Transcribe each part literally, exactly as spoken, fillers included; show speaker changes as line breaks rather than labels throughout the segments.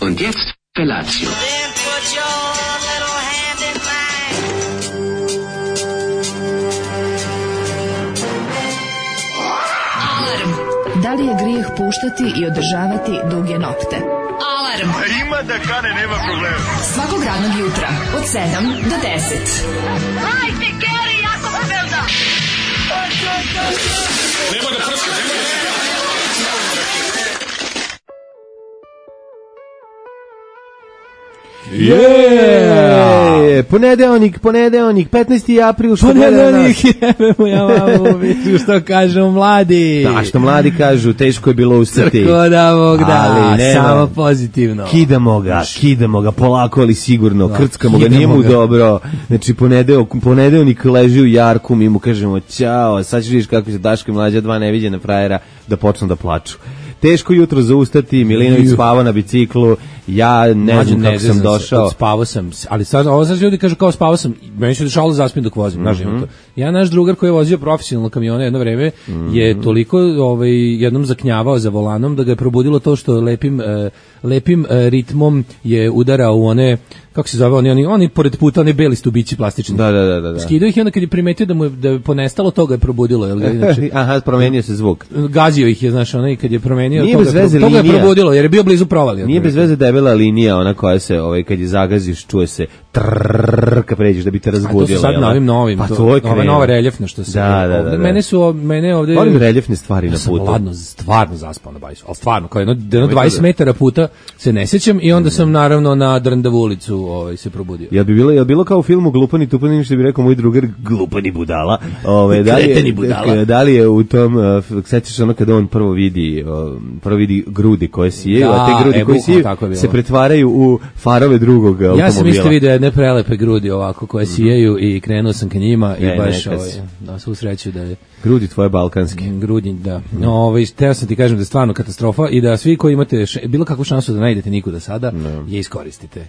Und jetzt Felatio.
Then put your little hand in mine.
Da li je grijeh puštati i održavati duge nokte? Alarm!
Ima da kane, nema problema.
Svakog radnog jutra, od sedam do deset.
Hajde, Geri, jako se velda!
Nema da prska, nema da prska.
Yeah! Ponedeonik, ponedeonik, petnaesti april, što
ponedeonik, jebemo ja mamu, vidim što kažu mladi.
Da, što mladi kažu, teško je bilo ustati.
Crko da Bog da,
ali nema,
samo pozitivno.
Kidamo ga, kidamo ga, polako ali sigurno, da, krckamo ga, nije mu dobro. Znači, ponedeo, ponedeonik leži u jarku, mi mu kažemo ćao, sad ćeš vidiš kako se Daško i Mlađa, dva neviđena frajera, da počnu da plaču. Teško jutro za ustati, Milinović spava na biciklu, ja ne Mađu, znam kako ne, sam znam došao.
Se, spavao sam, ali sad, ovo sad ljudi kažu kao spavao sam, meni se dešavalo zaspim dok vozim, mm-hmm. znaš, ja naš drugar koji je vozio profesionalno kamione jedno vreme, mm-hmm. je toliko ovaj, jednom zaknjavao za volanom da ga je probudilo to što lepim, uh, lepim uh, ritmom je udarao u one, kako se zove, oni, oni, oni pored puta, oni beli stubići plastični.
Da, da, da, da.
Skidao ih i onda kad je primetio da mu je, da je ponestalo, to ga je probudilo. Jel, inače,
aha, promenio se zvuk.
Gazio ih je, znaš, onaj kad je promenio,
nije
to,
bez
ga,
veze
to ga je
linija.
probudilo, jer je bio blizu provali.
Nije bez veze debela linija, ona koja se, ovaj, kad je zagaziš, čuje se trrrr, kad pređeš da bi te razbudilo.
A to su sad novim novim,
pa
to,
to je
ove nove reljefne što se.
Da, da, da, da.
Mene su, mene ovde...
Volim reljefne stvari
ja
na putu.
Ja sam ladno, stvarno zaspao na bajsu, ali stvarno, kao jedno, jedno dvadeset metara puta se ne sjećam i onda sam naravno na Drndavu ulicu ovaj, se probudio.
Jel bi bilo, jel bilo kao u filmu Glupani Tupani, što bi rekao moj drugar, glupani budala. Ove, da, li je, budala. Da li je u tom, uh, sećaš ono kada on prvo vidi, uh, prvo vidi grudi koje sije, da, a te grudi e, koje sije se pretvaraju u farove drugog automobila.
Ja sam isto vidio jedne prelepe grudi ovako koje sijeju i krenuo sam ka njima i ne, baš ovaj, da svu sreću da je
grudi tvoje balkanske.
Grudi, da. No, ovaj, teo sam ti kažem da je stvarno katastrofa i da svi koji imate š, bilo kakvu šansu da najdete nikuda sada, no. je iskoristite.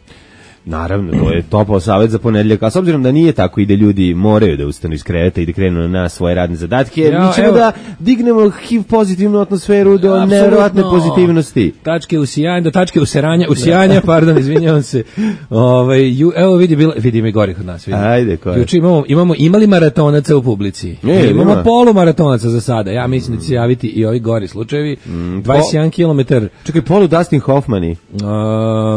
Naravno, to je topao savjet za ponedeljak, a s obzirom da nije tako i da ljudi moraju da ustanu iz kreveta i da krenu na svoje radne zadatke, ja, mi ćemo evo, da dignemo H I V pozitivnu atmosferu do ja, nevjerovatne pozitivnosti.
Tačke usijanja, do tačke usiranja, usijanja, pardon, izvinjavam se. Ovaj, ju, evo vidi, bila, vidi mi gori kod nas. Vidi.
Ajde, ko je?
Juče imamo, imamo, imali maratonaca u publici.
E,
imamo ima. polumaratonaca za sada. Ja mislim da će se javiti i ovi gori slučajevi. Mm, dvadeset jedan kilometar.
Čekaj, polu Dustin Hoffmani.
Uh,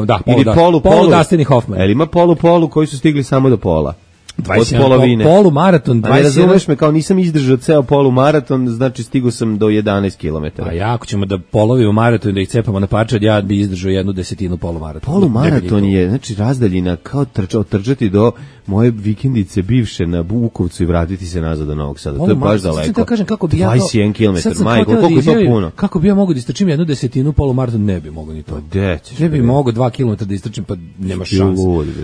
da, polu,
Ili
da,
polu,
polu,
polu
Dustin Hoffman.
Jel ima polu polu koji su stigli samo do pola?
dvadeset jedan, od polovine. Polu maraton,
dvadeset jedan. Ne razumeš me, kao nisam izdržao ceo polu maraton, znači stigao sam do jedanaest kilometara.
A ja, ako ćemo da polovimo maraton i da ih cepamo na parče, ja bi izdržao jednu desetinu polu maratona.
Polu maraton je, znači razdaljina kao trčao, trčati do moje vikendice bivše na Bukovcu i vratiti se nazad do Novog Sada. To je baš daleko.
Sad kažem kako bi ja
dvadeset jedan kilometar, majko, koliko je to puno?
Kako bi ja mogao da istrčim jednu desetinu polu maraton, ne bi mogao ni to.
Dećeš,
ne bi mogao dva kilometra da istrčim, pa nema šanse.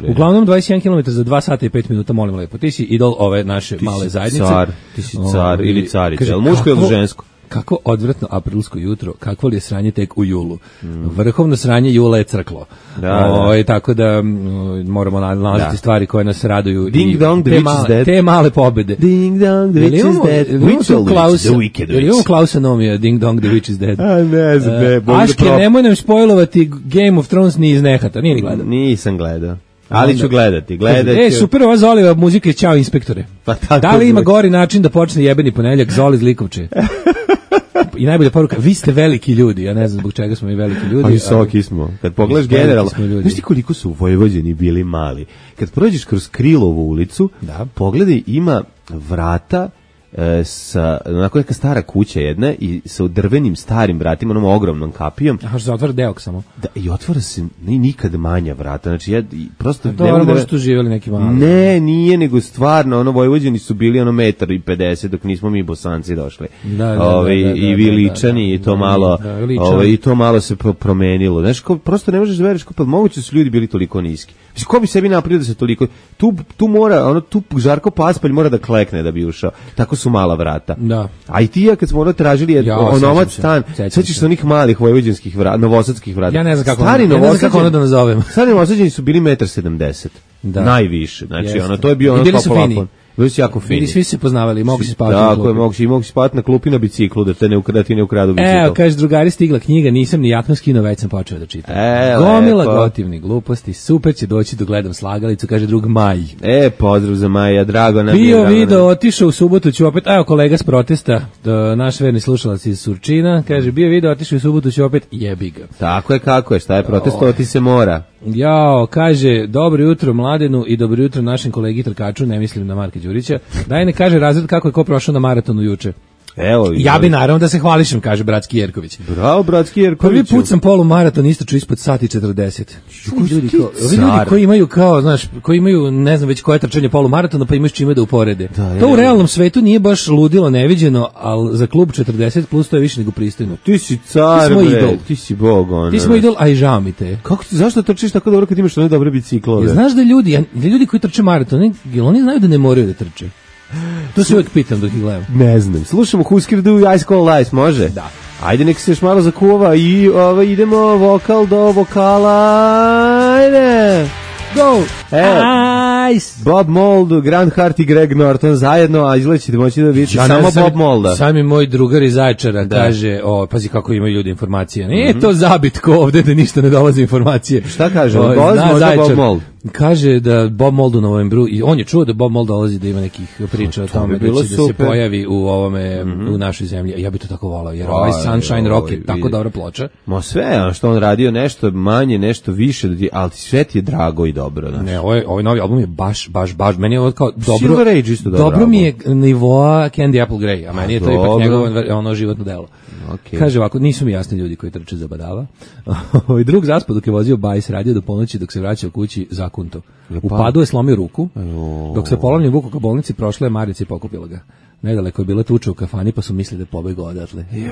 Uglavnom dvadeset jedan kilometar za dva sata i pet minuta, molim lepo. Ti si idol ove naše
ti
male zajednice.
Car, ti si car o, ili carica, je li muško ili žensko?
Kako odvratno aprilsko jutro, kakvo li je sranje tek u julu. Mm. Vrhovno sranje jula je crklo. Da, o, da. Tako da m, moramo nalaziti da. stvari koje nas raduju.
Ding
i
dong, the
te,
witch
ma,
is dead.
Te male pobede.
Ding dong, the witch is dead. Witch
Klaus, the wicked witch. Ili imamo Klausanomija, ding dong, the witch is dead.
A ne znam, ne.
Uh, Aške, nemoj nam spojlovati Game of Thrones ni iz nehata, nije ni gledao.
Nisam gledao. Ali ću gledati, gledati.
E, super ova Zoliva muzika i Ćao inspektore.
Pa tako
da li ima gori način da počne jebeni ponedeljak Zoli iz Likovče? I najbolja poruka, vi ste veliki ljudi, ja ne znam zbog čega smo mi veliki ljudi.
A visoki smo. Kad pogledaš generalno, znaš ti koliko su Vojvođani bili mali? Kad prođeš kroz Krilovu ulicu, da. Pogledaj, ima vrata e, sa, onako neka stara kuća jedna i sa drvenim starim vratima, onom ogromnom kapijom.
Aha, što se otvara deok samo.
Da, i otvara se ne, nikad manja vrata, znači ja i prosto...
A dobro, možda tu živjeli neki mali.
Ne, nije, nego stvarno, ono, Vojvođani su bili ono metar i pedeset, dok nismo mi Bosanci došli. Da, da, Ove, da, da, i vi Ličani, da, da, i to malo, da, ove, i to malo se promenilo. Znaš, ko, prosto ne možeš da veriš, pa moguće su ljudi bili toliko niski. Mislim, ko bi sebi napravio da se toliko... Tu, tu mora, ono, tu Žarko Paspalj mora da klekne da bi ušao. Tako su mala vrata.
Da.
A i ti ja kad smo ono tražili ja, onomac stan, sećaš se onih malih vojvođanskih vrata, novosadskih vrata.
Ja ne znam kako,
Stari
ono, ja ne znam kako ono da nazovem.
Stari novosađani su bili metar sedamdeset. Da. Najviše. Znači, Jeste. Ono, to je bio ono kao plafon. Bili su jako fini.
Bili svi se poznavali, mogu se spavati na klupi.
Tako je, mogu, mogu se spavati na klupi na biciklu, da te ne ukradu, ti ne ukradu bicikl.
Evo, kaže, drugari, stigla knjiga, nisam ni jakno skinuo, već sam počeo da čitam.
E,
Gomila
lepo.
gotivnih gluposti, super će doći da gledam slagalicu, kaže drug Maj.
E, pozdrav za Maja, drago nam je.
Bio
drago
video,
nam je.
otišao u subotu, ću opet, evo kolega s protesta, da, naš verni slušalac iz Surčina, kaže, bio video, otišao u subotu, ću opet, jebi ga.
Tako je, kako je, šta je protestovati se mora.
Jao, kaže, dobro jutro Mladenu i dobro jutro našem kolegi trkaču, ne mislim na Marka Đurića. Daj ne kaže razred kako je ko prošao na maratonu juče.
Evo,
Ja bi naravno da se hvališem, kaže Bratski Jerković.
Bravo, Bratski Jerković.
Prvi put sam polumaraton isto ispod sat i četrdeset. Ljudi, kao, ovi ljudi
car.
koji imaju kao, znaš, koji imaju, ne znam već koje trčanje polumaratona, pa imaju s čime da uporede.
Da,
to
je,
u realnom svetu nije baš ludilo, neviđeno, ali za klub četrdeset plus to je više nego pristojno.
Ti si car,
Ti smo
bre,
idol.
ti si bog, ono.
Ti smo idol, a i žao mi te.
Kako ti, zašto trčiš tako dobro kad imaš one dobre biciklove?
Jel znaš da ljudi, da ljudi koji trče maraton, jel oni znaju da ne moraju da trče? To se uvek pitam dok ih gledam.
Ne znam. Slušamo Husker Du i Ice Cold Ice, može?
Da.
Ajde, nek se još malo zakuva i ovaj, idemo vokal do vokala. Ajde.
Go!
Evo.
Ice!
Bob Mould, Grant Hart i Greg Norton zajedno, a izgleda ćete moći da vidite
Ja
samo
ne znam,
Bob Moulda.
Sam mi moj drugar iz Zaječara
Da.
kaže, o, pazi kako imaju ljudi informacije. Nije to zabit ko ovde da ništa ne dolazi informacije.
Šta kaže?
O,
Dolazi
zna
možda
Zaječar.
Bob Mould?
Kaže da Bob Mould u novembru, i on je čuo da Bob Mould dolazi, da ima nekih priča o
to
tome
bi
da
bilo
će da se
super.
pojavi u ovome, u našoj zemlji. Ja bi to tako volao, jer
Aj,
ovaj Sunshine Rock je
oj,
tako
vidi.
dobra ploča.
Ma sve, a što on radio nešto manje, nešto više, da ti- ali sve ti je drago i dobro. Znaš.
Ne, ovaj, ovaj novi album je baš, baš, baš, meni je ovo kao dobro,
Silver Age isto dobar
dobro mi
album.
je nivoa Candy Apple Grey, a meni je to
dobro.
ipak njegovo ono životno delo.
Okej.
Kaže ovako, nisu mi jasni ljudi koji trče za badava. Ovaj drug zaspad dok je vozio bajs, radio do ponoći, dok se vraćao kući zakunto. U padu je slomio ruku, dok se polomljen vuku ka bolnici, prošla je Marica i pokupila ga. Nedaleko je bila tuča u kafani, pa su mislili da je pobegao odatle. Jebem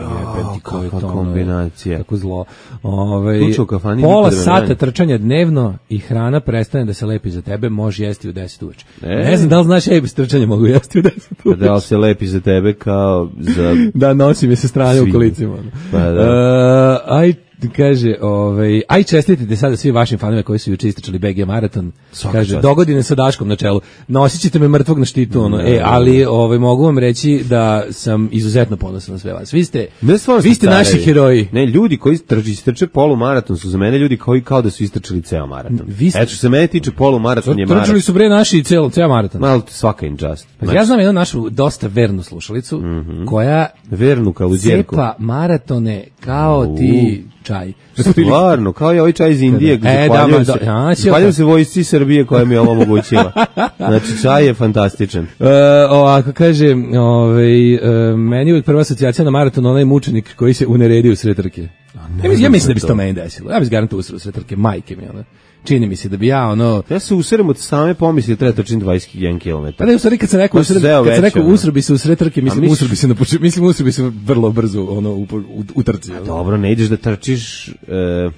ti, ko je
kakva
to, ono,
kombinacija.
Kako zlo. Ovaj,
Tuča u kafani
pola
nikada me
sata
ne-
trčanja dnevno i hrana prestane da se lepi za tebe, možeš jesti u deset uveče.
E.
Ne znam da li znaš, ej, bez trčanja mogu jesti u deset
Pa
uveče.
da li se lepi za tebe kao za...
Da, nosim je se strane u
Svinju.
kolicima. ono.
Pa da.
E, aj, kaže, ovaj, aj čestitite sada svi vašim fanovima koji su juče istračali B G maraton.
Svaka
Kaže,
čast.
dogodine sa Daškom na čelu. Nosit ćete me mrtvog na štitu, ono. E, ali ovaj, mogu vam reći da sam izuzetno ponosan na sve vas. Vi ste,
Ne, stvarno
vi
su
ste
carevi.
naši heroji.
Ne, ljudi koji trči, istrče polumaraton su za mene ljudi koji kao da su istrčali ceo maraton.
Vi ste-
Eto, što se mene tiče, polumaraton je
Trčali
maraton.
su bre naši ceo, ceo maraton.
Malo svaka im čast. Znači,
Ja znam jednu našu dosta vernu slušalicu, koja
vernu kao uzjerku.
cepa maratone kao ti čaj.
Stvarno, kao je ovaj čaj iz Indije.
E,
zahvaljujem
da,
se,
da, a,
zahvaljujem se vojsci Srbije koja mi je ovo omogućila. Znači, čaj je fantastičan.
E, ovako kaže, ovaj, e, meni je uvijek prva asocijacija na maraton onaj mučenik koji se uneredio u sred trke. Ja, mislim- ja mislim da bi se to meni desilo. Ja bi se garantuo usro u sred trke, majke mi, ono. Čini mi se da bi ja, ono...
Ja se userem od same pomisli da treba trčim dvadeset jedan kilometar.
Pa da, u stvari kad sam rekao,
To
usred,
se zeo
kad sam
već,
rekao
ono.
usro bi se u sred trke, mislim,
misliš-
usro bi se na početku, mislim, usro bi se vrlo brzo, ono, u, u, u trci. ono.
Dobro, ne ideš da trčiš, e,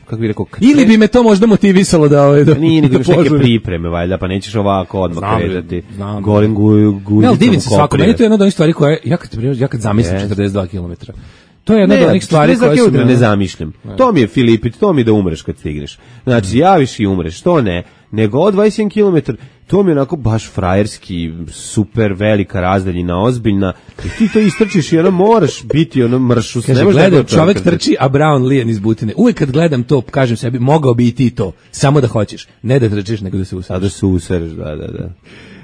kako bih rekao... kad
Ili
kre-
bi me to možda motivisalo da, ovaj, da,
Nije, nego
da
imaš neke
požurim.
pripreme, valjda, pa nećeš ovako odmah
Znam,
kretati.
znam.
Golim gu, guzicom
Ne, ali divim se svako.
koprije.
Meni to je jedna od onih stvari koje, ja kad, ja kad zamislim
Yes.
četrdeset dva kilometra, to je jedna
Ne,
od onih stvari
četrdeset
koje su...
kilometara
me-
ne zamišljam. To mi je Filipit, to mi je da umreš kad stigneš. Znači, javiš i umreš, to ne. Nego od dvadeset jedan kilometar, to mi je onako baš frajerski, super velika razdaljina, ozbiljna. I ti to istrčiš i ono moraš biti ono mršus.
Kaže,
ne možeš da
gledam,
je to
čovek
čovjek
trči, a Brown lijen iz butine. Uvijek kad gledam to, kažem sebi, mogao bi i ti to, samo da hoćeš. Ne da trčiš, nego da se
A
usadiš.
da se usereš, da, da, da.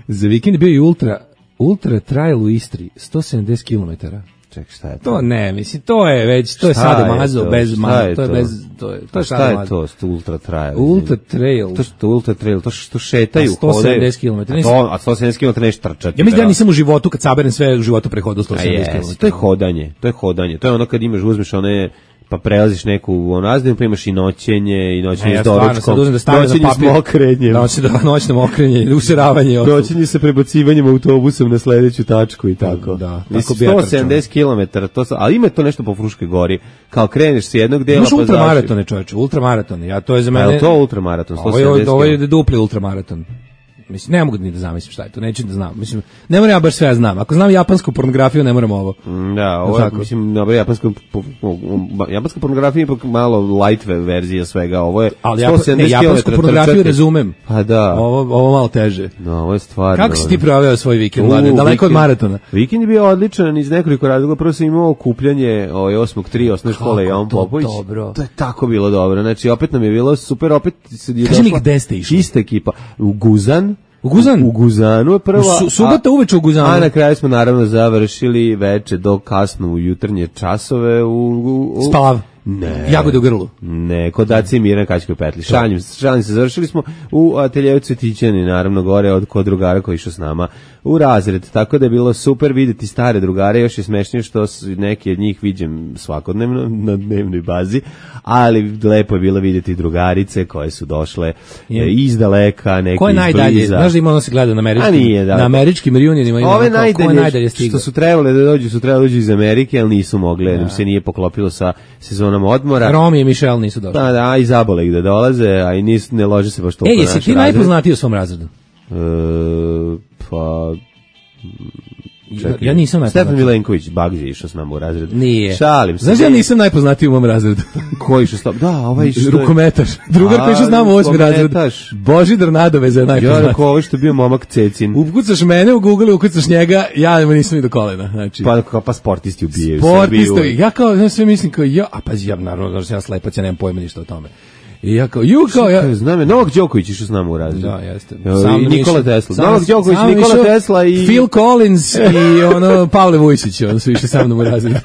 Za vikend je bio i ultra, ultra trail u Istri, sto sedamdeset kilometara.
Ček, šta je to?
To ne, mislim, to je već, to je
Šta
sada
je
mazo,
to?
bez
Šta
mazo,
je
to je
to?
bez, to je, to
To
je
šta
sada
je
mazo.
to? Sto ultra trail.
Ultra trail.
To što ultra trail, to što šetaju,
A sto sedamdeset kilometara.
A, to, a sto sedamdeset kilometara neš trčati.
Ja mislim da ja nisam u životu, kad saberem sve u životu prehodio sto
A
sedamdeset
jes,
kilometara.
to je hodanje, to je hodanje. To je ono kad imaš, uzmeš one, pa prelaziš neku ono razdaju, pa imaš i noćenje, i noćenje
Ne,
s
stvarno,
doručkom,
sad uzmem da stavim na
noćenje s
papir.
mokrenjem,
Noć, da, noćno mokrenje, useravanje. i ostalo.
noćenje sa prebacivanjem autobusom na sledeću tačku i tako.
Da, tako
Mislim,
bi ja
sto
trčao.
sedamdeset kilometara, to sa, ali ima to nešto po Fruškoj gori, kao kreneš s jednog dela,
Imaš
pa završiš.
ultramaratone, čoveče, ultramaratone. Ja to je za
A
mene.
je to ultramaraton, sto
Ovo je,
sedamdeset
ovo je
kilometara?
dupli ultramaraton. mislim, ne mogu ni da zamislim šta je to, neću da znam. Mislim, ne moram ja baš sve ja znam. Ako znam japansku pornografiju, ne moram ovo.
Da, ovo je, mislim, dobro, japanska, japanska pornografija je ipak malo light verzija svega, ovo je
ali ja, ne, japansku pornografiju razumem.
Pa da.
Ovo, ovo malo teže.
No, ovo je stvarno.
Kako si ti proveo svoj vikend, Mladen? Daleko od maratona?
Vikend je bio odličan iz nekoliko razloga. Prvo sam imao okupljanje ovaj osmog tri osnovne škole Jovan Popović.
Dobro.
To je tako bilo dobro. Znači, opet nam je bilo super, opet se je
došla. Kaži mi gde ste išli?
Ista ekipa. U Guzan.
U Guzan?
U, u Guzanu je prva.
U su, subota uveče u Guzanu.
A na kraju smo naravno završili veče do kasno u jutarnje časove u... u, u
Spalav.
Ne.
Jagode u grlu.
Ne, kod Daci i Mirna Kačkoj petli. Šalim, šalim se, završili smo u ateljevu Cvetićani, naravno gore od kod drugara koji išao s nama u razred. Tako da je bilo super videti stare drugare, još je smešnije što neki od njih viđem svakodnevno na dnevnoj bazi, ali lepo je bilo videti drugarice koje su došle je. iz daleka, neki
ko je najdalje? Znaš da ima ono se gleda na američkim, nije, da. na američkim reunionima ima
ove najdalje, najdalje što su trebali da dođu, su trebali dođu iz Amerike, ali nisu mogli, jer im se nije poklopilo sa sezonom odmora.
Romi i Michelle nisu došli.
Da, da, i zabole gde dolaze, a i nis, ne lože se baš toliko
naš razred. E, jesi ti najpoznatiji u svom razredu?
E, pa...
Čekaj, ja nisam najpoznatiji.
Stefan Milenković, Bagzi je išao s nama u razredu.
Nije.
Šalim se.
Znaš, ja nisam najpoznatiji u mom razredu.
Ko išao s nama? Da, ovaj što je...
Rukometaš. Drugar koji išao s nama u osmi razred. Božidar Nadoveza je najpoznatiji.
Ja rekao, ovo što je bio momak Cecin.
Ukucaš mene u Google, ukucaš njega, ja nisam ni do kolena. Znači.
Pa, kao, pa sportisti ubijaju.
Sportisti, ja kao, ja sve mislim kao, ja, a pazi, ja naravno, ja slepac, ja nemam pojma ništa o tome. I ja kao, ju kao, ja...
Znam je, Novak Đoković išao s nama u razredu.
Da, jeste.
Sam I Nikola Tesla. Sam, Novak Đoković, Nikola išao, Tesla i...
Phil Collins i ono, Pavle Vujsić, ono su išli sa mnom u razredu.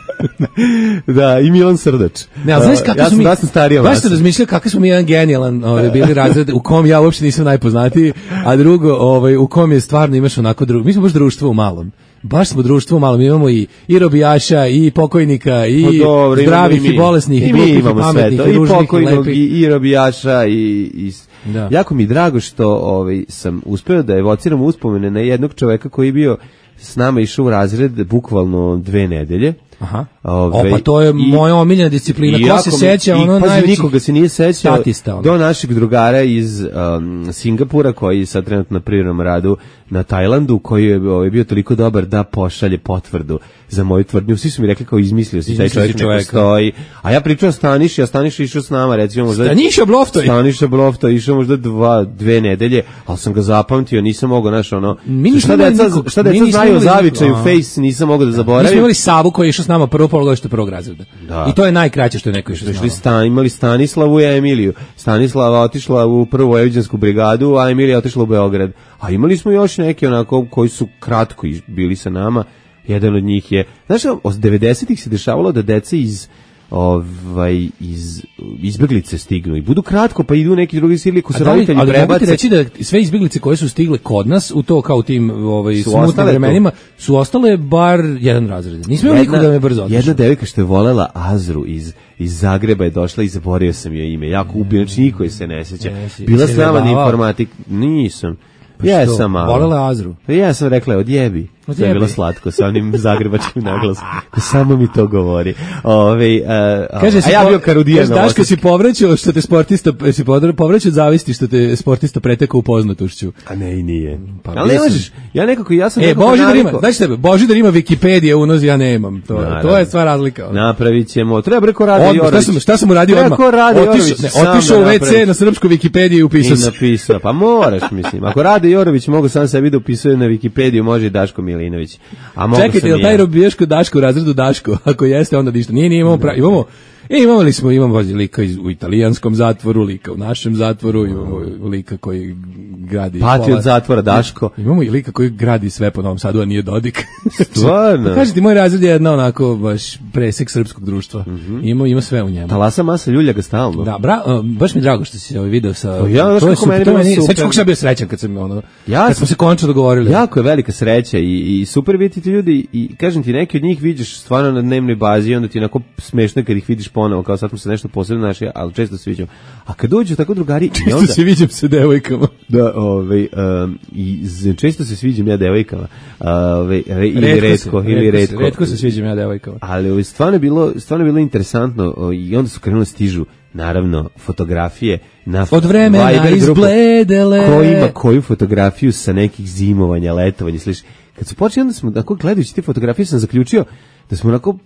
Da, i Milan Srdač.
Ne, ali znaš kako
ja
su mi...
Ja sam starija
baš sam razmišljao kako smo mi jedan genijalan ovaj, bili razred, u kom ja uopšte nisam najpoznatiji, a drugo, ovaj, u kom je stvarno imaš onako drugo... Mi smo baš društvo u malom. Baš smo društvo malo, mi imamo i, i robijaša, i pokojnika, i no, dobro, zdravih, i, i bolesnih, i, i glupih, i pametnih, i ružnih, i lepih.
I, i robijaša, i... i... Da. Jako mi drago što ovaj, sam uspeo da evociram uspomene na jednog čoveka koji je bio s nama išao u razred bukvalno dve nedelje.
Aha. Ove, o, pa to je i, moja omiljena disciplina. Ko se seća, ono najveći...
Nikoga se nije sećao do našeg drugara iz um, Singapura, koji sad trenutno na privremenom radu na Tajlandu, koji je ovaj, bio toliko dobar da pošalje potvrdu za moju tvrdnju. Svi su mi rekli kao izmislio si taj čovjek ne postoji. A ja pričao o Staniši, a Staniša išao s nama, recimo možda...
Staniša Bloftoj!
Staniša Bloftoj, išao možda dva, dve nedelje, ali sam ga zapamtio, nisam mogao, znaš, ono... Šta deca, niko, šta deca znaju o zavičaju, face, nisam mogao da zaboravim.
Mi smo imali Savu koji je išao s nama prvo polugodište prvog razreda. Da. I to je najkraće što je neko išao s nama.
Stan, imali Stanislavu i Emiliju. Stanislava otišla u prvu vojvođansku brigadu, a Emilija otišla u Beograd. A imali smo još neke onako koji su kratko bili sa nama. Jedan od njih je, znaš, od devedesetih se dešavalo da deca iz ovaj iz izbeglice stignu i budu kratko pa idu neki drugi sili ko se roditelji prebace. Ali mogu
reći da sve izbeglice koje su stigle kod nas u to kao tim ovaj smutnim vremenima su ostale bar jedan razred. Nismo imali nikoga da me brzo otišao.
Jedna devojka što je volela Azru iz iz Zagreba je došla i zaboravio sam joj ime. Jako ubio, znači niko je se ne seća. Bila s nama na informatik, nisam.
Pa
ja sam malo.
Volela Azru.
Ja sam rekla odjebi. To je bilo slatko sa onim zagrebačkim naglasom. Samo mi to govori. Ove, uh,
kaže,
a ja bio Karudijan.
Daško si povraćao što te sportista, si povraćao od zavisti što te sportista pretekao u poznatošću.
A ne, i nije. Pa, ali ne možeš, ja nekako, ja sam...
E, Božidar ima, znaš tebe, Božidar ima Wikipedija unoz, ja nemam. To, to je stvar razlika.
Napravit ćemo, treba breko Rade Jorović.
Šta sam, šta sam uradio odmah?
Treba Rade Jorović.
Otišao u ve ce na srpsku Wikipediju i upisao
se. I napisao, pa moraš, mislim. Ako Rade Jorović mogu sam sebi da upisuje na Wikipediju, može i Daško Milinović. A
čekajte, je li taj robijaško Daško u razredu Daško? Ako jeste, onda ništa. Nije, nije, imamo, pra... imamo, e, imamo li smo, imamo lika iz, u italijanskom zatvoru, lika u našem zatvoru, imamo lika koji gradi...
Pati od zatvora Daško.
Imamo i lika koji gradi sve po Novom Sadu, a nije Dodik.
Stvarno?
Pa kažete, moj razred je jedna onako baš presek srpskog društva. Mm-hmm. Ima, ima sve u njemu.
Talasa masa ljulja ga stalno.
Da, bra, uh, baš mi je drago što si ovaj video sa...
To ja,
to je
super, meni, meni super.
Sveći kako sam bio srećan kad sam, ono,
ja
kad smo se končno dogovorili.
Jako je velika sreća i, i super vidjeti ljudi i kažem ti, neki od njih vidiš stvarno na dnevnoj bazi i onda ti onako smešno kad ih vidiš ponovo, kao sad smo se nešto posebno našli, ali često se viđamo. A kad dođu tako drugari...
Često
onda,
se viđam sa devojkama.
Da, ovaj, um, i z, često se sviđam ja devojkama. Ovaj, re, ili
Retko
retko,
se,
ili
retko
retko.
se, retko se sviđam ja devojkama.
Ali ovaj, stvarno je bilo, stvarno je bilo interesantno o, i onda su krenuli stižu, naravno, fotografije na
od vremena
Viber grupu,
izbledele.
ko ima koju fotografiju sa nekih zimovanja, letovanja, sliš. Kad su počeli, onda smo, tako gledajući te fotografije, sam zaključio da smo onako,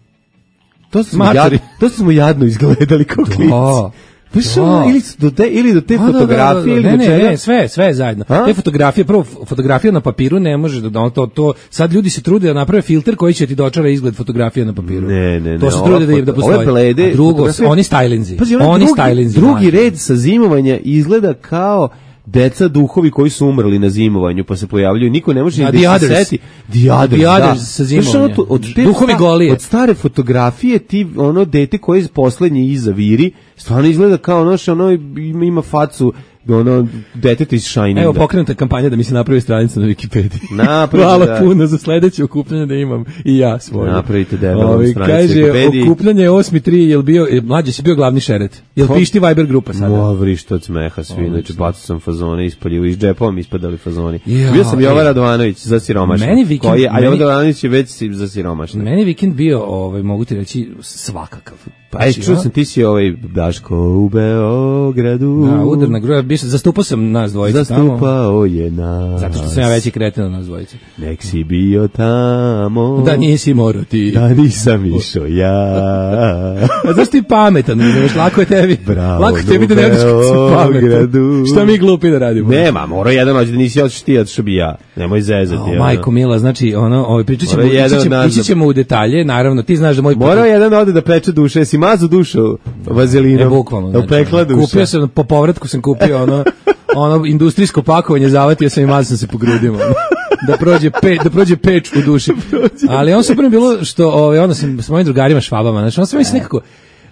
to smo, jadno, to smo jadno izgledali kao klinci. Pa ono, ili, do te, ili do te fotografije, da, da, da, da. ili
ne,
do čega?
Ne, ne, sve, sve zajedno. A? Te fotografije, prvo, fotografija na papiru ne može da, da to, to, sad ljudi se trude da naprave filter koji će ti dočara izgled fotografije na papiru.
Ne, ne, ne.
To se trude da, da postoji.
Blede,
a drugo, oni stylinzi.
Pazi,
oni
drugi,
stylinzi.
Drugi red sa zimovanja izgleda kao deca duhovi koji su umrli na zimovanju, pa se pojavljuju, niko ne može ni da se seti. The Others,
the others
da.
Sa zimovanja.
Od, od te
duhovi
sta,
golije.
Od stare fotografije ti, ono, dete koje je poslednje iza viri, stvarno izgleda kao ono što ono ima, ima facu ono deteta iz Shininga.
Evo pokrenuta kampanja da mi se napravi stranica na Wikipediji.
Napravite,
hvala
da.
puno za sledeće okupljanje da imam i ja svoje.
Napravite debelu stranicu
kaže,
Wikipediji.
Okupljanje osmi tri, jel bio, mlađe si bio glavni šeret? Jel pišti Viber grupa sada?
Mo, vrišta od smeha svi, znači bacao sam fazone, ispalio iz džepa, mi ispadali fazoni.
Ja,
bio sam Jovan
e.
Radovanović za siromašne.
Meni vikend,
koji, a
meni,
Jovan Radovanović je već za siromašne.
Meni vikend bio, ovaj, mogu ti reći, svakakav.
Pa Aj, čuo sam, ti si ovaj Daško u Beogradu.
Da, udar na groja, zastupao sam nas dvojice
Zastupao
tamo.
Zastupao je nas.
Zato što sam ja veći kreten od nas dvojice.
Nek si bio tamo.
Da nisi morao ti.
Da nisam išao ja.
A zašto ti pametan? Znaš, lako je tebi.
Bravo,
lako tebi da ne odeš kad si pametan. Šta mi glupi da radimo?
Nema, mora jedan ođe da nisi otiš ti, otišao bi ja. Nemoj zezati.
O, majko mila, znači, ono, ovaj, pričat ćemo, ići ćemo, ići ćemo u detalje, naravno, ti znaš da moj...
Morao jedan ode da peče duše, si mazu dušu vazelinom.
Ne, bukvalno.
Da upekla duša.
Kupio sam, po povratku sam kupio ono, ono industrijsko pakovanje, zavatio sam i mazao sam se po grudima. Ono, da prođe pe, da prođe peč u duši. Ali on super bilo što, ovaj, onda sam s mojim drugarima švabama, znači, on sam mislim nekako,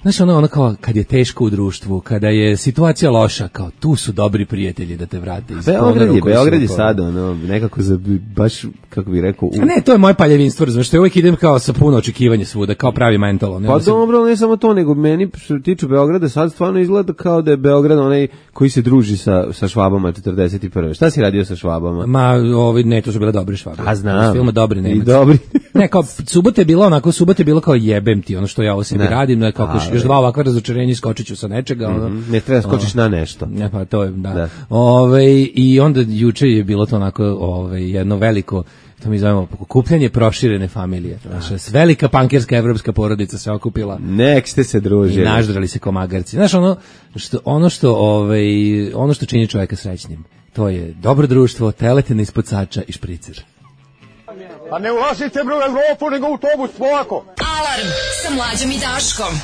znaš, ono, ono kao, kad je teško u društvu, kada je situacija loša, kao, tu su dobri prijatelji da te vrate.
Beograd je, Beograd je sad, ono, nekako za, baš, kako bih rekao... U...
A ne, to je moje paljevinstvo, razumiješ, što ja uvijek idem kao sa puno očekivanja svuda, kao pravi mental. Ne,
pa
sam...
dobro, ne samo to, nego meni, što tiču Beograda, sad stvarno izgleda kao da je Beograd onaj koji se druži sa, sa švabama četrdeset prve. Šta si radio sa švabama?
Ma, ovi, ne, to su bile dobri švabe.
A znam.
Filma dobri Nemac.
I dobri.
Ne, kao, subota je bila onako, subota je bilo kao jebem ti, ono što ja ovo sebi radim, no je kao, još dva ovakva razočarenja, skočit ću sa nečega. Ono,
mm-hmm. Ne treba skočiš o, na nešto.
Ne, pa to je, da. da. Ove, i onda juče je bilo to onako ove, jedno veliko, to mi zovemo, okupljanje proširene familije. Naša velika pankerska evropska porodica se okupila.
Nek ste se družili.
I naždrali se ko magarci. Znaš, ono što, ono što, ovaj, ono što čini čovjeka srećnim, to je dobro društvo, teletina ispod sača i špricer.
Pa ne ulazite bre u Evropu, nego u autobus, polako.
Alarm sa Mlađom i Daškom.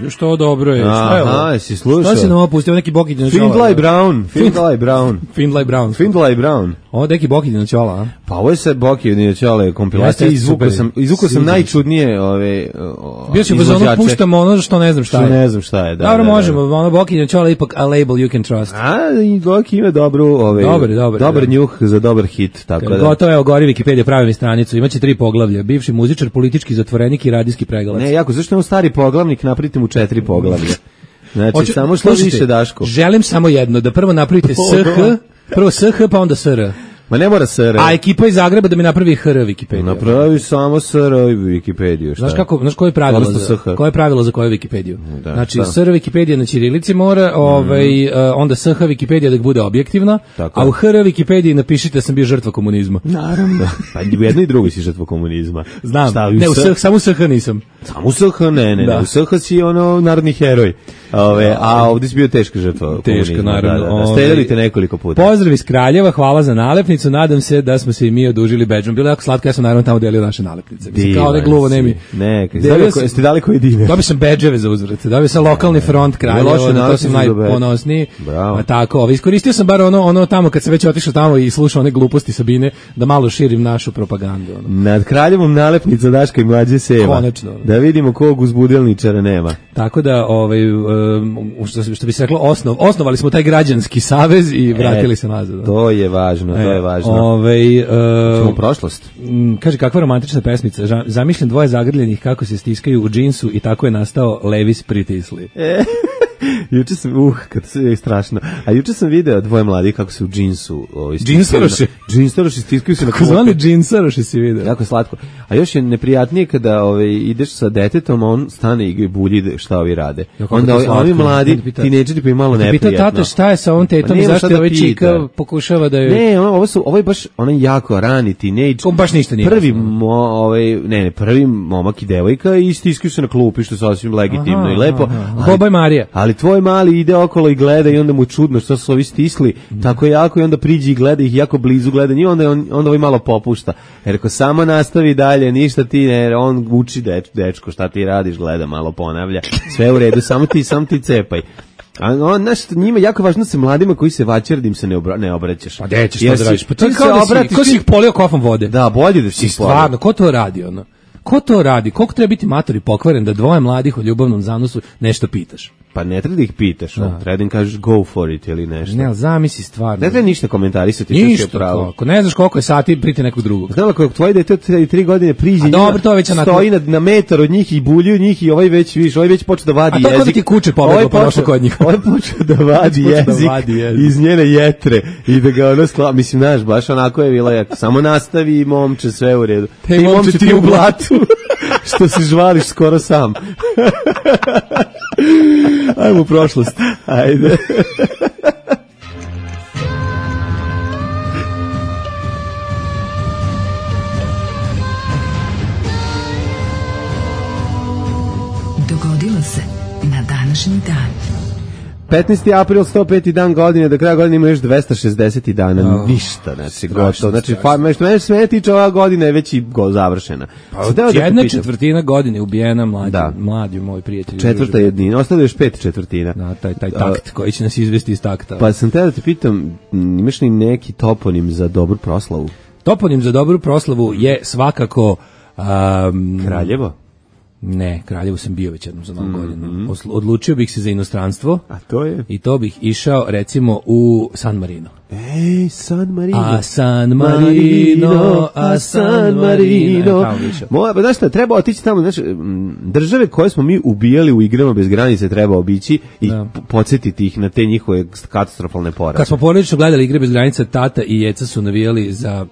Još to dobro je. Šta je ovo?
Aha, jesi slušao?
Šta si nam opustio, neki Bokidin od
Findlay Brown. Findlay Brown.
Findlay Brown.
Findlay Brown.
Ovo je neki Bokidin od Ćola, a?
Pa ovo je sad Bokidin od Ćola kompilacija. Izvukao sam, izvukao sam najčudnije ove
bio si uz ono puštamo ono što ne znam šta je.
Što ne znam šta je, da.
Dobro, možemo, ono Bokidin od Ćola ipak a label you can trust.
A, i Boki ima dobru, ove,
dobar, dobar,
dobar njuh za dobar hit, tako da.
Gotovo, evo, gori Wikipedia, pravi mi stranicu, imaće tri poglavlja, bivši muzičar, politički zatvorenik i radijski pregalac.
Ne, jako, zašto je on stari poglavnik, napravite mu četiri poglavlja. Znači, Oče, samo što više, Daško.
Želim samo jedno, da prvo napravite S H, prvo S H, pa onda S R.
Ma ne mora S R.
A ekipa iz Zagreba da mi napravi H R Wikipediju.
Napravi samo S R Wikipediju.
Znaš kako, znaš koje je pravilo za, koje je pravilo za koju Wikipediju? Da, znači, šta? S R Wikipedija na ćirilici mora, ovaj, mm. onda S H Wikipedija da bude objektivna, tako. A u H R Wikipediji napišite da sam bio žrtva komunizma.
Naravno. Pa u jednoj i drugoj si žrtva komunizma.
Znam, šta, ne, u S, samo u S H nisam.
Samo u S H, ne, ne, da. ne, u S H si ono narodni heroj. Ove, a ovdje si bio teška žrtva.
Teška, naravno.
Da, da, da. Streljali te nekoliko puta.
Pozdrav iz Kraljeva, hvala za nalepnicu, nadam se da smo se i mi odužili bedžom. Bilo je jako slatko, ja sam naravno tamo delio naše nalepnice. Mislim, kao ne gluvo, ne mi.
Neka, jeste dali koji dive?
Dobio sam bedževe za uzvrat, dobio sam lokalni front Kraljeva, to sam najponosniji. A tako, ovo, iskoristio sam bar ono, ono tamo kad sam već otišao tamo i slušao one gluposti Sabine, da malo širim našu propagandu. Ono.
Nad Kraljevom nalepnica Daška i Mlađe Seva.
Konačno.
Da vidimo kog uzbudelničara nema.
Tako da, ovaj, uh, što, što bi se reklo, osnov, osnovali smo taj građanski savez i vratili e, se nazad. Da.
To je važno, to je važno.
Ovaj uh,
Čemo prošlost.
M, kaže, kakva romantična pesmica. Zamišljam dvoje zagrljenih kako se stiskaju u džinsu i tako je nastao Levis pritisli.
E. Juče sam, uh, kad se je strašno. A juče sam video dvoje mladih kako se u džinsu, ovaj
džinsaroši,
džinsaroši stiskaju se na
kako zvani džinsaroši si video.
Jako slatko. A još je neprijatnije kada ovaj ideš sa detetom, a on stane i bulji šta ovi rade. Ja, onda ovi, ovi mladi tinejdžeri pa im malo neprijatno.
Pita tata šta je sa ovom tetom i zašto ovaj čika pokušava da je.
Ne, ovo su ovo je baš onaj jako rani tinejdž.
On baš ništa nije.
Prvi mo, ovaj ne, ne, prvi momak i devojka i stiskaju se na klupi, što je sasvim legitimno aha, i lepo.
Boba i Marija.
Ali tvoj mali ide okolo i gleda i onda mu čudno što su ovi stisli mm. tako jako i onda priđi i gleda ih jako blizu gleda njih, onda on onda ovaj malo popušta. Jer ako samo nastavi dalje, ništa ti ne, on uči deč, dečko šta ti radiš, gleda malo, ponavlja. Sve u redu, samo ti samo ti cepaj. A on nešto njima jako važno se mladima koji se vaćer da im se ne, obra, ne obraćaš.
Pa gde ćeš to da radiš? Pa ti se obratiš, ko si ih polio kofom vode?
Da, bolje da si
stvarno, ko to radi ono? Ko to radi? Koliko treba biti mator i pokvaren da dvoje mladih o ljubavnom zanosu nešto pitaš?
Pa ne treba da ih pitaš, da. Treba da im kažeš go for it ili nešto.
Ne, ali zamisli stvarno.
Ne treba ništa komentarisati.
Ništa, ako ne znaš koliko je sati, priti nekog drugog.
Znam, ako tvoje dete od tri godine priđe,
dobro, to već
stoji na, na metar od njih i bulju njih i ovaj već, viš, ovaj već počeo da vadi jezik.
A to kod ti kuće pobeglo pa došlo kod njih.
Ovaj počeo da vadi jezik da vadi iz njene jetre i da ga ono skla... Mislim, znaš, baš onako je bila, jak, samo nastavi i momče, sve u redu.
Te i momče ti u blatu.
Što se žvališ skoro sam.
Ajmo u prošlost.
Ajde.
Dogodilo se na današnji dan.
petnaesti april, sto peti dan godine, do kraja godine ima još dvesta šezdeset dana, oh, ništa, znači gotovo. Znači, fa, što mene sve tiče, ova godina je već i go završena.
Pa, jedna četvrtina godine ubijena mlađi, da. Mlađi moj prijatelj.
Četvrta jednina, ostalo još pet četvrtina.
Da, taj, taj takt uh, koji će nas izvesti iz takta.
Pa sam te da te pitam, imaš li neki toponim za dobru proslavu?
Toponim za dobru proslavu je svakako... Um,
Kraljevo?
Ne, Kraljevu sam bio već jednom za novu godinu. Mm-hmm. Odlučio bih se za inostranstvo.
A to je?
I to bih išao, recimo, u San Marino.
Ej, San Marino.
A San Marino, a San Marino.
Moja, pa znaš šta, treba otići tamo, znaš, države koje smo mi ubijali u igrama bez granice treba obići i da. Podsjetiti ih na te njihove katastrofalne poraze.
Kad smo porodično gledali igre bez granice, tata i Jeca su navijali za...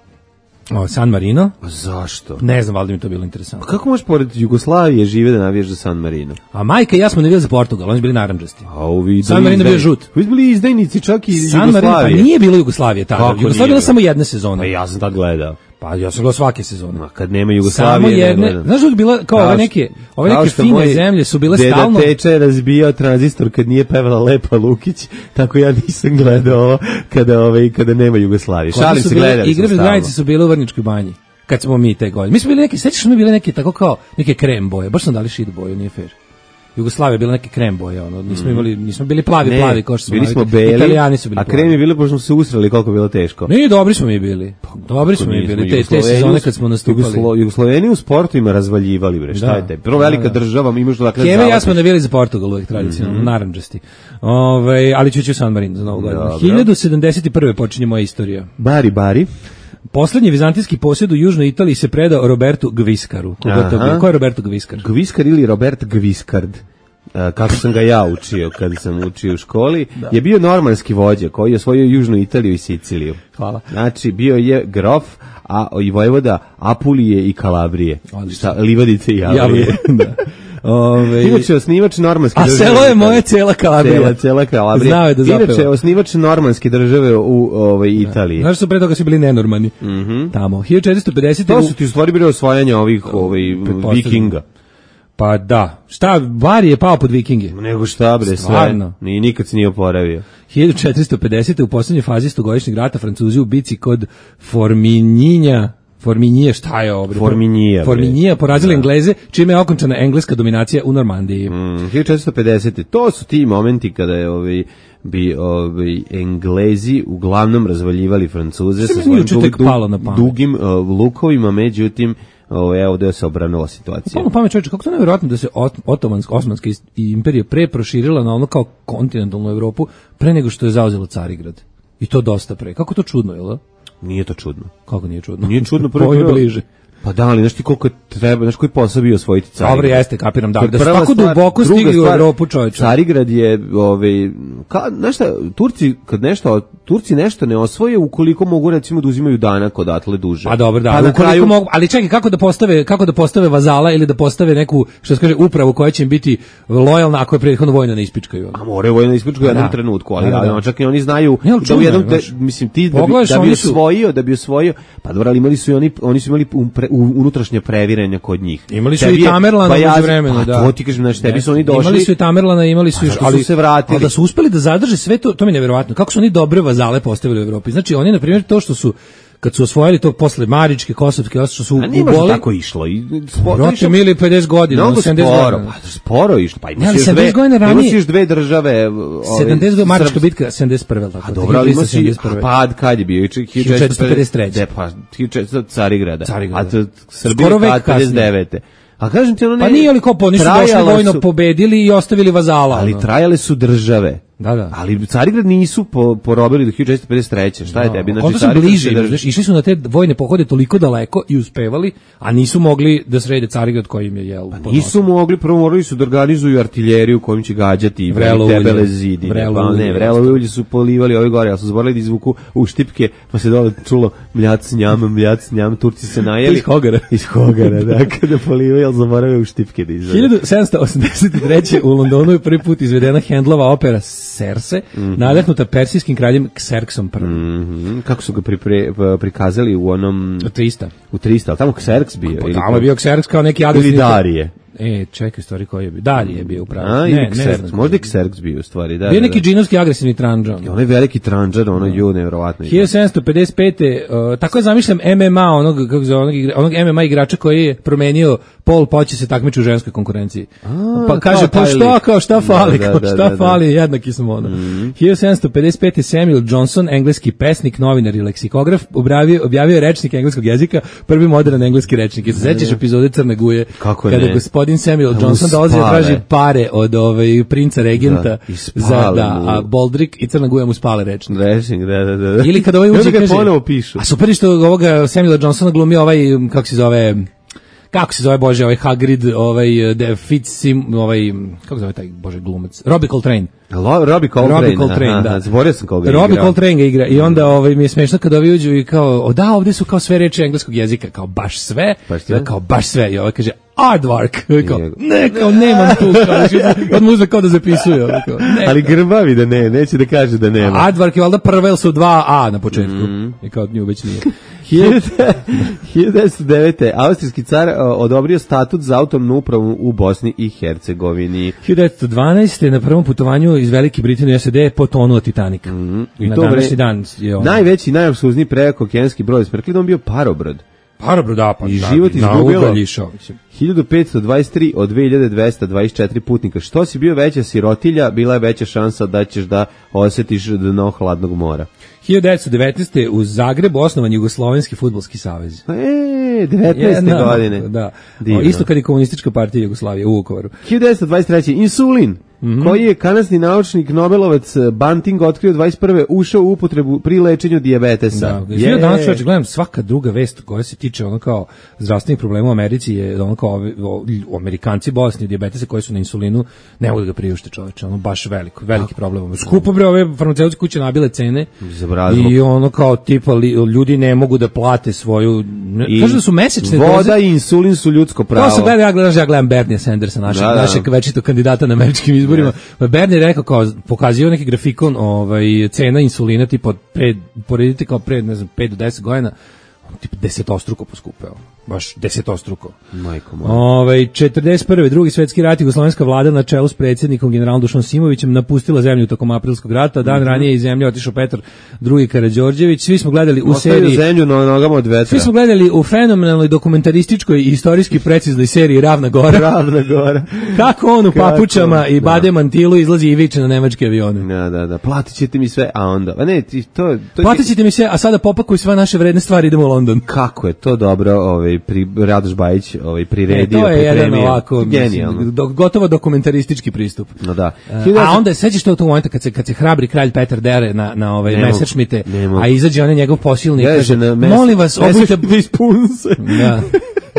O, San Marino.
A zašto?
Ne znam, valjda mi to bilo interesantno.
Pa kako možeš pored Jugoslavije žive da navijaš za San Marino?
A majka i ja smo navijali za Portugal, oni su bili narandžasti.
A
San Marino bio žut.
Vi su bili izdajnici čak i iz
San
Jugoslavije.
Marino, pa nije bilo Jugoslavije tada. Jugoslavija bila samo jedna sezona.
Pa ja sam tad gledao.
Pa ja sam gledao svake sezone.
Ma kad nema Jugoslavije,
samo jedne. Znaš uvijek bila, kao ove neke, ove neke fine zemlje su bile
deda
stalno...
Deda Teče je razbijao tranzistor kad nije pevala Lepa Lukić, tako ja nisam gledao ovo kada, ove, kada nema Jugoslavije. Šalim se, gledali
igre bez granice su bile u Vrničkoj banji. Kad smo mi te godine. Mi smo bili neki, sećaš smo bili neki tako kao neke krem boje. Baš smo dali šit boju, nije fair. Jugoslavija je bila neke krem boje, ono. Nismo imali, nismo bili plavi, ne, plavi kao što smo.
Bili smo beli.
Italijani su bili.
A krem je bili pošto smo se usrali koliko je bilo teško.
Ne, dobri smo mi bili. Dobri smo mi bili. Te, te sezone kad smo nastupali.
Jugoslo, Jugosloveni u sportu ima razvaljivali, bre. Šta je te? Prvo velika da, da. država, mi možemo dakle.
Keve ja smo navijali za Portugal uvek tradicionalno, mm -hmm. narandžasti. Ovaj, ali ću ću San Marino za Novu godinu. hiljadu sedamdeset prve počinje moja istorija.
Bari, bari.
Poslednji vizantijski posjed u Južnoj Italiji se predao Robertu Gviskaru. Koga ko je Roberto Gviskar?
Gviskar ili Robert Gviskard, kako sam ga ja učio kad sam učio u školi, da. Je bio normanski vođa koji je osvojio Južnu Italiju i Siciliju.
Hvala.
Znači, bio je grof, a i vojvoda Apulije i Kalabrije. Šta, livadice i Javlije. Da. Ove, inače osnivač normanske
a
države.
A selo je moje cela Kalabrija.
Cela, cela Kalabrija.
Znao je da zapeva.
Inače osnivač normanske države u ovaj Italiji.
Znaš su pre toga su bili nenormani.
Mm -hmm.
Tamo. hiljadu četiristo pedeset
To su ti u stvari bili osvajanja ovih ovaj, vikinga.
Pa da. Šta, Bari je pao pod vikinge.
Nego šta bre,
stvarno.
Sve. Ni, nikad se nije oporavio.
hiljadu četiristo pedeset u poslednjoj fazi stogodišnjeg rata Francuzi u bici kod Forminjinja Forminije, šta je ovo?
Forminija.
Forminija porazila Engleze, čime je okončana engleska dominacija u Normandiji.
Mm, hiljadu četiristo pedeset To su ti momenti kada je ovaj bi ovaj Englezi uglavnom razvaljivali Francuze sa svojim dug, dug, dugim uh, lukovima, međutim Ovaj evo da se obranila situacija.
Pa pamet čoveče, kako to nevjerojatno da se Otomanska, Osmanska imperija pre proširila na ono kao kontinentalnu Evropu pre nego što je zauzela Carigrad. I to dosta pre. Kako to čudno, je li?
Nije to čudno.
Kako nije čudno?
Nije čudno prvo
je bliže.
Pa da, ali znaš ti koliko treba, znaš koji posao bio osvojiti Carigrad.
Dobro, jeste, kapiram, da, da su tako duboko stigli u Evropu, čovječe.
Carigrad je, ovaj, ka, znaš šta, Turci, kad nešto, Turci nešto ne osvoje ukoliko mogu, recimo, da uzimaju danak odatle duže.
Pa dobro, da,
pa
ukoliko
kraju...
mogu, ali čekaj, kako da postave, kako da postave vazala ili da postave neku, što se kaže, upravu koja će im biti lojalna ako je prethodno vojno ne ispičkaju.
A more vojno ne ispičkaju u jednom da. trenutku, ali, da, da. ali čak i oni znaju
ne,
da u jednom, te, mislim, ti da bi, da bi osvojio, da bi osvojio, pa dobro, ali imali su i oni, oni su imali pre, unutrašnje previranja kod njih.
Imali su tebi i Tamerlana
pa
u vremenu,
pa,
da.
To ti kažem, znači tebi su oni došli.
Imali su i Tamerlana, imali su još, ali
su se vratili.
Ali da su uspeli da zadrže sve to, to mi je neverovatno. Kako su oni dobre vazale postavili u Evropi? Znači oni na primjer to što su kad su osvojili to posle Maričke, Kosovske, što su
uboli. tako išlo. I
Rote mili pedeset godina,
mnogo
sedamdeset
sporo,
godina.
Pa, sporo išlo. Pa imaš
još dve,
imaš još dve države.
sedamdeset godina, Marička bitka, sedamdeset prve.
A dobro, ali imaš i pad kad je bio?
hiljadu četiristo pedeset treće.
Pa, hiljadu četiristo Carigrada.
Carigrada.
A to Srbija pad pedeset devete. A kažem ti ono ne...
Pa nije li kopo, oni su došli vojno su, pobedili i ostavili vazala.
Ali
ono.
Trajale su države.
Da, da.
Ali Carigrad nisu po, porobili do hiljadu četiristo pedeset treće. Šta je no, tebi?
Znači, su bliži, znači, išli su na te vojne pohode toliko daleko i uspevali, a nisu mogli da srede Carigrad koji im je jel.
Pa nisu mogli, prvo morali su da organizuju artiljeriju kojim će gađati i tebele zidi. Pa ne, vrelo ulje su polivali ove gore, ali su zaborali da izvuku u štipke, pa se dole čulo mljac njam, mljac njam, Turci se najeli.
Iz Hogara.
Iz Hogara, da, kada polivaju, ali zaborave u štipke da izvede.
hiljadu sedamsto osamdeset treće u Londonu je prvi put izvedena Handlova opera Serse, mm-hmm. nadahnuta persijskim kraljem Kserksom prvim.
Mm-hmm. Kako su ga pripre, prikazali u onom...
U trista.
U trista, ali tamo Kserks bio?
Pa, tamo je bio Kserks kao neki agresivni...
Ili Darije.
E, čekaj, stvari koji je bio. Darije je bio upravo.
A, ne, ne znam. Možda i Kserks bio u stvari. Da,
bio
da,
neki
da.
džinovski agresivni tranđan.
Onaj veliki tranđan, ono ju, nevjerovatno.
hiljadu sedamsto pedeset pete. Uh, tako je zamišljam M M A, onog, kako zove, onog, onog M M A igrača koji je promenio pol, pa će se takmiči u ženskoj konkurenciji. A, pa kaže, pa šta, kao šta fali, da, da, kao šta da, da, fali, da. jednaki smo ono. Mm. hiljadu sedamsto pedeset pete. Samuel Johnson, engleski pesnik, novinar i leksikograf, objavio, objavio je rečnik engleskog jezika, prvi modern engleski rečnik. I se sećaš epizode Crne Guje,
kako
kada gospodin Samuel Johnson dolazi da traži pare od ovaj princa regenta da, za da a Boldrik i Crna Guja mu spale rečnik.
Rečnik, da, da, da.
Ili kada ovaj uđe kaže,
ponovo pišu.
A super što ovoga Samuela Johnsona glumi ovaj, kako se zove, kako se zove, bože, ovaj Hagrid, ovaj Fitzsim, ovaj, kako se zove taj, bože, glumac, Robbie Coltrane.
Robbie Coltrane,
Robbie Coltrane, da.
Zaboravio sam koga
igra. Robbie Coltrane ga igra i onda ovaj mi je smešno kad ovi uđu i kao, o da, ovde su kao sve reči engleskog jezika, kao baš sve, baš kao baš sve. I ovaj kaže Aardvark, kao, ne, kao nemam tu, kao, od muze kao da zapisuje. Kao, ne,
ali grbavi da ne, neće da kaže da nema.
Aardvark je valjda prva, jer su dva A na početku. Mm. I kao od nju već nije.
hiljadu devetsto devete. Austrijski car odobrio statut za autonomnu upravu u Bosni i Hercegovini.
hiljadu devetsto dvanaeste. na prvom putovanju iz Velike Britanije u S A D potonuo Titanik. Mm. I na to današnji dan je on.
Najveći, najapsluzniji prekookeanski brod s Prklidom bio parobrod.
Parobrod, da, pa
i život izgubilo hiljadu petsto dvadeset tri od dve hiljade dvesta dvadeset četiri putnika. Što si bio veća sirotilja, bila je veća šansa da ćeš da osjetiš dno hladnog mora.
hiljadu devetsto devetnaeste. u Zagrebu osnovan Jugoslovenski fudbalski savez.
E, devetnaeste godine.
Da. O, isto kad je komunistička partija Jugoslavije u Vukovaru.
hiljadu devetsto dvadeset treće. Insulin. Mm-hmm. Koji je kanadski naučnik Nobelovac Banting otkrio dvadeset prve. ušao u upotrebu pri lečenju dijabetesa.
Da, ja danas čovječ gledam svaka druga vest koja se tiče ono kao zdravstvenih problema u Americi je ono kao o, o, Amerikanci bolesni dijabetesa koji su na insulinu ne mogu da ga priušte čoveče, ono baš veliko, veliki problem. Skupo bre ove farmaceutske kuće nabile cene i ono kao tipa li, ljudi ne mogu da plate svoju ne, kažu da su mesečne
voda
doze.
I insulin su ljudsko pravo.
To se gleda, ja gledam, ja gledam Bernie Sandersa, našeg, da, da. našeg večitog kandidata na američkim izborima. Yes. Bernie je rekao kao, pokazio neki grafikon ovaj, cena insulina tipa pred, poredite kao pred, ne znam, pet do deset godina, on tipa desetostruko poskupeo. Baš desetostruko.
Majko moja.
Ovaj četrdeset prve. drugi svetski rat, jugoslovenska vlada na čelu s predsjednikom generalom Dušanom Simovićem napustila zemlju tokom aprilskog rata. Dan mm-hmm. ranije iz zemlje otišao Petar drugi Karađorđević. Svi smo gledali u
Ostavio
seriji
zemlju na nogama od vetra.
Svi smo gledali u fenomenalnoj dokumentarističkoj i istorijski preciznoj seriji Ravna Gora.
Ravna Gora.
Kako on u papučama i bade mantilu izlazi i viče na nemačke avione.
Da, da, da. Platit ćete mi sve, a onda. A ne, ti to to
Platit ćete mi sve, a sada popakuj sve naše vredne stvari, idemo u London.
Kako je to dobro, ovaj pri Radoš Bajić ovaj priredio,
e, to je jedan ovako
genijalno,
do, gotovo dokumentaristički pristup.
No da.
Uh, a onda sećaš to u tom momentu kad se kad se hrabri kralj Petar dere na na ovaj Messerschmitte, a izađe on njegov posilnik i kaže molim vas obujte spunse. Da.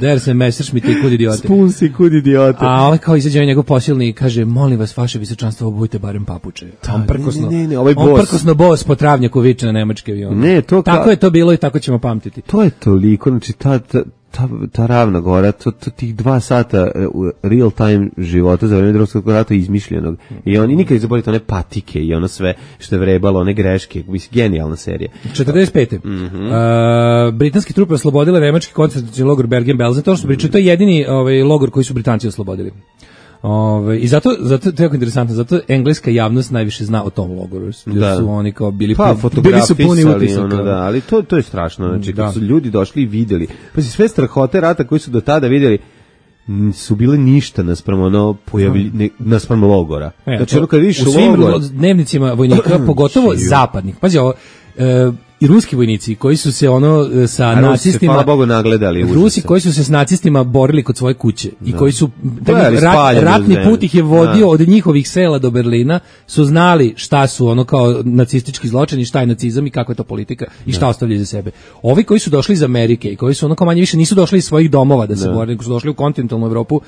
Der se Messerschmitt i kud idiote.
Spunsi kud idiote.
A ovaj kao izađe njegov posilnik i kaže molim vas vaše visočanstvo obujte barem papuče.
Da,
on prkosno.
Ne, ne, ne, ovaj
on prkosno bos po travnjaku viče na nemačke avione.
Ne, to
tako ka... je to bilo i tako ćemo pamtiti.
To je toliko, znači ta ta ta, ta Ravna Gora, to, to tih dva sata uh, real time života za vreme Drugog svjetskog rata izmišljenog. I oni nikad ne zaboravite one patike i ono sve što je vrebalo, one greške, mislim, genijalna serija.
četrdeset pete Mm-hmm. Uh, britanski trupe oslobodile nemački koncentracioni logor Bergen-Belsen, to što pričaju, to je jedini ovaj, logor koji su Britanci oslobodili. Ove, i zato zato to je jako interesantno, zato engleska javnost najviše zna o tom logoru. Da. Su oni kao bili
pa,
bili su puni utisaka.
Ono, da, ali to to je strašno, znači kad su ljudi došli i videli. Pa sve strahote rata koji su do tada videli su bile ništa naspram ono pojavljenja naspram logora.
E,
znači ono kad vidiš
u svim
logor,
dnevnicima vojnika, pogotovo zapadnih. Pazi ovo, e, i ruski vojnici koji su se ono sa
a
nacistima,
hvala Bogu, nagledali.
Rusi koji su se s nacistima borili kod svoje kuće i koji su taj rat, ratni put ih je vodio da. Od njihovih sela do Berlina, su znali šta su ono kao nacistički zločini, šta je nacizam i kako je to politika i šta ostavljaju za sebe. Ovi koji su došli iz Amerike i koji su ono kao manje više nisu došli iz svojih domova da se da. bore, nego su došli u kontinentalnu Evropu,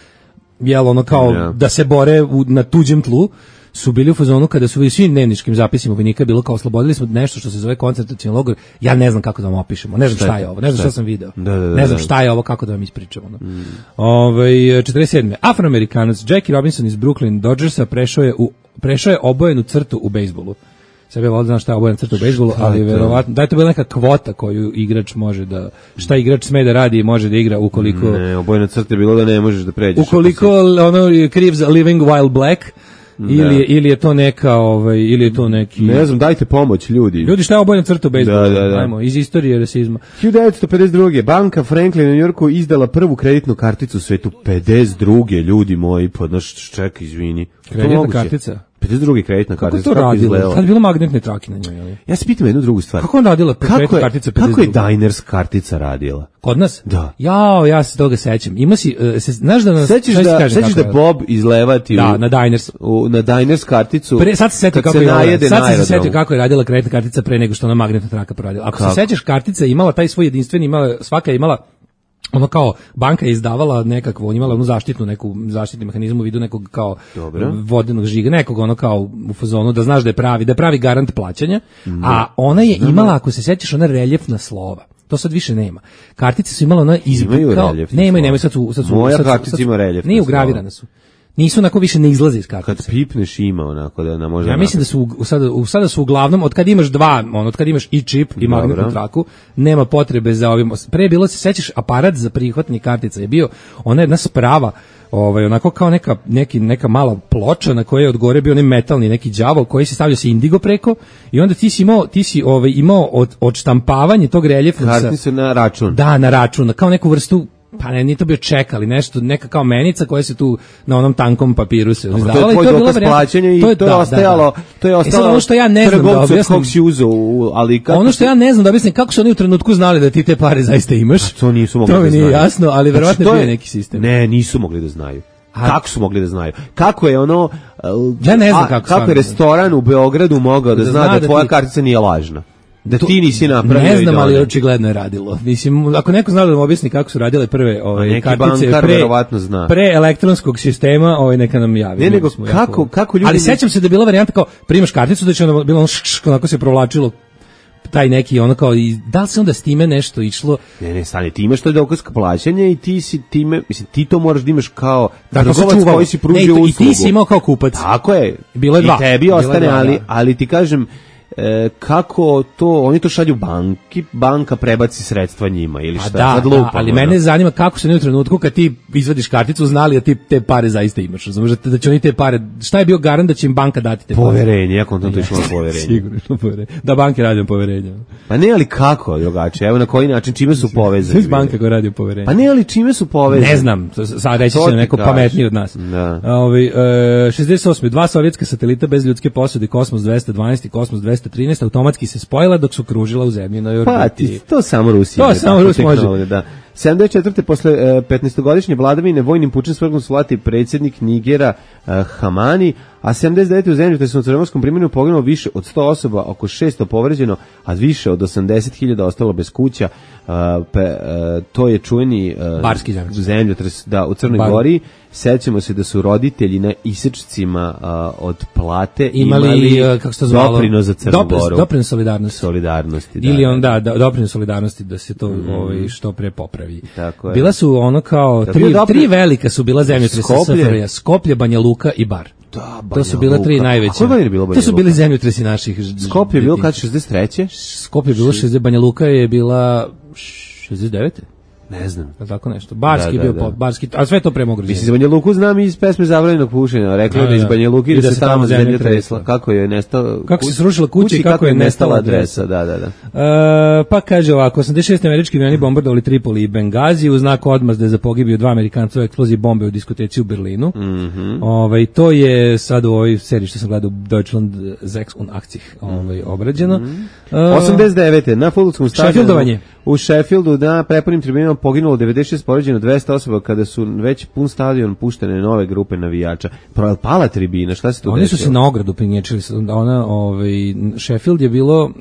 jel ono kao da, da se bore u, na tuđem tlu, su bili u fazonu kada su u svim dnevničkim zapisima vojnika bilo kao oslobodili smo nešto što se zove koncentracioni logor. Ja ne znam kako da vam opišemo, ne znam šta, šta je ovo, ne znam šta, šta sam video.
Da, da, da,
ne znam šta je ovo, kako da vam ispričamo. No. Mm. Ovaj četrdeset sedme Afroamerikanac Jackie Robinson iz Brooklyn Dodgersa prešao je u prešao je obojenu crtu u bejsbolu. Sebe volim znam šta je obojena crta u bejsbolu, ali verovatno da je to bila neka kvota koju igrač može da šta igrač sme da radi i može da igra ukoliko
ne, obojena crta je bilo da ne možeš da pređeš.
Ukoliko ono kriv za Living While Black. Ili je, ili je to neka ovaj ili je to neki
ne znam, dajte pomoć ljudi.
Ljudi šta je obojena crta u bejsbolu?
Da, da, da.
Ajmo, iz istorije rasizma.
hiljadu devetsto pedeset druge banka Franklin u Njujorku izdala prvu kreditnu karticu u svetu. pedeset druge ljudi moji, podnoš ček, izvini.
Kreditna kartica.
pedeset druge kreditna kartica.
Kako to radilo? Kad je bilo magnetne trake na njoj, ali?
Ja se pitam jednu drugu stvar.
Kako on radila kreditna kartica pedeset druge?
Kako je Diners kartica radila?
Kod nas?
Da.
Jao, ja se toga sećam. Ima si, uh, se, znaš da nas...
Sećaš da, sećaš da Bob izlevati
da,
u,
na Diners.
U, na Diners karticu.
Pre, sad se setio kako, je, sad se setio kako je radila kreditna kartica pre nego što ona magnetna traka proradila. Ako kako? Se sećaš, kartica je imala taj svoj jedinstveni, imala, svaka je imala ono kao banka je izdavala nekakvo, on imala onu zaštitnu neku zaštitni mehanizam u vidu nekog kao dobro. Vodenog žiga, nekog ono kao u fazonu da znaš da je pravi, da je pravi garant plaćanja, mm. a ona je imala, ako se sećaš, ona reljefna slova. To sad više nema. Kartice su imala ona izbor kao ne imaju, nemaju, sad su sad su
moja kartica ima reljefna.
Nije ugravirane su. Nisu onako više ne izlaze iz kartice.
Kad pipneš ima onako da na možda.
Ja mislim da su u, sada u sada su uglavnom od kad imaš dva, on od kad imaš i čip i magnetnu traku, nema potrebe za ovim. Pre bilo se sećaš aparat za prihvatanje kartica je bio ona jedna sprava, ovaj onako kao neka neki neka mala ploča na kojoj je od gore bio onaj metalni neki đavo koji se stavljao se indigo preko i onda ti si imao ti si ovaj imao od odštampavanje tog reljefnog
kartice na račun.
Da, na račun, kao neku vrstu pa ne, nije to bio ček, ali nešto, neka kao menica koja se tu na onom tankom papiru se izdavala.
To je tvoj dokaz plaćanja i to je, to je da, ostajalo, da, da. to je ostalo.
Ono što ja ne znam da objasnim,
ali kako
ono što ja ne znam da objasnim, kako su oni u trenutku znali da ti te pare zaista imaš.
A to nisu mogli
to
da znaju.
To mi nije jasno, ali verovatno
znači,
je bio neki sistem.
Ne, nisu mogli da znaju. A, kako su mogli da znaju? Kako je ono,
ja ne znam
a,
kako,
kako je restoran u Beogradu mogao da, da zna da, da tvoja ti... kartica nije lažna? Da ti nisi napravio.
Ne znam, ali očigledno je radilo. Mislim, ako neko zna da vam objasni kako su radile prve ove kartice pre,
zna.
pre elektronskog sistema, ovaj neka nam javi.
Ne, nego kako, jako... kako ljudi...
Ali sećam se da je bila varijanta kao primaš karticu, da će onda bilo ono onako se provlačilo taj neki ono kao i da li se onda s time nešto išlo?
Ne, ne, stani, ti imaš to dokaz plaćanja i ti si time, mislim, ti to moraš da imaš kao
trgovac
koji si pružio uslugu.
I ti si imao kao kupac.
Tako je.
Bilo je dva.
I tebi ostane, ali, ali ti kažem, E, kako to, oni to šalju banki, banka prebaci sredstva njima ili šta,
da,
sad lupamo,
da, ali mene zanima kako se ne u trenutku kad ti izvadiš karticu znali da ti te pare zaista imaš, razumiješ da će oni te pare, šta je bio garant da će im banka dati te
poverenje, pare? Poverenje, ja kontam to išlo na poverenje.
Sigurno išlo poverenje, da banke radi o poverenju.
Pa ne, ali kako, drugačije, evo na koji način, čime su povezani?
Sve banka koja radi o poverenju.
Pa ne, ali čime su povezani?
Ne znam, sad reći će neko pametniji od nas.
Da.
Ovi, e, šezdeset osme dva sovjetska satelita bez ljudske posade, Kosmos dvesta dvanaest i Kosmos dvesta trinaest, automatski se spojila dok su kružila u zemlji na orbiti.
Pa, ti, to samo Rusija.
To samo Rusija može.
Da. sedamdeset četvrte posle petnaestogodišnje vladavine vojnim pučem svrgnu su vlati predsjednik Nigera uh, Hamani, a sedamdeset devete u zemlju te su u crnogorskom primjeru poginulo više od sto osoba, oko šesto povređeno, a više od osamdeset hiljada ostalo bez kuća. Uh, pe, uh, to je čuveni uh,
barski zemljotres.
zemljotres da, u Crnoj
Bar.
Gori. Sećamo se da su roditelji na isečcima uh, od plate
imali,
imali
kako se to zvalo,
doprinos za Crnu
doprinos,
Goru.
Doprinos solidarnosti.
Solidarnosti, da.
Ili onda da, doprinos solidarnosti da se to mm. ovaj, što pre popravi.
Tako je.
Bila su ono kao, tri,
doprin...
tri velika su bila zemljotresa S F R J, Skoplje, Banja Luka i Bar.
Da,
to su bile tri najveće. To su bili zemljotresi naših.
Skoplje je bilo kad šezdeset treće
Skoplje je bilo šezdeset, Banja Luka je bila šezdeset devete
Ne znam.
Tako nešto. Barski
da,
bio
da,
pop, barski, a sve to premograđeno.
Mislim, za Banja Luku znam iz pesme Zabranjenog pušenja. Rekla je da iz Banja Luki da, da se tamo zemlja tresla. Kako je nestala...
Kako se srušila kuća i kako je nestala adresa.
Da, da, da.
Uh, pa kaže ovako, osamdeset šeste američki avioni bombardovali Tripoli i Bengazi u znaku odmazde za pogibiju dva Amerikanca u eksploziji bombe u diskoteci u Berlinu.
Mm -hmm.
Ovaj, to je sad u ovoj seriji što sam gledao Deutschland sechs und achtzig ovaj, obrađeno. Mm -hmm. uh,
osamdeset devete na fudbalskom stadionu u Sheffieldu na prepunim tribinama poginulo devedeset šest, povređeno dvesta osoba kada su već pun stadion puštene nove grupe navijača. Pala tribina, šta se tu desilo?
Oni su se na ogradu pinječili. Ona, ovaj, Sheffield je bilo,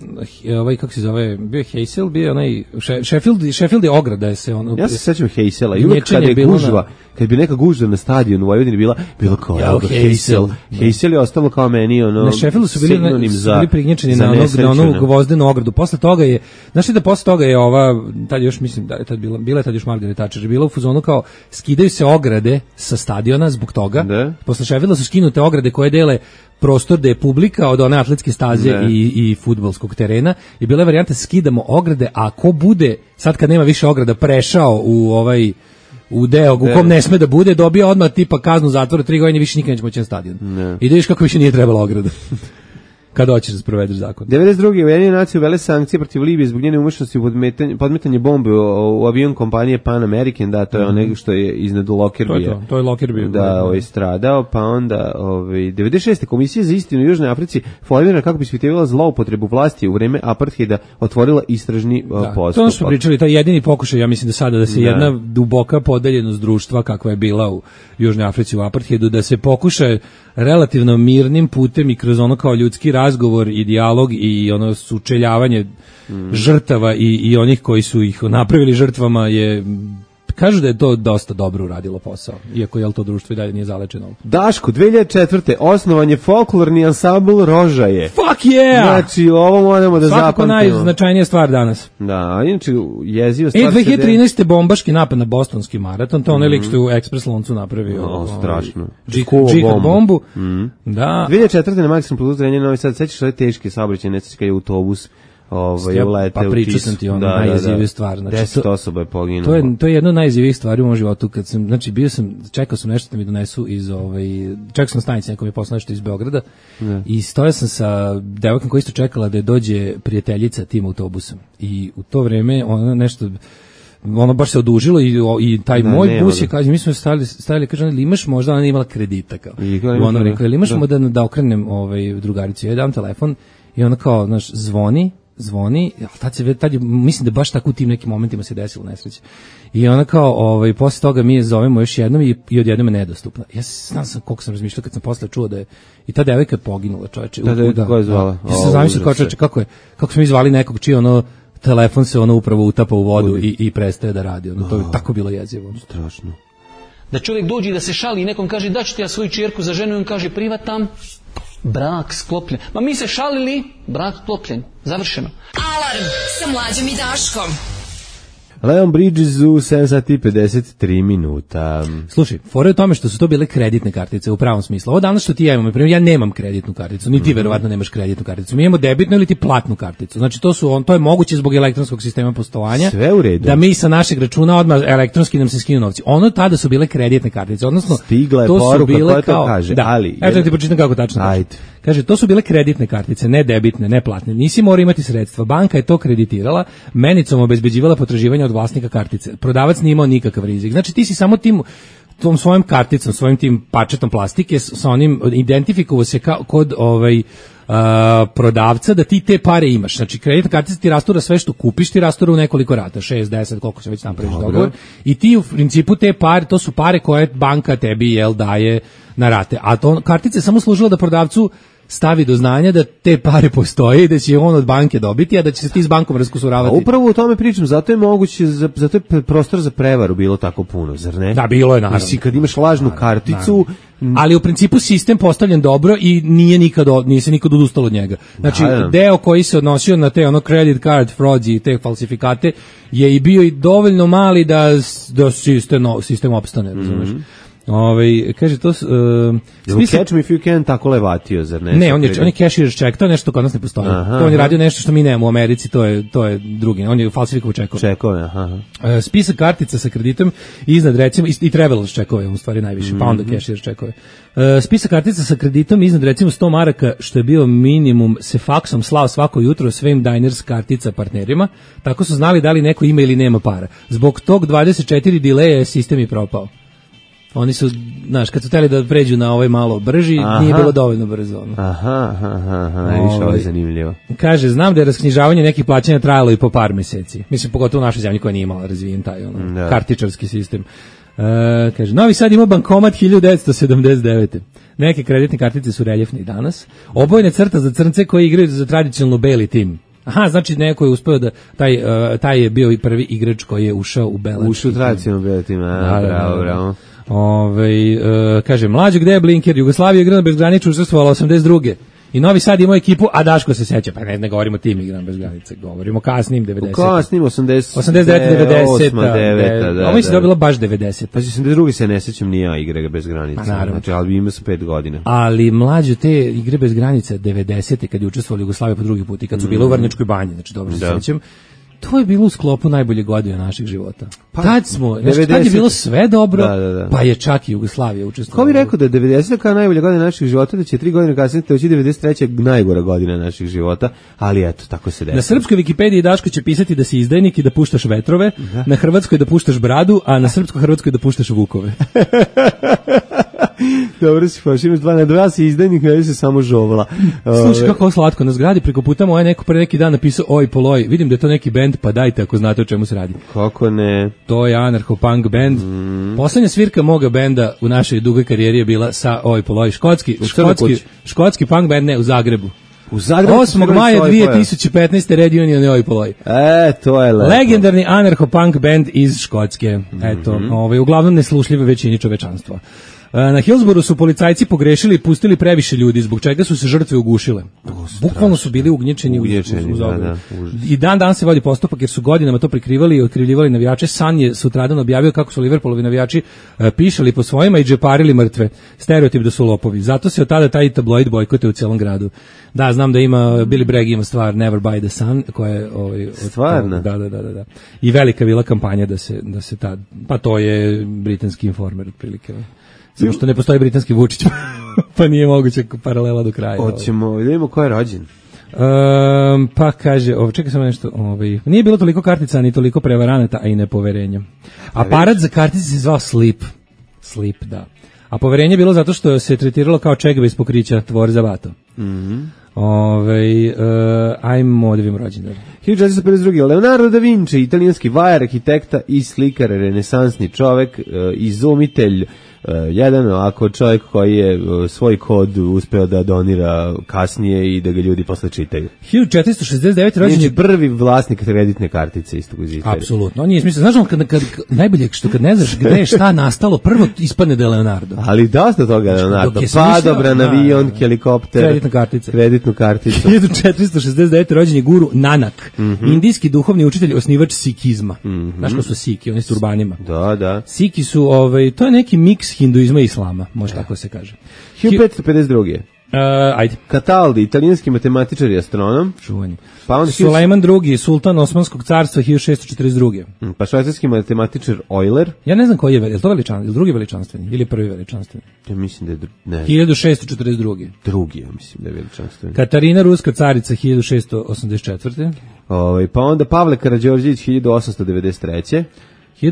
ovaj, kako se zove, bio Heysel, bio onaj, Sheffield, Sheffield je ograda. Je se ono,
ja se sećam Heysela i uvijek kada je gužva, na... kad bi neka gužva na stadionu u Vojvodini bila, bilo kao ja, Heysel. Heysel je ostalo kao meni, ono,
na Sheffieldu su bili, na,
za,
bili prignječeni na, onog, na onu gvozdenu ogradu. Posle toga je, znaš li da posle toga je ova, tad još mislim, da je tad bila, bila je tad još Margaret Thatcher, bila u fuzonu kao skidaju se ograde sa stadiona zbog toga. Da. Posle Sheffielda su skinute ograde koje dele prostor da je publika od one atletske staze i, i fudbalskog terena i bila je varijanta skidamo ograde, a ko bude, sad kad nema više ograda, prešao u ovaj u deo u kom ne sme da bude, dobija odmah tipa kaznu zatvora tri godine, više nikad neće moći na stadion. Ne. I da vidiš kako više nije trebala ograda. Kada hoćeš da sprovedeš zakon.
devedeset druge Ujedinjene nacije uvele sankcije protiv Libije zbog njene umešnosti u podmetanje, podmetanje bombe u, u avion kompanije Pan American, da, to je mm. onaj što je iznad Lockerbie.
To je to, to je Lockerbie.
Da, ovaj stradao, pa onda ovaj devedeset šeste Komisija za istinu u Južnoj Africi formirana kako bi ispitivala zloupotrebu vlasti u vreme apartheida, otvorila istražni da, postupak.
To smo pričali, to je jedini pokušaj, ja mislim da sada da se da. jedna duboka podeljenost društva kakva je bila u Južnoj Africi u apartheidu, da se pokuša relativno mirnim putem i kroz ono kao ljudski razgovor i dijalog i ono sučeljavanje mm. žrtava i, i onih koji su ih napravili žrtvama je, kažu da je to dosta dobro uradilo posao, iako je to društvo i dalje nije zalečeno.
Daško, dve hiljade četvrte osnovan je folklorni ansambl Rožaje.
Fuck yeah!
Znači, ovo moramo da zapamtimo.
Svakako najznačajnija stvar danas.
Da, inače, jeziva stvar...
E, dve hiljade trinaeste bombaški napad na bostonski maraton, to je onaj lik što je u Express Loncu napravio.
O, strašno.
Džihad bombu.
Mm.
Da.
dve hiljade četvrte na Maksimum Plus Zrenje Novi Sad, sećaš ove teške saobraćajne nesreće kad je autobus ovaj ulete
pa pričao sam ti ono da, najiziviju da, stvar, znači
deset osoba je poginulo.
To je to je jedno od najizivijih stvari u mom životu kad sam, znači bio sam, čekao sam nešto da mi donesu iz ovaj, čekao sam na stanici, neko mi je poslao nešto iz Beograda ne. I stojao sam sa devojkom koja isto čekala da dođe prijateljica tim autobusom i u to vreme ona nešto ono baš se odužilo i, i taj da, moj bus je, kaže, mi smo stajali, stajali kaže, ali imaš možda, ona imala kredita kao. I ona rekla, ali imaš da. da, da okrenem ovaj, drugaricu, ja dam telefon i ona kao, znaš, zvoni, zvoni, tad se, tad je, mislim da baš tako u tim nekim momentima se desilo nesreće. I ona kao, ovaj, posle toga mi je zovemo još jednom i, i odjednom je nedostupna. Ja znam sam koliko sam razmišljao kad sam posle čuo da je, i ta devojka je poginula, čoveče.
Da, da, kako je zvala?
Ja sam zamislio kao čoveče, kako je, kako smo mi zvali nekog čiji ono, telefon se ono upravo utapa u vodu i, i prestaje da radi. Ono, to je tako bilo jezivo.
Strašno.
Da čovjek dođe i da se šali i nekom kaže da ću ti ja svoju čerku za ženu i on kaže privatam, brak sklopljen. Ma mi se šalili, brak sklopljen. Završeno.
Alarm sa Mlađom i Daškom.
Leon Bridges u sedam sati i pedeset tri minuta.
Slušaj, fora je u tome što su to bile kreditne kartice u pravom smislu. Ovo danas što ti ja imam, ja nemam kreditnu karticu, ni ti mm-hmm. verovatno nemaš kreditnu karticu. Mi imamo debitnu ili ti platnu karticu. Znači to su on, to je moguće zbog elektronskog sistema poslovanja.
Sve u redu.
Da mi sa našeg računa odmah elektronski nam se skinu novci. Ono tada su bile kreditne kartice, odnosno
stigla je
to
poruka
su bile
koja
kao,
to kaže,
da,
ali
eto da ti pročitam kako tačno.
Ajde.
Kaže, to su bile kreditne kartice, ne debitne, ne platne. Nisi morao imati sredstva. Banka je to kreditirala, menicom obezbeđivala potraživanja od vlasnika kartice. Prodavac nije imao nikakav rizik. Znači ti si samo tim tom svojom karticom, svojim tim pačetom plastike sa onim identifikovao se kao kod ovaj Uh, prodavca da ti te pare imaš. Znači, kreditna kartica ti rastura sve što kupiš, ti rastura u nekoliko rata, šest, deset, koliko se već napraviš dogovor. I ti u principu te pare, to su pare koje banka tebi jel daje na rate. A to kartica je samo služila da prodavcu stavi do znanja da te pare postoje i da će on od banke dobiti, a da će se ti s bankom raskusuravati.
A upravo o tome pričam, zato je moguće, zato je prostor za prevaru bilo tako puno, zar ne?
Da, bilo je naravno.
Mislim, kad imaš lažnu naravno, karticu...
Naravno. Ali u principu sistem postavljen dobro i nije nikad, nije se nikad odustalo od njega. Znači, da, da. deo koji se odnosio na te ono credit card frauds i te falsifikate je i bio i dovoljno mali da, da sistem, sistem opstane, razumeš? Mm-hmm. Ove, kaže to uh,
spisa... Catch me if you can tako levatio, zar ne?
Ne, on je, on je cashier check, to je nešto kod nas ne postoji. Aha, to on je radio nešto što mi nemamo u Americi, to je, to je drugi, on je falsifikovao čekove.
Čekove, aha.
Uh, spisak kartica sa kreditom iznad recimo, i, i travelers čekove, u stvari najviše, mm-hmm. pa onda cashier čekove. Uh, spisak kartica sa kreditom iznad recimo sto maraka, što je bio minimum, se faksom slao svako jutro svim diners kartica partnerima, tako su znali da li neko ima ili nema para. Zbog tog dvadeset četiri dileja sistem je propao. Oni su, znaš, kad su hteli da pređu na ovaj malo brži, aha. nije bilo dovoljno brzo. Ono.
Aha, aha, aha, najviše ovo je zanimljivo.
Kaže, znam da je rasknjižavanje nekih plaćanja trajalo i po par meseci. Mislim, pogotovo u našoj zemlji koja nije imala razvijen taj ono, da. kartičarski sistem. Uh, kaže, Novi Sad ima bankomat hiljadu devetsto sedamdeset devete. Neke kreditne kartice su reljefne i danas. Obojne crta za crnce koji igraju za tradicionalno beli tim. Aha, znači neko je uspeo da taj uh, taj je bio i prvi igrač koji je ušao u belački.
Ušao u tradicionalno beli tim, a, da, bravo, da, bravo.
Ove, uh, kaže, mlađo, gde je Blinker? Jugoslavija igrana bez granice učestvovala osamdeset druge. I Novi Sad ima ekipu, a Daško se seća, pa ne, ne govorimo tim igram bez granice, govorimo kasnim devedeset.
Kasnim osamdeset,
osamdeset devet, devedeset,
deveta, da.
Ovo mislim da je bilo baš devedeset.
Pa osamdeset druge se ne sećam ni ja igre bez granice. Znači, ali ima su pet godina.
Ali mlađe te igre bez granice devedesete kad je učestvovali Jugoslavija po drugi put i kad su bile u Vrnjačkoj banji, znači dobro se sećam. To je bilo u sklopu najbolje godine naših života. Pa, tad smo, znači, tad je bilo sve dobro, da, da, da. Pa je čak i Jugoslavija učestvovala.
Ko bi rekao da je devedeseta kao najbolja godina naših života, da će tri godine kasnije doći devedeset treća najgora godina naših života, ali eto, tako se desilo.
Na srpskoj Wikipediji Daško će pisati da si izdajnik i da puštaš vetrove, da. Na hrvatskoj da puštaš bradu, a na srpsko-hrvatskoj da puštaš vukove.
Dobro si faš, imaš dva na dva, si izdajnik, ne se samo žovla.
Slušaj, kako slatko, na zgradi preko puta moje neko pre neki dan napisao oj poloj, vidim da je to neki bend, pa dajte ako znate o čemu se radi.
Kako ne?
To je anarcho-punk band. Mm. Poslednja svirka moga benda u našoj dugoj karijeri je bila sa oj poloj, škotski, škotski, škotski punk band, ne, u Zagrebu.
U Zagrebu
osmog maja dve tisuće petnaeste Red Union i oj poloj.
E, to je lepo.
Legendarni anarcho-punk band iz Škotske. Eto, mm-hmm. ovaj, uglavnom neslušljive većini čovečanstva. Na Hillsboru su policajci pogrešili i pustili previše ljudi, zbog čega su se žrtve ugušile. Bukvalno su bili ugnječeni, ugnječeni u, u, u da, da, i dan dan se vodi postupak jer su godinama to prikrivali i otkrivljivali navijače. Sun je sutradan objavio kako su Liverpoolovi navijači uh, pišali po svojima i džeparili mrtve. Stereotip da su lopovi. Zato se od tada taj tabloid bojkote u celom gradu. Da, znam da ima Billy Bragg ima stvar Never Buy the Sun, koja je ovaj
stvarno.
Da, da, da, da. I velika bila kampanja da se da se ta pa to je britanski Informer otprilike. Samo što ne postoji britanski Vučić, pa nije moguće paralela do kraja.
Hoćemo, da vidimo ko je rođen.
Um, pa kaže, ovo, čekaj samo nešto, ovaj, nije bilo toliko kartica, ni toliko prevaranata, a i nepoverenja. Aparat za kartice se zvao Sleep. Sleep, da. A poverenje je bilo zato što se tretiralo kao čega bez pokrića tvor za vato.
Mhm.
Ove, uh, ajmo da vidimo rođendan.
hiljadu četiristo pedeset druge. Leonardo da Vinci, italijanski vajar, arhitekta i slikar, renesansni čovek, uh, izumitelj, uh, jedan ovako čovjek koji je uh, svoj kod uspeo da donira kasnije i da ga ljudi posle čitaju.
hiljadu četiristo šezdeset devete rođen je
prvi vlasnik kreditne kartice istog iz istorije.
Apsolutno, on nije smisao. Znaš, kad, kad, najbolje što kad ne znaš gde je šta nastalo, prvo ispadne da je Leonardo.
Ali dosta toga Leonardo. Padobran, avion, helikopter,
kreditna kartica.
Kreditnu karticu.
hiljadu četiristo šezdeset devete rođen je guru Nanak, mm-hmm. indijski duhovni učitelj, osnivač sikizma. Mm-hmm. Znaš ko su Siki, oni s turbanima.
Da, da.
Siki su, ovaj, to je neki miks hinduizma i islama, može tako se kaže.
hiljadu petsto pedeset druge.
Uh, ajde.
Cataldi, italijanski matematičar i astronom.
Čuvanje. Pa on Sulejman drugi, sultan Osmanskog carstva, hiljadu šessto četrdeset druge.
Pa švajcarski matematičar Euler.
Ja ne znam koji je, je to veličan, je drugi veličanstveni ili prvi veličanstveni?
Ja mislim da je dru... ne.
hiljadu šessto četrdeset druge.
Drugi, ja mislim da je veličanstveni.
Katarina ruska carica, hiljadu šessto osamdeset četvrte.
Ovaj, pa onda Pavle Karađorđević, hiljadu osamsto devedeset treće.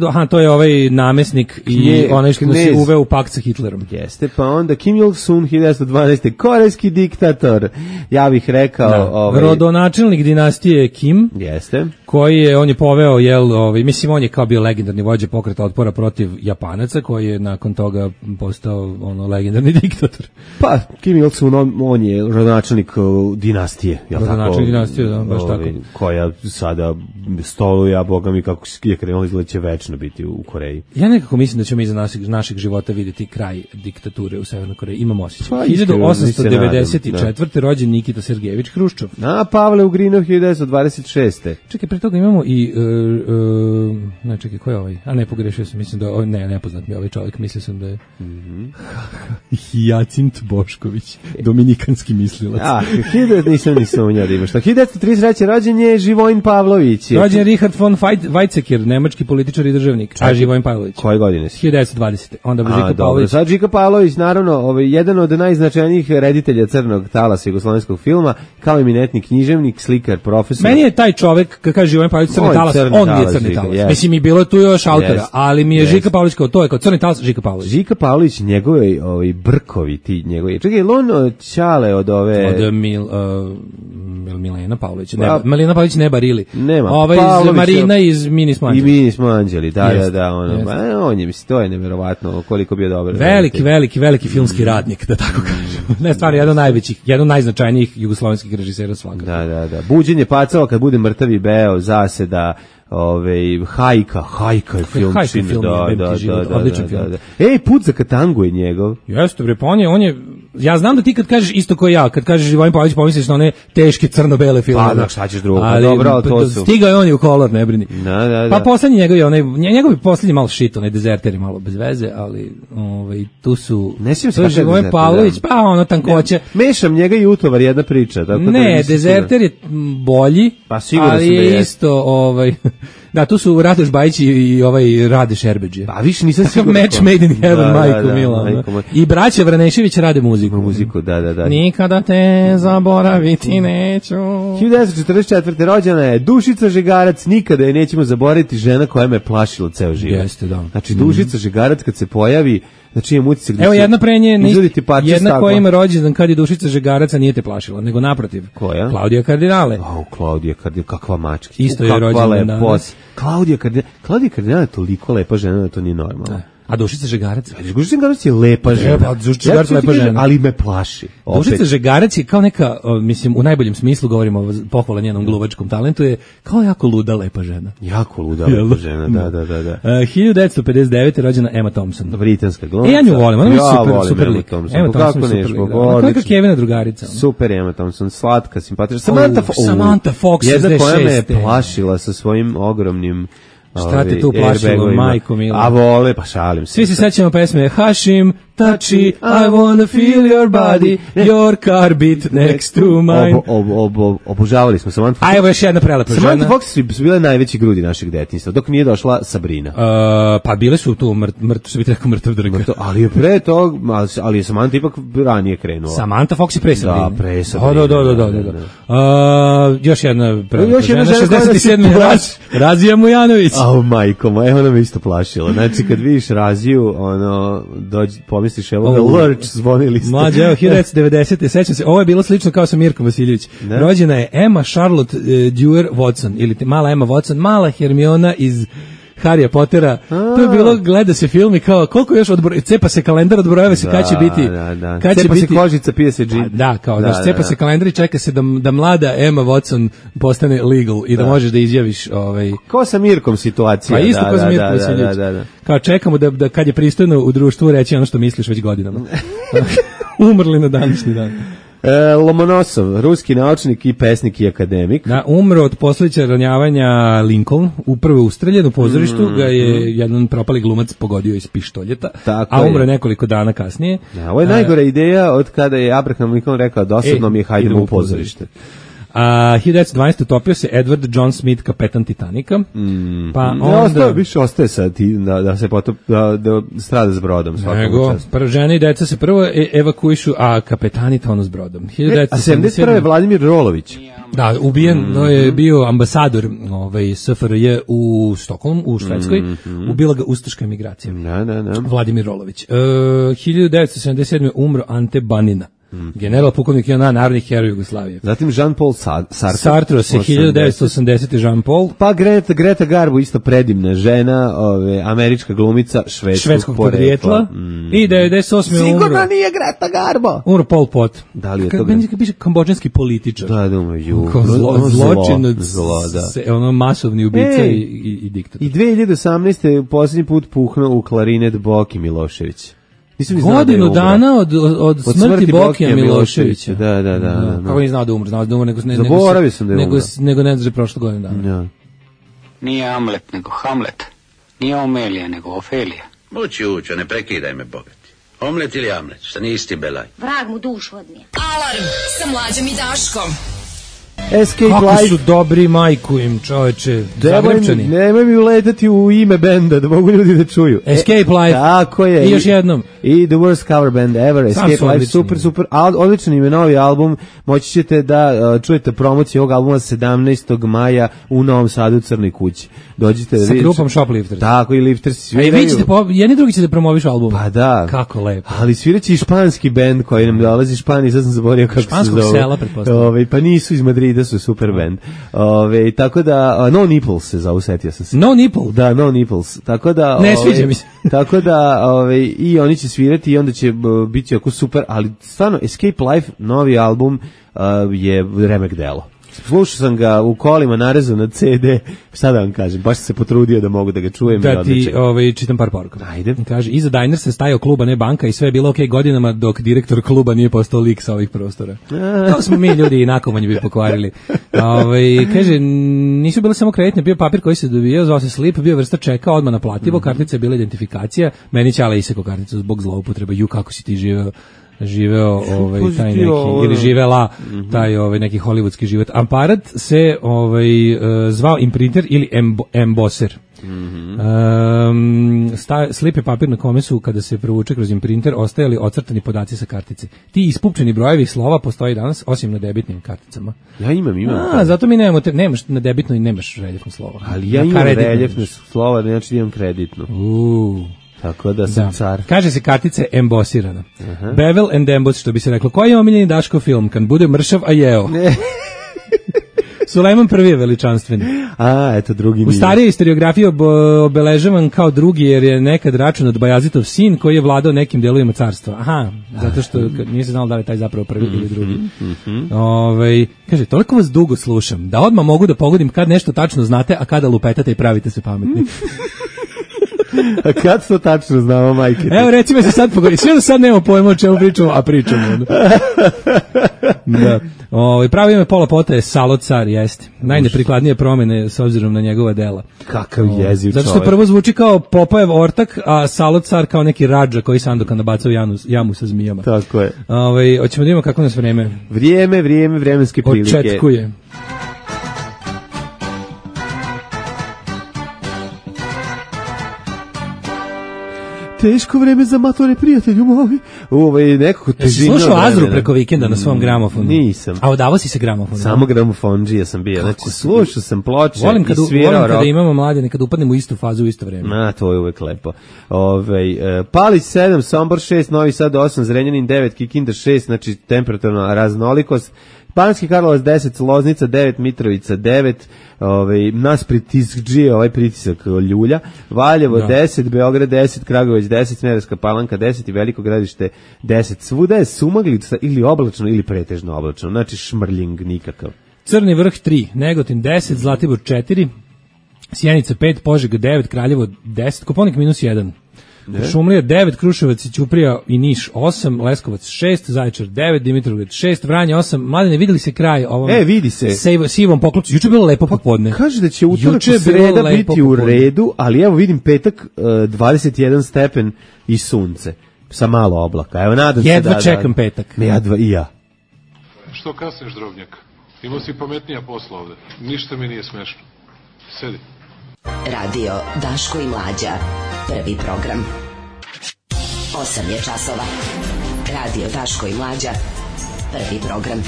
Aha, to je ovaj namesnik i
Knje,
onaj što se uveo u pakt sa Hitlerom.
Jeste, pa onda Kim Il-sung hiljadu devetsto dvanaeste. korejski diktator. Ja bih rekao...
Da.
Ovaj...
Rodonačelnik dinastije Kim.
Jeste.
Koji je, on je poveo, jel, ovaj, mislim, on je kao bio legendarni vođa pokreta otpora protiv Japanaca, koji je nakon toga postao ono legendarni diktator.
Pa, Kim Il-sung, on, on je rodonačelnik uh, dinastije.
Rodonačelnik dinastije, da, baš
ovaj,
tako.
Koja sada stoluje, a boga mi kako je krenulo izgleda će večno biti u Koreji.
Ja nekako mislim da ćemo mi za našeg, našeg života vidjeti kraj diktature u Severnoj Koreji. Imamo osjećaj.
Pa,
hiljadu osamsto devedeset četvrte. rođen Nikita Sergejević Hruščov.
A, Pavle Ugrinov hiljadu devetsto dvadeset šeste.
Čekaj, pre toga imamo i... Uh, uh, ne, čekaj, ko je ovaj? A ne, pogrešio sam, mislim da je... Ne, nepoznat mi ovaj čovjek, mislio sam da je... Mm-hmm. Hijacint Bošković, dominikanski mislilac.
A, hiljadu nisam ni sumnjao da imaš to. hiljadu devetsto trideset treće. rođen je Živojin Pavlović.
Rođen Richard von Weizsäcker, nemački političar i državnik. A Živojin Pavlović.
Koje godine si?
hiljadu devetsto dvadesete. Onda bi Žika Pavlović.
Sad Žika Pavlović, naravno, ovaj, jedan od najznačajnijih reditelja crnog talasa jugoslovenskog filma, kao eminentni književnik, slikar, profesor.
Meni je taj čovjek, kad kaže Živojin Pavlović crni talas, on mi je crni talas. Yes. Mislim, i bilo je tu još autora, yes. ali mi je yes. Žika Pavlović kao to je kao crni talas Žika Pavlović.
Žika Pavlović, njegovi ovaj, brkovi, ti njegovi. Čekaj, je li on Ćale od ove...
Od Mil, uh, Milena Pavlović. Ne, pa, Milena Pavlović ne barili.
Nema.
Ovaj iz Marina iz Mini Smanđeli.
I Mini Smanđeli, da, yes. da, da. Ono, yes. ba, on je, mislim, to je nevjerovatno koliko bio dobar.
Veliki, veliki, veliki filmski radnik, da tako kažem. Ne, stvarno, jedan od najvećih, jedan od najznačajnijih jugoslovenskih režisera svakako.
Da, da, da. Buđenje pacova kad bude mrtav i beo, zaseda, ove, Hajka, Hajka je film.
Hajka je film,
da, da,
život,
da,
odličan
da,
film.
Da, da. Ej, Put za Katangu je njegov.
Jeste, bre, pa on je, on je, ja znam da ti kad kažeš isto kao ja, kad kažeš Živojin Pavlović pomisliš na one teške crno-bele filme.
Pa, da, šta ćeš drugo, pa dobro, ali to su.
Stigao je on i u kolor, ne brini.
Da, da, da.
Pa poslednji njegov je onaj, njegov je poslednji malo shit, onaj Dezerter je malo bez veze, ali ovaj, tu su,
ne sjećam se
to je Živojin Pavlović, da. Pa ono tankoće.
Ne, mešam njega i Utovar, jedna priča. Tako
ne,
da
Dezerter je bolji,
pa sigurno
ali
sam da
je
je
isto, ovaj... Da, tu su Radoš Bajić i, i ovaj Rade Šerbeđe.
Pa više nisam siguran.
Match made in heaven,
da,
majko
da, da,
mila.
majko,
I braća Vranešević rade muziku.
Muziku, da, da, da.
Nikada te zaboraviti neću.
hiljadu devetsto četrdeset četvrte. rođena je Dušica Žegarac, nikada je nećemo zaboraviti, žena koja me plašila ceo život.
Jeste, da.
Znači, Dušica Žegarac kad se pojavi, znači imam utisak da
evo jedna prenje, jedna koja ima rođendan kad je Dušica Žegarac, nije te plašila, nego naprotiv.
Koja?
Klaudija Kardinale.
Au, Klaudija Kardinale, kakva mačka.
Isto je rođendan danas.
Klaudija Kardinale, Klaudija Kardinale je toliko lepa žena da to nije normalno.
Da. A Dušica Žegarac?
Dušica Žegarac je lepa žena.
Evo, Dušica Žegarac je lepa žena.
Ali me plaši.
Dušica Žegarac je kao neka, mislim, u najboljem smislu govorimo pohvala njenom gluvačkom talentu, je kao jako luda lepa žena.
Jako luda lepa žena, da, da, da. da.
Uh, hiljadu devetsto pedeset devete. rođena Emma Thompson.
Britanska glumca.
E, ja nju volim, ona je
ja
super,
volim
super
Emma
lik.
Thompson.
Emma Thompson je super lik. Ona je kao Kevina drugarica. Ona.
Super Emma Thompson, slatka, simpatična. Samantha,
oh, Samantha Fox,
jedna koja me je plašila sa svojim ogromnim
šta te tu plašilo, majko mila?
A vole, pa šalim se.
Svi se sećamo pesme Hashim, Tachi, I wanna feel your body, your car beat next to mine.
Ob, ob, ob, ob, obožavali smo Samantha Fox.
A evo još jedna prelepa žena.
Samantha Fox su bile najveći grudi našeg detinjstva, dok nije došla Sabrina.
Uh, pa bile su tu, mrt, mrt, što bi rekao, mrtav drga.
Mrtav, ali je pre to, ali je Samantha ipak ranije krenula.
Samantha Fox je pre Sabrina.
Da, pre Sabrina.
Da, da, da, da, da, da. Uh, još jedna prelepa još žena, šezdeset sedme. Raz, Razija Mujanović.
Au, majko moja, ona me isto plašila. Znači, kad vidiš Raziju, ono, dođi, pomisliš, evo ga, oh, Lurch, zvonili ste.
Mlađe, evo, hiljadu devetsto devedesete. Sećam se, ovo je bilo slično kao sa Mirkom Vasiljević. Ne? Rođena je Emma Charlotte uh, Dewar Watson, ili mala Emma Watson, mala Hermiona iz Harrya Pottera. A. To je bilo, gleda se film i kao, koliko još odbroj, cepa se kalendar, odbrojava se da, kad će biti.
Da, da.
Kad
cepa
će
se
biti,
kožica, pije se džin.
Da, kao, da, da, cepa da, se kalendar i čeka se da, da mlada Emma Watson postane legal i da, da možeš da izjaviš ovaj...
Ko sa Mirkom situacija.
Pa isto
da,
ko sa Mirkom
da, da, da, da.
Kao čekamo da, da kad je pristojno u društvu reći ono što misliš već godinama. Umrli na današnji dan.
E, Lomonosov, ruski naučnik i pesnik i akademik.
Da, umro od posljedica ranjavanja Lincoln, upravo ustreljen u pozorištu, mm, ga je jedan propali glumac pogodio iz pištoljeta, tako a umro je nekoliko dana kasnije.
Da, ovo je najgora ideja od kada je Abraham Lincoln rekao dosadno e, mi je, hajdemo u pozorište.
A hiljadu devetsto dvanaeste utopio se Edward John Smith, kapetan Titanika.
Mm.
Pa
ne,
onda
ostaje, više ostaje sad ti, da, da se potop, da, da strada s brodom.
Nego, prvo žene i deca se prvo e, evakuišu, a kapetani tonu s brodom.
E, a sedamdeset prve Vladimir Rolović.
Da, ubijen, mm-hmm. to je bio ambasador ovaj, S F R J u Stokholmu, u Švedskoj, mm-hmm. ubila ga ustaška emigracija.
Da, da, da.
Vladimir Rolović. E, hiljadu devetsto sedamdeset sedme umro Ante Banina. Mm. General pukovnik i ona narodnih heroja Jugoslavije.
Zatim Jean-Paul Sartre.
Sartre se hiljadu devetsto osamdesete Jean-Paul.
Pa Greta, Greta Garbo, isto predivna žena, ove, američka glumica, švedskog,
švedskog podrijetla. Mm. I devedeset osme umro.
Sigurno nije Greta Garbo.
Umro Pol Pot.
Da li je to?
Kad piše kambodžanski političar.
Da, da umro, ju.
Zlo, zločinac,
zlo, da.
Se, ono masovni ubica i, i, i diktator.
I dve hiljade osamnaeste posljednji put puhnuo u klarinet Boki Milošević.
Godinu da dana od, od, od smrti, smrti Bokija Miloševića.
Da, da, da. da, da.
Kako nije znao da umre? Znao da umre, nego, ne,
Zaboravio
nego,
sam da je
nego,
umre.
nego ne znaš prošle godine dana.
Ja.
Nije Amlet, nego Hamlet. Nije Omelija, nego Ofelija.
Ući, ući, ne prekidaj me, bogati. Omlet ili Amlet, šta nije isti belaj.
Vrag mu dušu odnije. Alarm sa Mlađom i Daškom.
Escape
Kako
Life.
su dobri, majku im, čoveče, Zagrebčani.
Nemoj mi uletati u ime benda, da mogu ljudi da čuju.
Escape Life.
Tako je.
I još jednom.
I The Worst Cover Band Ever, Escape Life, odlični. super, super. Al, odličan im je novi album. Moći ćete da uh, čujete promociju ovog albuma sedamnaestog maja u Novom Sadu u Crnoj kući. Dođite da
vidite. Sa grupom Shoplifters.
Tako, i Lifters sviraju.
A i vi ćete, po, jedni drugi ćete promoviš album.
Pa da.
Kako lepo.
Ali sviraće i španski band koji nam dolazi iz Španije, sad sam zaboravio kako
Španskog
se zove.
Španskog sela, pretpostavljam.
Ove, pa nisu iz Madrida, su super band. Ove, tako da, uh, No Nipples se zove, setio sam se.
No Nipple?
Da, No Nipples. Tako da,
ne
ove,
sviđa mi se.
tako da, ove, i oni će svirati i onda će uh, biti jako super, ali stvarno, Escape Life, novi album, uh, je remek delo. Slušao sam ga u kolima, narezao na ce de, šta da vam kažem, baš sam se potrudio da mogu da ga čujem.
Da ti ovaj, čitam par poruka.
Ajde.
Kaže, iza Diner se stajao kluba, ne banka i sve je bilo okej okay godinama dok direktor kluba nije postao lik sa ovih prostora. To smo mi ljudi i nakomanje bi pokvarili. Ovaj, kaže, nisu bile samo kreditne, bio papir koji se dobijao, zvao se slip, bio vrsta čeka, odmah naplativo, mm-hmm. kartica je bila identifikacija, meni Ćala iseko karticu zbog zloupotreba, ju kako si ti živeo. živeo ovaj taj neki ili živela taj ovaj neki hollywoodski život. Aparat se ovaj uh, zvao imprinter ili embo, embosser. Mm-hmm. Um, sta, slip je papir na kome su kada se provuče kroz imprinter ostajali ocrtani podaci sa kartice. Ti ispupčeni brojevi slova postoji danas osim na debitnim karticama.
Ja imam, imam.
A, zato mi nemamo te, nemaš na debitnoj i nemaš reljefno slovo.
Ali ja imam reljefno slovo, znači imam kreditno.
Uuu.
Tako da sam da. car.
Kaže se kartica embosirana. Uh-huh. Bevel and Emboss, što bi se reklo. Koji je omiljeni Daško film? Kad bude mršav, a jeo.
Ne.
Sulejman prvi je veličanstveni.
A, eto, drugi nije.
U starijoj historiografiji ob, obeležavan kao drugi, jer je nekad račun od Bajazitov sin koji je vladao nekim delovima carstva. Aha, zato što nije se znalo da li je taj zapravo prvi mm-hmm, ili drugi. Mm-hmm. Ove, kaže, toliko vas dugo slušam, da odmah mogu da pogodim kad nešto tačno znate, a kada lupetate i pravite se pametni.
A kad to tačno znamo, majke?
Evo, recimo se sad pogodi. Sve da sad nemamo pojma o čemu pričamo, a pričamo. Da. O, pravi ime Pola Pota je Salo car, jeste. Najneprikladnije promene s obzirom na njegova dela.
Kakav jeziv čovjek.
Zato što prvo zvuči kao Popajev ortak, a Salo car kao neki rađa koji Sandokan nabacao jamu, jamu sa zmijama.
Tako je.
Ove, hoćemo da imamo kako nas vreme.
Vrijeme, vrijeme, vremenske prilike.
Očetkuje.
Teško vreme za matore, prijatelju moji. Ovaj nekako težina.
Jesi slušao Azru preko vikenda na svom gramofonu?
Nisam.
A odavao si se gramofonu?
Samo gramofondžija sam bio. Znači, slušao sam ploče
volim kad,
i svirao
volim kada imamo mlade, kad upadnemo u istu fazu u isto vreme.
Na, to je uvek lepo. Ovaj uh, Palić sedam, Sombor šest, Novi Sad osam, Zrenjanin devet, Kikinda šest, znači temperaturna raznolikost. Banatski Karlovac deset, Loznica devet, Mitrovica devet, ovaj nas pritiskđije ovaj pritisak ljulja, Valjevo da. deset, Beograd deset, Kragujevac deset, Smederevska Palanka deset i Veliko Gradište deset. Svuda je sumaglica ili oblačno ili pretežno oblačno, znači šmrljing nikakav.
Crni vrh tri, Negotin deset, Zlatibor četiri, Sjenica pet, Požega devet, Kraljevo deset, Koponik minus jedan. Šumlija devet, Kruševac i Ćuprija i Niš osam, Leskovac šest, Zaječar devet, Dimitrovgrad šest, Vranje osam. Mladene, videli se kraj ovom
e, vidi se.
Sejvo, sivom poklopcu. Juče je bilo lepo popodne.
Kaže da će utorak i sreda biti u redu, ali evo vidim petak uh, dvadeset jedan stepen i sunce sa malo oblaka. Evo nadam
jedva
se da
čekam
da,
petak.
Ne, ja dva, i ja.
Što kasniš, drobnjak? Imao si pametnija posla ovde. Ništa mi nije smešno. Sedi.
Radio Daško i Mlađa. Prvi program. Osam je časova. Radio Daško i Mlađa. Prvi program.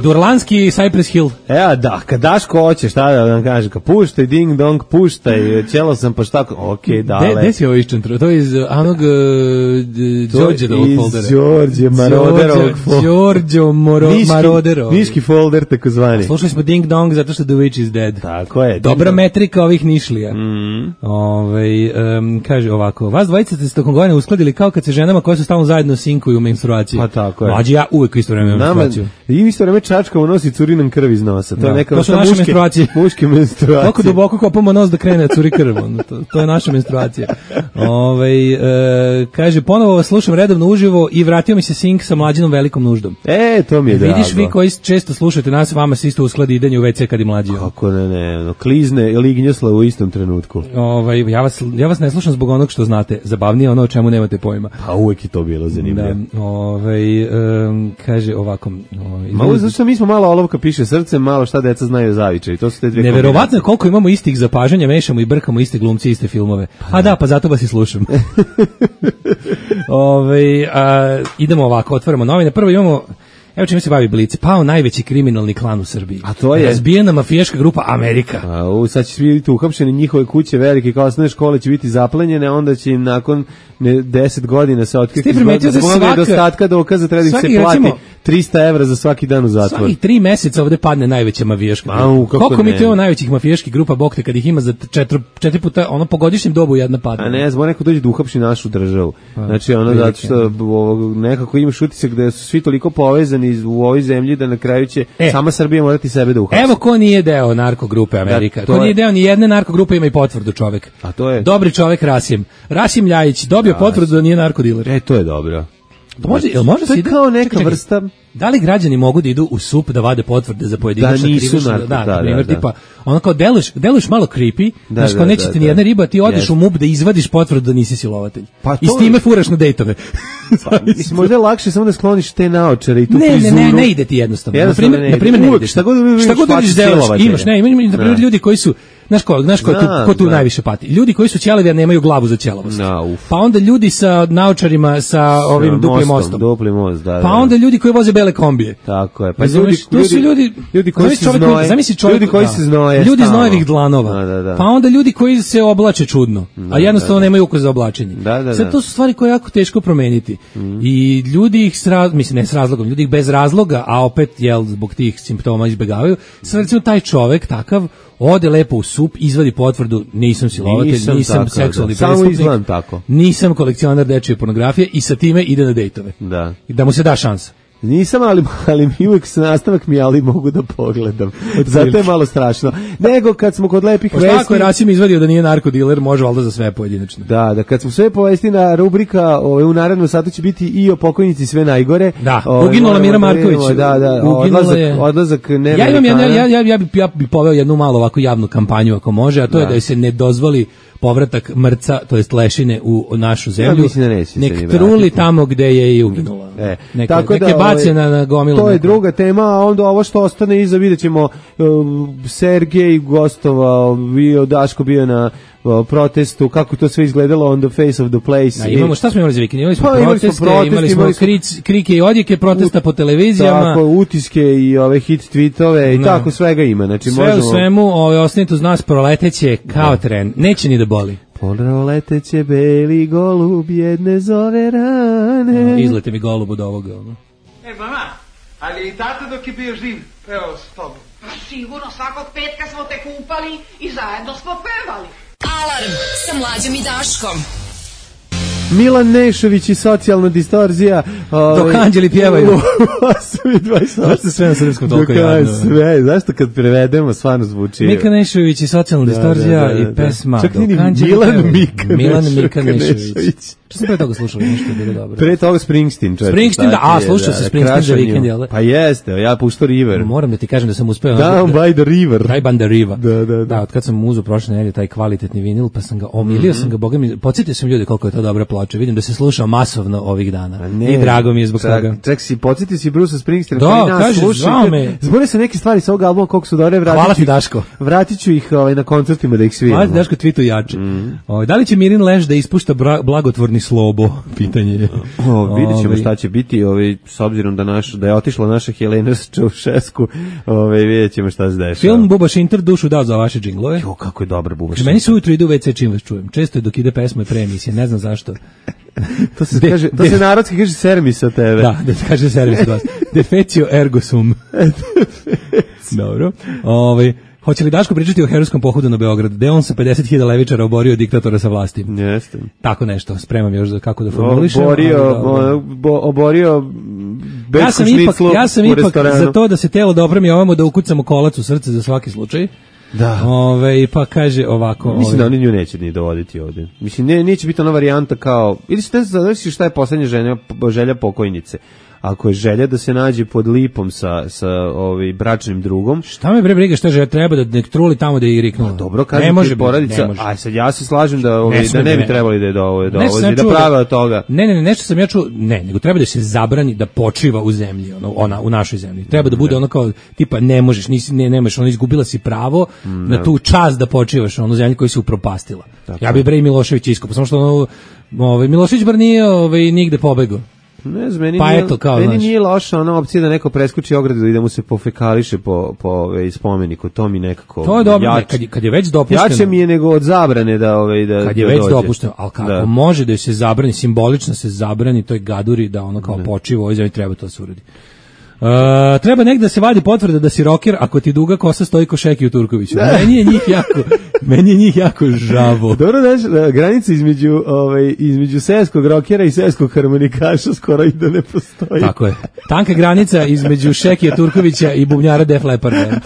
Durlanski Cypress Hill.
E, da, kad Daško hoće, šta da vam kaže, ka puštaj, ding dong, puštaj, ćelo sam pa šta, okej, dale.
Gde si ovo iščentro? To je iz onog Đorđevog foldera.
Iz Đorđe Maroderovog foldera.
Đorđe Maroderov.
Niški folder, tako zvani.
Slušali smo ding dong zato što The Witch is Dead.
Tako je.
Dobra metrika ovih Nišlija.
Mm.
Ove, um, kaže ovako, vas dvojica ste se tokom godine uskladili kao kad se ženama koje su stalno zajedno sinkuju u menstruaciji.
Pa tako je.
Mlađi ja uvek isto vreme u menstruaciju.
I isto vreme čačkamo nosi curi nam krv iz nosa. To, da. je neka
to su naše
muške,
menstruacije.
Muške menstruacije.
Koliko duboko kopamo nos da krene curi krv. To, to je naša menstruacija. Ove, e, kaže, ponovo vas slušam redovno uživo i vratio mi se sink sa Mlađinom velikom nuždom.
E, to mi je drago.
Vidiš vi koji često slušate nas, vama se isto uskladi idenje u ve ce kad je Mlađi.
Kako ne, ne, no, klizne i lignjosla u istom trenutku.
Ove, ja, vas, ja vas ne slušam zbog onog što znate. Zabavnije ono o čemu nemate pojma.
Pa uvek je to bilo zanimljivo.
Da, ove, um, kaže ovako. Ove,
malo zašto mi smo malo olovka piše srce, malo šta deca znaju o zavičaju. To su te dve.
Neverovatno je koliko imamo istih zapažanja, mešamo i brkamo iste glumci, iste filmove. A da, pa zato vas i slušam. Ove, a, idemo ovako, otvaramo novine. Prvo imamo, evo čime se bavi Blic, pao najveći kriminalni klan u Srbiji.
A to je
razbijena mafijaška grupa Amerika.
A, u, sad će svi biti uhapšeni, njihove kuće velike kao osnovne škole će biti zaplenjene, onda će im nakon ne, deset godina se otkriti zbog nedostatka dokaza treba da im se plati recimo, trista evra za svaki dan u zatvoru.
Svaki tri meseca ovde padne najveća mafijaška grupa.
Au,
koliko mi to imamo najvećih mafijaških grupa, bog te, kad ih ima za četiri, četiri puta, ono po godišnjem dobu jedna padne.
A ne, zbog neko dođe da uhapši našu državu. Znači, ono, zato što nekako imaš utisak da su svi toliko povezani u ovoj zemlji da na kraju će e, sama Srbija morati sebe da uhapsi.
Evo ko nije deo narkogrupe Amerika. Da, ko je, nije deo ni jedne narkogrupe ima i potvrdu čovek.
A to je
dobri čovek Rasim. Rasim Ljajić dobio Rasim. potvrdu da nije narkodiler.
E, to je dobro.
To može, jel može
to je kao neka čekaj, vrsta.
Da li građani mogu da idu u S U P da vade potvrde za pojedinačna krivična?
Da, da, da,
primjer,
da.
tipa, ono kao deluješ, deluješ malo creepy,
da,
znaš kao
da,
neće
da,
ti
da,
ni jedna riba, ti odeš
yes.
u M U P da izvadiš potvrdu da nisi silovatelj.
Pa
i s time furaš na dejtove.
Pa, mislim, možda je lakše samo da skloniš te naočare i tu
ne,
frizuru.
Ne, ne, ne ide ti jednostavno.
jednostavno
na primjer, na primjer ne ideš.
Šta god
šta god vidiš delaš, imaš, ne, imaš na primjer ljudi koji su Znaš ko, znaš ko, tu, ko tu najviše pati? Ljudi koji su ćelavi, a nemaju glavu za ćelavost.
No,
pa onda ljudi sa naočarima, sa ovim no, duplim mostom.
Dupli most, da, da.
Pa onda ljudi koji voze bele kombije.
Tako je. Pa
ljudi, to su ljudi,
ljudi koji se znoje.
Zamisli čovjek,
ljudi koji
da,
se znoje.
Ljudi znojevih dlanova.
Da, da, da.
Pa onda ljudi koji se oblače čudno, da, a jednostavno da, da. nemaju ukus za oblačenje.
Da, da,
Sad
da.
to su stvari koje je jako teško promeniti. Mm. I ljudi ih s raz, mislim ne s razlogom, ljudi ih bez razloga, a opet jel zbog tih simptoma izbegavaju. Sad recimo taj čovjek takav ode lepo u S U P, izvadi potvrdu, nisam silovatelj, nisam, nisam tako, seksualni
da.
prestupnik,
tako.
nisam kolekcionar dečije pornografije i sa time ide na dejtove.
Da.
I da mu se da šansa.
Nisam, ali, ali mi uvijek se nastavak mi, ali mogu da pogledam. Zato je malo strašno. Nego kad smo kod lepih
vesti... Pošto ako je Rasim izvadio da nije narkodiler, može valjda za sve pojedinačno.
Da, da, kad smo sve povestina rubrika ove, u narednom satu će biti i o pokojnici sve najgore.
Da, ove, uginula Mira Marković.
Da, da, odlazak, je... odlazak ne
ja, imam jedno, ja, ja, ja, bi, ja bi poveo jednu malo ovako javnu kampanju ako može, a to da. je da se ne dozvoli povratak mrca, to jest lešine u našu zemlju.
Ja da neće
nek truli tamo gde je i uginula.
E,
neka,
tako
neke
da,
bace na, na gomilu.
To je
neko.
druga tema, a onda ovo što ostane iza vidjet ćemo uh, Sergej gostovao, bio Daško bio na uh, protestu, kako to sve izgledalo on the face of the place.
Da, imamo, šta smo imali za vikend? Imali smo
pa,
proteste, imali smo, protest, imali smo, imali smo kric, krike i odjeke protesta po televizijama.
Tako, utiske i ove hit tweetove i no. tako svega ima. Znači,
sve
možemo...
u svemu, ove, ostanite uz nas, proleteće kao da. tren. Neće ni da boli.
Proleteće beli golub jedne zove rane.
No, izlete mi golub od ovoga. No.
E, mama, ali i tata dok je bio živ, pevao s tobom.
Pa sigurno, svakog petka smo te kupali i zajedno smo pevali.
Alarm sa Mlađom i Daškom.
Milan Nešović i socijalna distorzija.
Ove, dok anđeli pjevaju.
osam i dvadeset osam.
Zašto sve na srpskom toliko
jadno? Sve, zašto kad prevedemo stvarno zvuči.
Mika Nešović i socijalna distorzija da, da, da, i pesma.
Čak nije Milan Mika
Milan Mika Nešović. Što sam pre toga slušao, nešto je bilo dobro.
Pre toga Springsteen, čovječ.
Springsteen, da, a, slušao se Springsteen za vikend, jel da?
Pa jeste, ja puštao River.
Moram da ti kažem da sam uspeo...
Down by the river.
Down by the river.
Da, da, da.
Da, od kad sam uzeo prošle nedelje taj kvalitetni vinil, pa sam ga omilio, mm-hmm. sam ga, boga mi, podsjetio sam ljudi koliko je to dobra ploča. Vidim da se sluša masovno ovih dana. Ne, i drago mi je zbog
čak,
toga.
Ček si, podsjetio si Bruce Springsteen.
Da, kaže, zvao me.
Zbore se neke stvari sa ovog albuma, koliko su dobre, vratit
Hvala
ću,
ti, Daško.
Vratit ću ih ovaj, na koncertima da ih sviramo.
Hvala ti, Daško, twitu jače. Mm. O, da li će Mirin Leš da ispušta bra, blagotvorni slobo? Pitanje je.
O, vidjet ćemo šta će biti, ovaj, s obzirom da, naš, da je otišla naša Helena Čaušesku, ovaj, vidjet ćemo šta se dešava.
Film Buba Šinter dušu dao za vaše džinglove.
Jo, kako je dobar Buba Šinter.
Meni se ujutro ide u ve ce čim vas čujem. Često je dok ide pesma i pre emisije, ne znam zašto.
to se, de, kaže, to de, se narodski kaže servis od tebe.
Da, da se kaže servis od vas. Defecio ergo sum. Dobro. Ovaj hoće li Daško pričati o herojskom pohodu na Beograd? Gde on sa pedeset hiljada levičara oborio diktatora sa vlasti?
Jeste.
Tako nešto, spremam još za kako da formulišem.
Oborio, bo, oborio
ja sam ipak, ja sam ipak za to da se telo dobro mi ovamo da ukucamo kolac u srce za svaki slučaj.
Da.
Ove, pa kaže ovako...
Mislim
ove,
da oni nju neće ni dovoditi ovde. Mislim, ne, neće biti ona varijanta kao... Ili se ne znači šta je poslednja želja, želja pokojnice. Ako je želja da se nađe pod lipom sa, sa ovaj, bračnim drugom...
Šta me bre briga šta želja, treba da nek truli tamo da je i riknula.
Dobro, kažem ti porodica, a sad ja se slažem da, ovaj, ne da ne bi ne. trebali da je dovozi, da, da prave od toga.
Ne, ne, ne, nešto sam ja čuo, ne, nego treba da se zabrani da počiva u zemlji, ono, ona, u našoj zemlji. Treba da bude ono kao, tipa, ne možeš, nisi, ne, nemaš, ono, izgubila si pravo mm, na tu čast da počivaš, ono, zemlji koji se upropastila. Tako. Ja bi bre i Milošević iskopao, samo što ono, ovaj, Milošević bar nije ovaj, nigde pobegao.
Ne znam, meni,
pa
nije,
eto, kao,
meni nije loša ona opcija da neko preskoči ogradu i da mu se pofekališe po, po ove, spomeniku, to mi nekako...
To je dobro, jač, kad, kad je već dopušteno...
Jače mi je nego od zabrane da... Ove, da
kad je
da
već
dođe.
dopušteno, ali kako da. može da se zabrani, simbolično se zabrani toj gaduri da ono kao počivo, ovdje zemlji treba to se uradi. Uh, treba negde da se vadi potvrda da si roker ako ti duga kosa stoji ko Šeki u Turkoviću. Meni je njih jako, meni je njih jako žavo.
Dobro, znaš, granica između, ovaj, između seoskog rokera i seoskog harmonikaša skoro i da ne postoji.
Tako je. Tanka granica između Šekija Turkovića i bubnjara Def Leparda.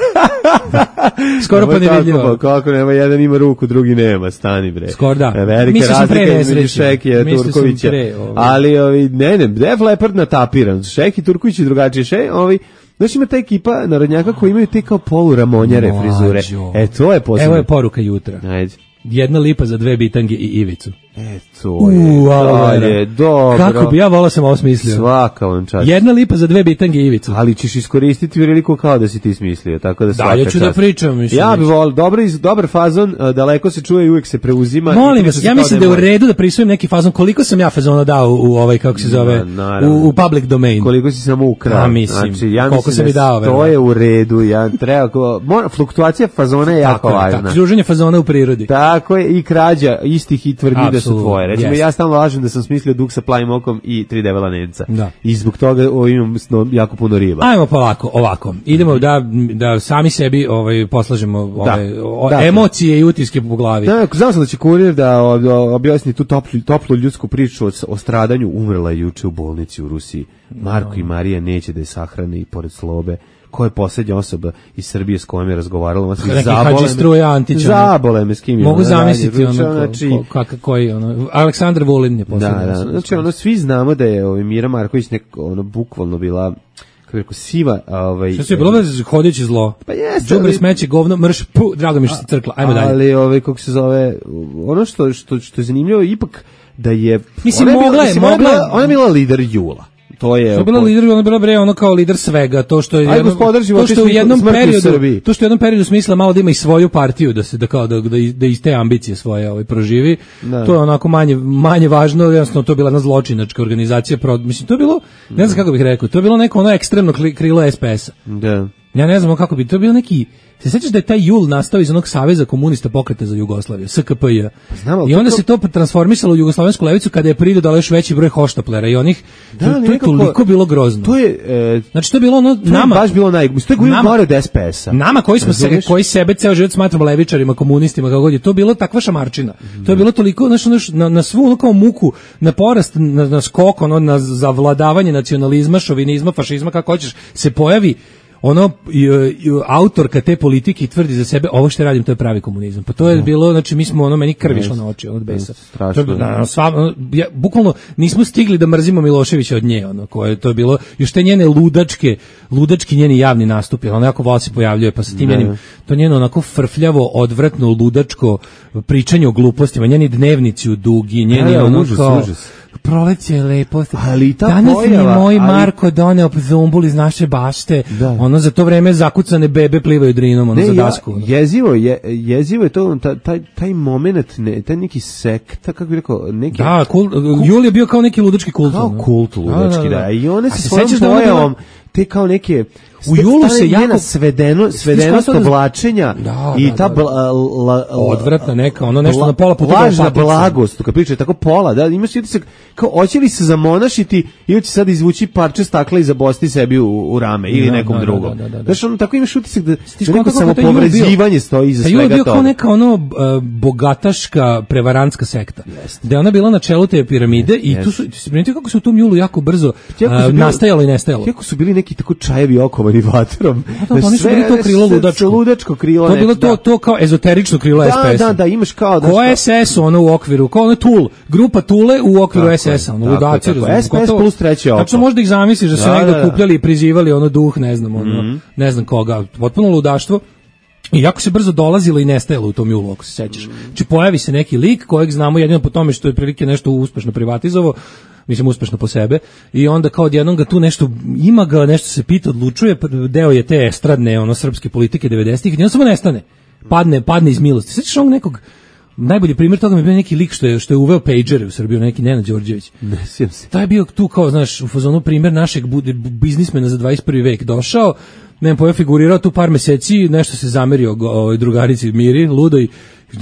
Skoro pa nevidljivo.
Kako nema, jedan ima ruku, drugi nema, stani bre.
Skoro da.
Velike razlike između Šekija Turkovića. Pre, ovaj. Ali, ovi, ne, ne, Def Lepard natapiran. Šeki Turković je drugačije. Še, ovi, znači ima ta ekipa narodnjaka koji imaju te kao poluramonjare frizure. E, to je posebno.
Evo je poruka jutra.
Ajde.
Jedna lipa za dve bitange i Ivicu.
E, to je, U, to je dobro.
Kako bi ja volao sam ovo smislio.
Svaka vam čast.
Jedna lipa za dve bitange i Ivicu.
Ali ćeš iskoristiti priliku kao da si ti smislio, tako da svaka
Da, ja ću
čast.
da pričam. Mislim,
ja bi volao, dobar, dobar fazon, daleko se čuje i uvijek se preuzima.
Molim vas, ja mislim da je u redu da prisujem neki fazon. Koliko sam ja fazona dao u, u ovaj, kako se zove,
Na,
u, u public domain?
Koliko si samo ukrao.
Pa mislim,
znači, ja
koliko sam i dao.
To je u redu, ja treba, mora, fluktuacija fazona je jako važna.
Tako, druženje fazona u prirodi.
Tako je, i krađa istih i tvrdi da su tvoje. Recimo, ja stalno lažem da sam smislio duk sa plavim okom i tri debela nenca. Da. I zbog toga o, imam jako puno riba.
Ajmo polako, ovako. Idemo da, da sami sebi ovaj, poslažemo ove, da. O, da. emocije i utiske po glavi.
Da, znam sam da će kurir da objasni tu toplu, toplu ljudsku priču o, o stradanju. Umrla je juče u bolnici u Rusiji. Marko no. i Marija neće da je sahrane i pored Slobe. Ko je posljednja osoba iz Srbije s kojom je razgovarala,
zabole me,
zabole me s kim je.
Mogu zamisliti ono, znači, ko, kakav koji, ono, Aleksandar Vulin je posljednja
da, da,
osoba.
Znači, ono, svi znamo da je ovaj, Mira Marković nek, ono, bukvalno bila, kako je rekao, siva, ovaj...
Što se je bilo da hodeći zlo?
Pa jeste.
Đubre, smeće, govno, mrš, pu, drago mi što se crkla, ajmo dalje.
Ali, ovaj, kako se zove, ono što, što, što je zanimljivo, ipak, da je...
Mislim, ona mogla je, mogla...
Ona je bila lider Jula. To je
to bila lider, ona bila bre ono kao lider svega, to što je
Aj,
jedno, to što u jednom periodu,
to
što u jednom periodu smisla malo da ima i svoju partiju, da se da kao da da, da iz te ambicije svoje ovaj proživi. Da. To je onako manje manje važno, jednostavno to je bila jedna zločinačka organizacija, pro, mislim to je bilo, ne znam kako bih rekao, to je bilo neko ono ekstremno krilo es pe es-a.
Da.
Ja ne znam kako bi to bio neki. Se sećaš da je taj Jul nastao iz onog Saveza komunista pokreta za Jugoslaviju, S K P J.
Znam,
I onda to... se to transformisalo u jugoslovensku levicu kada je pridodalo još veći broj hoštaplera i onih. Da, to, to je nekako, toliko bilo grozno.
To je, e,
znači to je bilo ono
to
nama.
Je baš bilo naj, to je bilo gore od es pe es-a.
Nama koji smo se, koji sebe ceo život smatramo levičarima, komunistima, kako god je, to je bilo takva šamarčina. Mm. To je bilo toliko, znači na, na svu ono kao muku, na porast, na, na skok, ono, na zavladavanje nacionalizma, šovinizma, fašizma, kako hoćeš, se pojavi ono i, i, autorka te politike tvrdi za sebe ovo što radim to je pravi komunizam. Pa to je bilo, znači mi smo ono meni krv išlo na oči od besa.
Strašno.
To je, na, sva, ja, bukvalno nismo stigli da mrzimo Miloševića od nje, ono koje to je bilo još te njene ludačke, ludački njeni javni nastupi, ono jako vol se pojavljuje pa sa tim njenim to njeno onako frfljavo, odvratno, ludačko pričanje o glupostima, njeni dnevnici u dugi, njeni
ja,
ono
užas,
kao
užas.
Proleće je lepo.
Ali ta
danas
pojava,
mi je moj
ali...
Marko doneo zumbul iz naše bašte. Da. Ono za to vreme zakucane bebe plivaju drinom ono, ne, za dasku.
Ja, jezivo, je, jezivo je to taj, taj moment, ne, taj neki sekta, kako bih rekao, neki...
Da, kul, kul, Jul je bio kao neki ludački kult.
Kao
no?
kult ludački, da, da, da. I one se svojom
pojavom,
te kao neke...
U julu se jako
svedeno svedenost oblačenja da, i ta
da, da.
Bla, la,
odvratna neka ono nešto bla, na pola puta
lažna blagost kad priča tako pola da imaš utisak kao hoće li se zamonašiti ili će sad izvući parče stakla i zabosti sebi u, u rame ili da, nekom da, drugom da, da, da, znaš ono tako imaš utisak da, da neko samopovređivanje stoji iza svega toga.
Jul bio kao neka ono uh, bogataška prevarantska sekta yes. Da je ona bila na čelu te piramide yes. I tu su se primetio kako se u tom julu jako brzo uh, nastajalo i nestajalo
kako su bili neki tako čajevi okova i vatrom.
Da, da, oni su bili to krilo ludačko.
Ludačko krilo.
To je bilo to, to kao ezoterično krilo
da,
S P S.
Da, da, imaš kao... Da,
ko S S ono u okviru, kao ono Tool, grupa Tule u okviru tako S S-a, ono ludaci.
S P S plus treće oko.
Tačno možda ih zamisliš da se da, negdje da, da. Kupljali i prizivali ono duh, ne znam, ono, mm-hmm. ne znam koga, potpuno ludaštvo. I jako se brzo dolazilo i nestajalo u tom julu, ako se sećaš. Znači pojavi se neki lik kojeg znamo jedino po tome što je prilike nešto uspešno privatizovao, mislim uspešno po sebe, i onda kao odjednom ga tu nešto, ima ga, nešto se pita, odlučuje, deo je te estradne, ono, srpske politike devedesetih, i on samo nestane, padne, padne iz milosti. Sećaš onog nekog, najbolji primjer toga mi je bio neki lik što je, što je uveo pagere u Srbiju, neki Nenad Đorđević.
Ne sjećam se.
To je bio tu kao, znaš, u fazonu primjer našeg biznismena za dvadeset prvi vek, došao, ne pojao, figurirao tu par meseci, nešto se zamerio ovoj drugarici Miri, ludoj,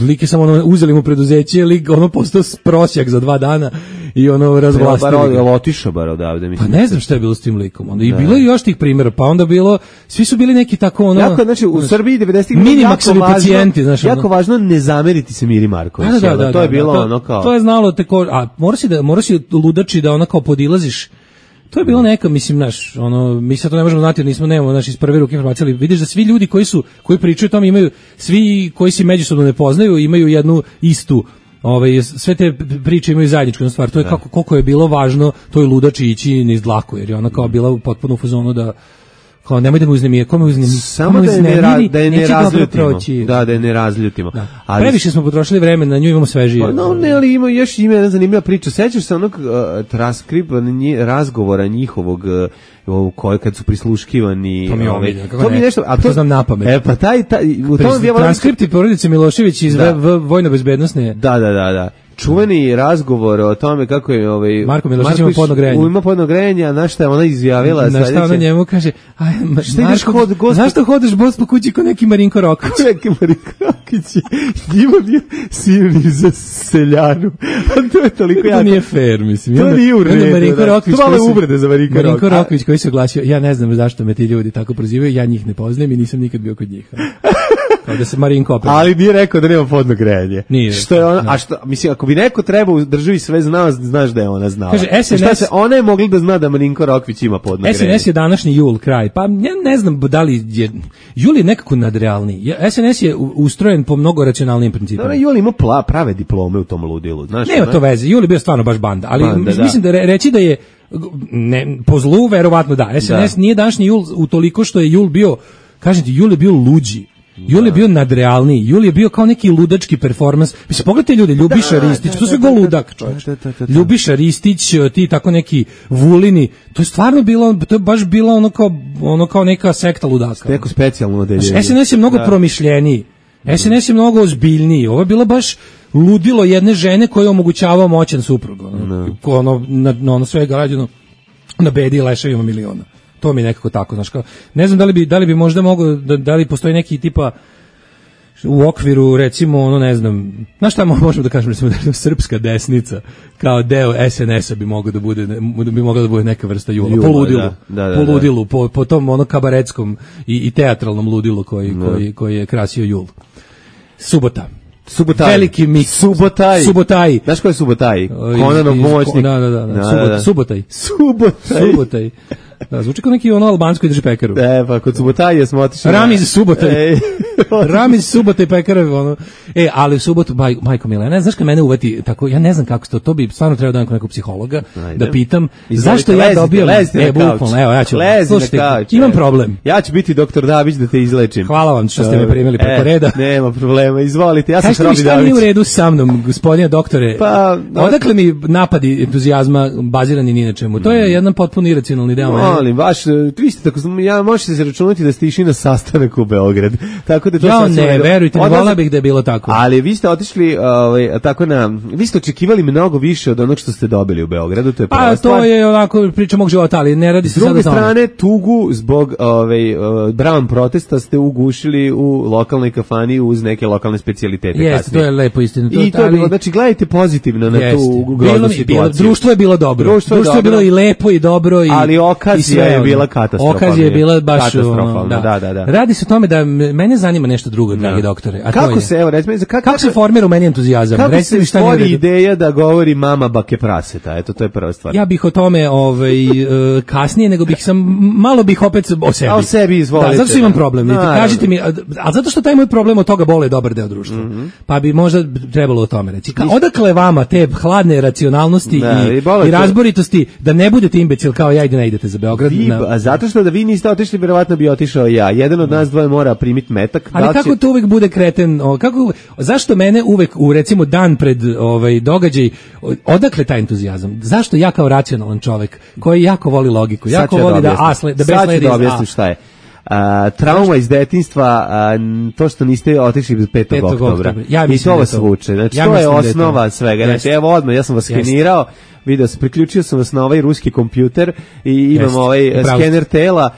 lik je samo ono, uzeli mu preduzeće, lik ono postao prosjak za dva dana i ono razvlastili.
Bar je otišao bar odavde.
Pa ne znam šta je bilo s tim likom. Onda i bilo je još tih primjera, pa onda bilo, svi su bili neki tako ono...
Jako, znači, u Srbiji devedesetih
minimaksovi pacijenti, znaš.
Jako ono, važno ne zameriti se Miri Marković.
Da, da, da,
to je
da,
bilo
da,
ono kao...
To je znalo teko, a mora si da, mora si ludači da ona kao podilaziš. To je bilo neka, mislim, naš, ono, mi sad to ne možemo znati, jer nismo, nemamo, naš, iz prve ruke informacije, ali vidiš da svi ljudi koji su, koji pričaju o tome imaju, svi koji se međusobno ne poznaju, imaju jednu istu, ovaj, sve te priče imaju zajedničku stvar, to je kako, koliko je bilo važno toj ludači ići niz dlaku, jer je ona kao bila potpuno u fazonu da, kao nemoj da me uznemije, kome uznemije,
samo da je ne, ra, da je ne razljutimo, da, da je ne razljutimo.
Da. Ali, previše smo potrošili vremena, na nju imamo svežije.
Pa no, ne, ali ima još ima jedna zanimljiva priča. Sećaš se onog uh, transkripa razgovora njihovog uh, koje kad su prisluškivani,
to mi je
ovaj,
kako to mi nešto,
a to,
to znam napamet.
E pa taj, taj u tom
je transkripti porodice Milošević iz da. vojno-bezbednosne.
Da, da, da, da. Čuveni razgovor o tome kako je ovaj
Marko Milošević ima podno grejanje.
Ima podno grejanje, a na šta je ona izjavila
sledeće? Na šta ona njemu kaže: "Aj, Marko, hod, gospod... zašto hodeš bos po kući ko neki Marinko Rokić?"
Neki Marinko Rokić. Njima bio sirni za seljanu. A to je toliko jako.
To nije fair, mislim.
To nije u redu.
Marinko Rokić,
to malo uvrede za Marinko Rokić.
Marinko Rokić koji se oglasio: "Ja ne znam zašto me ti ljudi tako prozivaju, ja njih ne poznajem i nisam nikad bio kod njih." Kao da se Marinko opet.
Ali nije rekao da nema podno grejanje.
Nije.
Što je ona, a što, mislim, ako bi neko treba u državi sve znao, znaš da je ona znala.
Kaže, S N S,
šta se, ona je mogla da zna da Marinko Rokvić ima podno grejanje.
S N S je današnji jul kraj, pa ja ne znam da li je, jul je nekako nadrealniji. S N S je ustrojen po mnogo racionalnijim principima.
Dobro, jul ima pla, prave diplome u tom ludilu, znaš.
Nema to veze, jul je bio stvarno baš banda, ali banda, mislim da, da reći da je, ne, po zlu, verovatno da, S N S da. Nije današnji jul utoliko što je jul bio, kažem ti, jul je bio luđi. Jul je bio nadrealniji, Jul je bio kao neki ludački performans. Mislim, pogledajte ljudi, Ljubiša da, Ristić, da, to sve go ludak, čovječ. Da, da, da, da. Ljubiša Ristić, ti tako neki Vulini, to je stvarno bilo, to je baš bilo ono kao, ono kao neka sekta ludaka.
Neko specijalno odeljenje.
S N S je mnogo da. promišljeniji, S N S je mnogo ozbiljniji, ovo je bilo baš ludilo jedne žene koja je omogućavao moćan suprug, ono, no. ono, na, na ono svega rađeno na bedi i leševima miliona. To mi je nekako tako, znaš, kao, ne znam da li bi, da li bi možda mogao, da, da li postoji neki tipa u okviru, recimo, ono, ne znam, znaš šta možemo da kažemo, recimo, da srpska desnica kao deo S N S-a bi mogao da bude, bi mogla da bude neka vrsta jula, jula po ludilu, da, da, da, po ludilu, po, po tom ono kabaretskom i, i teatralnom ludilu koji, no. koji, koji je krasio jul. Subota.
Subotaj.
Veliki mix.
Subotaj.
Subotaj.
Znaš ko je Subotaj? Konanov moćnik.
Da, da, da. da.
da,
Subot,
da.
Subotaj.
Subotaj.
Subotaj. Da, zvuči kao neki ono albansko i drži pekaru.
E, pa kod Subotaje smo otišli.
Ramiz Subotaj. Ramiz Subotaj pekara, ono. E, ali u subotu, baj, majko Mila, ne znaš kad mene uvati tako, ja ne znam kako to, to bi stvarno trebao da imam nekog psihologa, Ajde. da pitam,
Izvolite,
zašto ja dobijam,
e,
bukvalno, evo, ja ću, slušajte, imam problem.
Ja ću biti doktor Dabić da te izlečim.
Hvala vam što ste me primili preko
e,
reda.
Nema problema, izvolite, ja sam Robi Dabić.
Šta nije u redu sa mnom, gospodine doktore?
Pa, no,
odakle mi napadi entuzijazma bazirani ni na čemu? To je jedan potpuno iracionalni deo.
Molim, vaš, vi ste tako, ja možete se računati da ste išli na sastanak u Beograd. Tako da to
ja ne, verujte, ne volao bih da je bilo tako.
Ali vi ste otišli, ovaj, tako na, vi ste očekivali mnogo više od onog što ste dobili u Beogradu, to je prva
Pa
stvar.
to je onako priča mog života, ali ne radi se sada o tome.
S druge strane, tugu zbog ovaj, uh, Brown protesta ste ugušili u lokalnoj kafani uz neke lokalne specijalitete.
Jeste, to je lepo istina.
I to je bilo, znači gledajte pozitivno na
Jeste.
tu groznu situaciju.
Društvo je bilo dobro.
Društvo je,
društvo je bilo i lepo i dobro. I,
ali okazija je bila katastrofalna.
Okazija je bila baš
katastrofalna,
da.
Da, da, da.
Radi se o tome da mene zanima nešto drugo, dragi doktore. A
kako
to je,
se, evo, recimo, kako,
kako se formira u meni entuzijazam?
Kako
Recite
se
šta
stvori ideja da govori mama bake praseta? Eto, to je prva stvar.
Ja bih o tome ovaj, kasnije, nego bih sam, malo bih opet o sebi.
A o sebi, izvolite.
Da, zato što imam problem. No, kažite mi, a, a zato što taj moj problem od toga bole dobar deo društva. Mm-hmm. Pa bi možda trebalo o tome reći. Ka, odakle vama te hladne racionalnosti da, i, i, i razboritosti da ne budete imbecil kao ja i da ne idete za Beograd?
Vi,
na...
a zato što da vi niste otišli, verovatno bi otišao ja. Jedan od nas dvoje mora primiti metak.
Ali
da
kako
će...
to uvek bude kreten? O, kako, zašto mene uvek u recimo dan pred ovaj događaj, odakle taj entuzijazam? Zašto ja kao racionalan čovjek koji jako voli logiku, jako voli da asle, da
sad ću da objasnim šta je. Uh, trauma iz detinjstva, uh, to što niste otišli petog oktobra.
Ja
i to vas vuče. Znači,
ja
to je
osnova
osnova je svega. Znači, evo odmah, ja sam vas skenirao, video sam, priključio sam vas na ovaj ruski kompjuter i imam Jest. ovaj skener tela,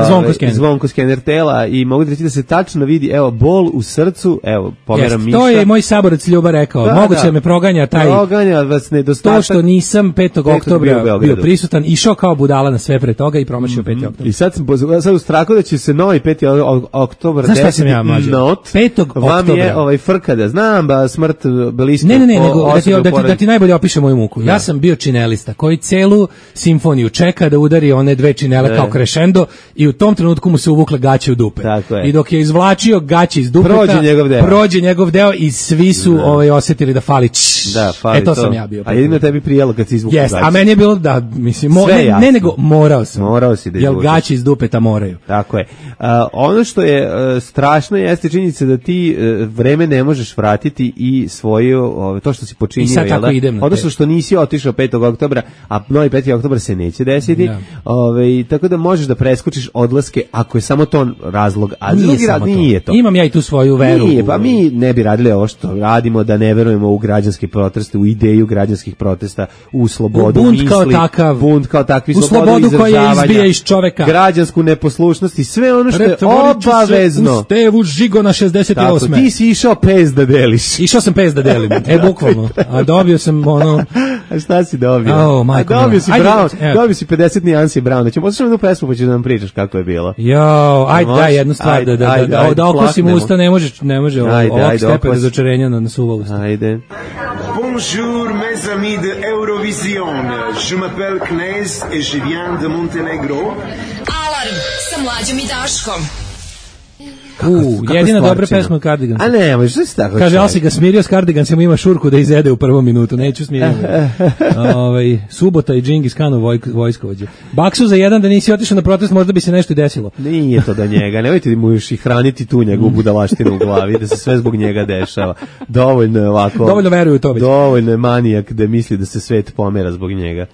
zvonko skener.
zvonko skener tela i mogu da reći da se tačno vidi, evo, bol u srcu, evo, pomeram miša.
To je moj saborac Ljuba rekao, da, moguće da me proganja taj,
proganja vas nedostatak.
To što nisam petog oktobra bio, bio prisutan, išao kao budala na sve pre toga i promašio mm-hmm. peti oktobar.
I sad sam sad u strahu da će se novi peti oktobar
Znaš šta sam ja mlađe? petog oktobra.
Vam je ovaj frkada, znam ba smrt bliska.
Ne, ne, ne, nego da ti, da, ti, da ti najbolje opiše moju muku. Ja sam bio činelista koji celu simfoniju čeka da udari one dve činele kao crescendo i u tom trenutku mu se uvukle gaće u dupe. I dok je izvlačio gaće iz dupeta,
prođe njegov deo,
prođe njegov deo i svi su da. ovaj osjetili da fali. Čš,
da, fali
e to,
to
sam ja bio.
A jedino tebi prijelo kad si izvukao
yes,
gaće.
A meni je bilo da, mislim, mo, ne, ne nego morao sam.
Morao si da
izvučeš. Jer gaće iz dupeta moraju.
Tako je. Uh, ono što je uh, strašno jeste činjenica da ti uh, vreme ne možeš vratiti i svoje uh, to što si počinio.
I sad tako idem na
odnosno što nisi otišao petog oktobra, a novi peti oktobar se neće desiti. Ja. Ove, tako da možeš da preskočiš odlaske ako je samo to razlog, a
nije
drugi rad nije to.
Imam ja i tu svoju veru.
Nije, pa mi ne bi radili ovo što radimo, da ne verujemo u građanske proteste, u ideju građanskih protesta, u slobodu
u bunt
misli,
kao takav,
bunt kao takvi,
u slobodu koja izbija iz čoveka,
građansku neposlušnost i sve ono što je obavezno.
U stevu Žigona šezdeset osme.
Tako, ti si išao pez da deliš.
Išao sam pez da delim, e bukvalno. A dobio sam ono...
A šta si dobio?
Oh, majko,
a dobio si Brown, dobio si pedeset nijansi Browna. Ćemo poslušati jednu pesmu pa ćeš da nam pričaš kako je bilo.
Jo, ajde, daj jednu stvar, da, da, ajde, da, ajde, da okusim usta, ne može, ne može ajde, ovog ajde, stepa razočarenja na, na suva usta.
Ajde.
Bonjour mes amis de Eurovision, je m'appelle Knez et je viens de Montenegro.
Alarm sa Mlađom i Daškom.
U, jedina dobra pesma od Cardigans.
A ne, možeš se tako.
Kaže, ali si ga smirio s Cardigansima, ima šurku da izede u prvom minutu, neću smiriti. ovaj, Subota i Džingis Khanov vojk, vojskovođe. Baksu za jedan da nisi otišao na protest, možda bi se nešto i desilo.
Nije to da njega, nemojte da mu još i hraniti tu njegovu budalaštinu u glavi, da se sve zbog njega dešava. Dovoljno je ovako.
Dovoljno veruju to već.
Dovoljno je manijak da misli da se svet pomera zbog njega.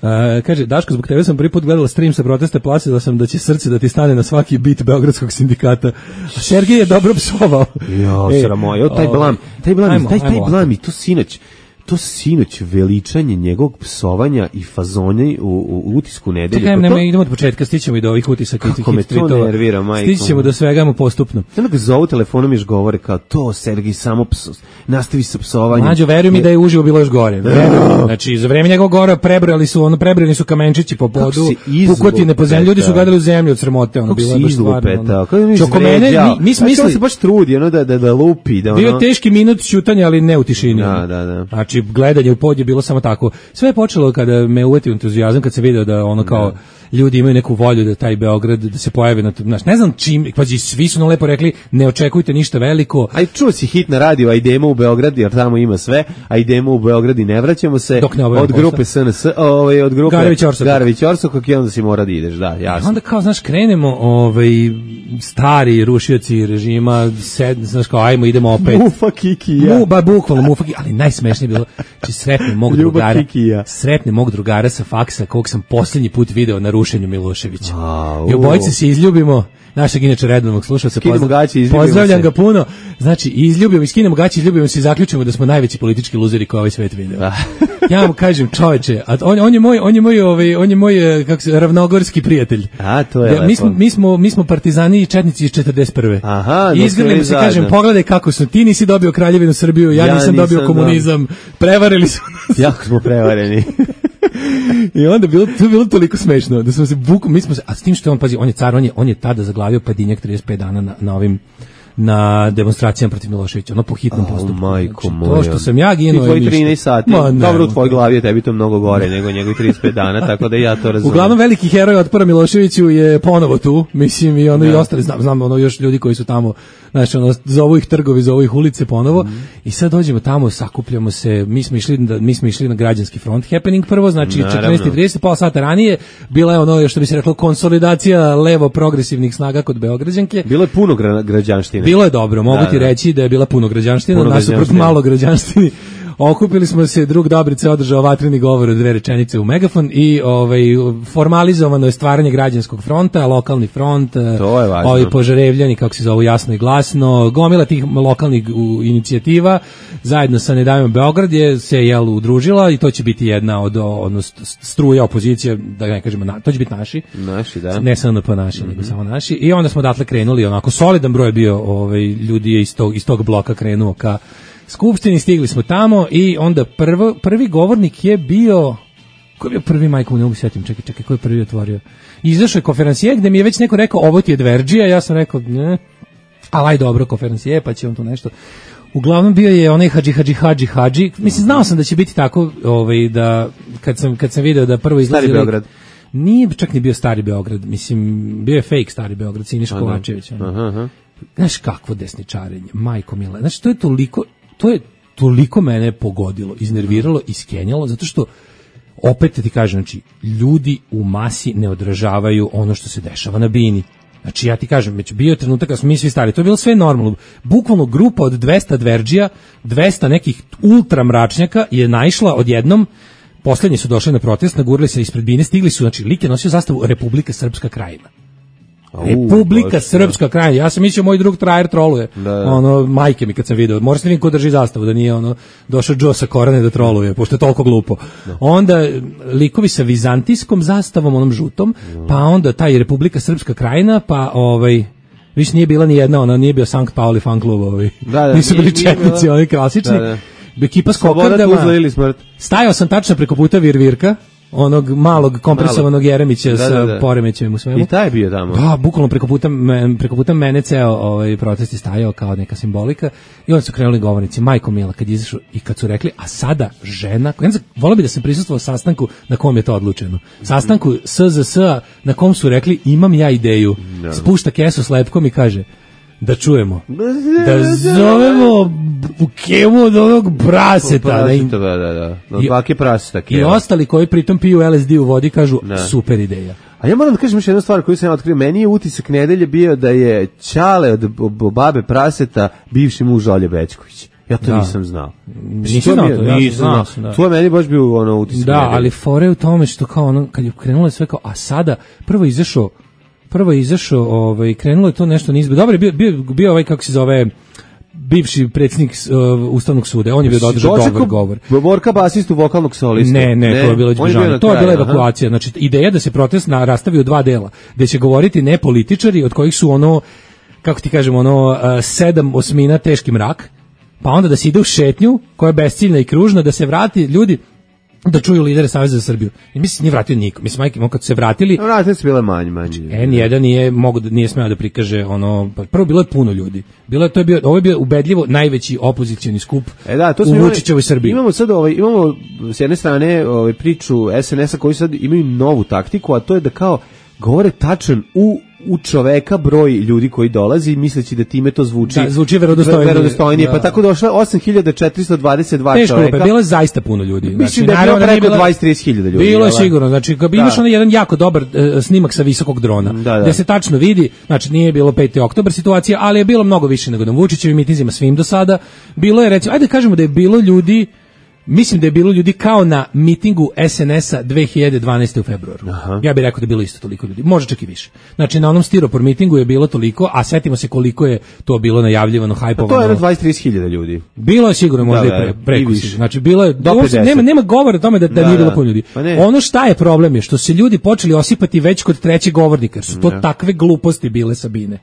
Uh, kaže, Daško, zbog tebe sam prvi put gledala stream sa protesta, plaćala sam da će srce da ti stane na svaki bit Beogradskog sindikata. A Sergej je dobro psovao.
Jo, e, sramo, jo, taj blam, taj blam, ajmo, taj, taj blam i to sinoć. To sinoć veličanje njegovog psovanja i fazonja u, u utisku nedelje.
Čekaj, nema, idemo od početka, stićemo i do ovih utisaka.
Kako me to nervira, majko.
Stićemo do svega postupno.
Sada ga zovu telefonom i još govore kao to, Sergij, samo pso, nastavi sa psovanjem.
Mađo, veruj mi da je uživo bilo još gore. Znači, za vreme njegovog gore prebrojali su, ono, prebrojani su kamenčići po podu, pukotine po zemlji, ljudi su gledali u zemlju od sramote, ono, bilo je baš stvarno.
Kako mene, mi, mi smo mislili, se baš trudi, ono, da, da, da lupi. Da, ono...
Bio teški minut ćutanja, ali ne u tišini.
Da, da, da.
Znači, gledanje u pod je bilo samo tako. Sve je počelo kada me uvetio entuzijazam, kad se video da ono kao ljudi imaju neku volju da taj Beograd, da se pojave na to, znaš, ne znam čim, pazi, svi su nam lepo rekli, ne očekujte ništa veliko.
Aj, čuo si hit na radiju, a idemo u Beograd, jer tamo ima sve, a idemo u Beograd i ne vraćamo se, od grupe S N S, ovaj, od grupe Garević Orsokog i onda si mora da ideš, da, jasno.
I onda kao, znaš, krenemo, ovaj, stari rušioci režima, sed, znaš, kao, ajmo, idemo opet.
Mufa Kikija.
Mu, ba, bukvalno Mufa Kikija, ali najsmešnije bilo, či sretne mog drugara, sretne mog drugara sa faksa, kog sam posljednji put video na rušenju Miloševića. A, I obojice se izljubimo, našeg inače redovnog slušalca, pozdrav, pozdravljam ga puno, znači izljubimo, iskinemo gaće, izljubimo se i zaključimo da smo najveći politički luzeri koji ovaj svet video. Ja vam kažem, čoveče, a on, on je moj, on je moj, ovaj, on je moj, kako se, ravnogorski prijatelj.
A, to je
ja, mi, smo, mi, smo, mi smo partizani i četnici iz četrdeset prve.
Aha,
I izgrlimo se, kažem, pogledaj kako su, ti nisi dobio Kraljevinu Srbiju, ja, ja nisam, nisam dobio komunizam, prevarili su nas.
Jako smo prevareni.
I onda bilo to bilo toliko smešno da smo se bukom, mi smo se, a s tim što on, pazi, on je car, on je on je tada zaglavio Padinjak trideset pet dana na, na ovim na demonstracijama protiv Miloševića, ono po hitnom postupku.
Oh, majko
znači, to što sam ja ginuo,
tvoji trinaest sati. Ma, ne, dobro, u tvojoj glavi je tebi to mnogo gore nego njegovih trideset pet dana, tako da ja to razumem.
Uglavnom veliki heroj otpora Miloševiću je ponovo tu, mislim, i ono, ja. I ostali znam, znam ono još ljudi koji su tamo, znači ono, zovu ih trgovi, zovu ih ulice ponovo. Mm. I sad dođemo tamo, sakupljamo se, mi smo išli da mi smo išli na građanski front happening prvo, znači četrnaest i trideset, pola sata ranije, bila je ono što bi se reklo konsolidacija levo progresivnih snaga kod Beograđanke.
Bilo je puno gra, građanštine.
Bilo je dobro, mogu da, ti da. reći da je bila puno građanština, nasuprot malo građanštini. Okupili smo se, drug Dobrice održao vatreni govor od dve rečenice u megafon i ovaj formalizovano je stvaranje građanskog fronta, lokalni front, ovi požarevljani, kako se zovu, jasno i glasno, gomila tih lokalnih inicijativa, zajedno sa Ne davimo Beograd je se jel udružila i to će biti jedna od odnosno struja opozicije, da ne kažemo, na, to će biti naši.
Naši, da.
Ne samo pa naši, mm-hmm. nego samo naši. I onda smo odatle krenuli, onako solidan broj bio, ovaj ljudi je iz tog, iz tog bloka krenuo ka Skupštini, stigli smo tamo i onda prvo, prvi govornik je bio, ko je bio prvi, majko, ne mogu sjetim, čekaj, čekaj, ko je prvi otvorio? Izašao je konferencije gde mi je već neko rekao, ovo ti je Dverđija, ja sam rekao, ne, ali aj dobro, konferencije, pa će on tu nešto. Uglavnom bio je onaj hadži, hadži, hadži, hadži, mislim, znao sam da će biti tako, ovaj, da, kad sam, kad sam video da prvo izlazi...
Stari Beograd.
Nije čak ni bio Stari Beograd, mislim, bio je fake Stari Beograd, Siniša Kovačević. Aha, aha. Znaš kakvo desničarenje, majko mila, znači to je toliko, to je toliko mene pogodilo, iznerviralo, iskenjalo, zato što opet ti kažem, znači, ljudi u masi ne odražavaju ono što se dešava na bini. Znači, ja ti kažem, već bio je trenutak kad smo mi svi stari, to je bilo sve normalno. Bukvalno grupa od dvesta dverđija, dvesta nekih ultra mračnjaka je naišla odjednom, poslednji su došli na protest, nagurili se ispred bine, stigli su, znači, lik je nosio zastavu Republika Srpska Krajina. Republika Srpska Krajina. Ja sam mislio moj drug trajer troluje. Da, da. Ono, majke mi kad sam video. Moram se vidim ko drži zastavu, da nije ono došao Joe sa Korane da troluje, pošto je toliko glupo. Da. Onda likovi sa vizantijskom zastavom, onom žutom, da. Pa onda taj Republika Srpska Krajina, pa ovaj više nije bila ni jedna, ona nije bio Sankt Pauli fan klub, ovaj. Da, da, nisu bili četnici, oni klasični. Da, da. Ekipa s kokardama. Stajao sam tačno preko puta Virvirka, onog malog kompresovanog Malo. Jeremića da, sa da, da. Poremećajem u svemu.
I taj je bio tamo.
Da, bukvalno preko puta, preko puta mene ceo ovaj protest je stajao kao neka simbolika i onda su krenuli govornici, majko mila, kad izašao i kad su rekli, a sada žena, voleo bi da sam prisustvovao sastanku na kom je to odlučeno. Sastanku S Z S na kom su rekli, imam ja ideju. No. Spušta kesu s lepkom i kaže, da čujemo, da zovemo u kemu od onog praseta.
Praseta, da, da, da. Od bake praseta.
I ostali koji pritom piju L S D u vodi kažu, da. Super ideja.
A ja moram da kažem još jednu stvar koju sam ja otkrio. Meni je utisak nedelje bio da je Ćale od babe praseta bivši muž Olje Bećković. Ja to da. nisam znao.
Nisam znao to, ja nisam znao.
To je meni baš bio ono utisak.
Da, nedelje. Ali fore u tome što kao ono, kad je krenulo sve kao, a sada prvo izašao Prvo je izašao, ovaj, krenulo je to nešto nizbe. Dobro, bio, bio, bio ovaj, kako se zove, bivši predsjednik uh, Ustavnog suda, on je bio da održao dobar govor.
Borka basistu vokalnog solista.
Ne, ne, ne, to je bilo izbežano. To je bila evakuacija. Znači, ideja da se protest na, rastavi u dva dela, gde će govoriti ne političari, od kojih su ono, kako ti kažemo, ono, uh, sedam osmina teški mrak, pa onda da se ide u šetnju, koja je besciljna i kružna, da se vrati ljudi. da čuju lidere Saveza za Srbiju. I mislim nije vratio niko. Mislim majke, kad su se vratili,
no, vratili su bile manje, manje.
En jedan nije mogu da nije smeo da prikaže ono, prvo bilo je puno ljudi. Bilo je to je bio ovo je bio ubedljivo najveći opozicioni skup.
E da, to
u Vučićevoj Srbiji.
Imamo sad ovaj imamo s jedne strane ovaj priču es en es-a koji sad imaju novu taktiku, a to je da kao govore tačan u u čoveka broj ljudi koji dolazi, misleći da time to zvuči
da, zvuči verodostojnije,
verodostojnije. Da. Pa tako došlo osam hiljada četiristo dvadeset dva
Teško,
čoveka.
Teško, bilo je zaista puno ljudi.
Mislim znači, da je bilo preko dvadeset do trideset hiljada ljudi.
Bilo je sigurno, znači kad imaš onaj jedan jako dobar uh, snimak sa visokog drona, da, da. Gde se tačno vidi, znači nije bilo peti oktobar situacija, ali je bilo mnogo više nego na Vučićevim mitinzima svim do sada. Bilo je recimo, ajde kažemo da je bilo ljudi. Mislim da je bilo ljudi kao na mitingu es en es-a dve hiljade dvanaeste u februaru. Aha. Ja bih rekao da je bilo isto toliko ljudi, možda čak i više. Znači na onom stiropor mitingu je bilo toliko, a setimo se koliko je to bilo najavljivano, hajpovano.
To je dvadeset do trideset hiljada ljudi.
Bilo je sigurno možda da, i pre, preko više. Znači bilo je, nema, nema govora o tome da, da, da nije bilo puno ljudi. Pa ono šta je problem je što se ljudi počeli osipati već kod trećeg govornika, jer su to da. takve gluposti bile Sabine.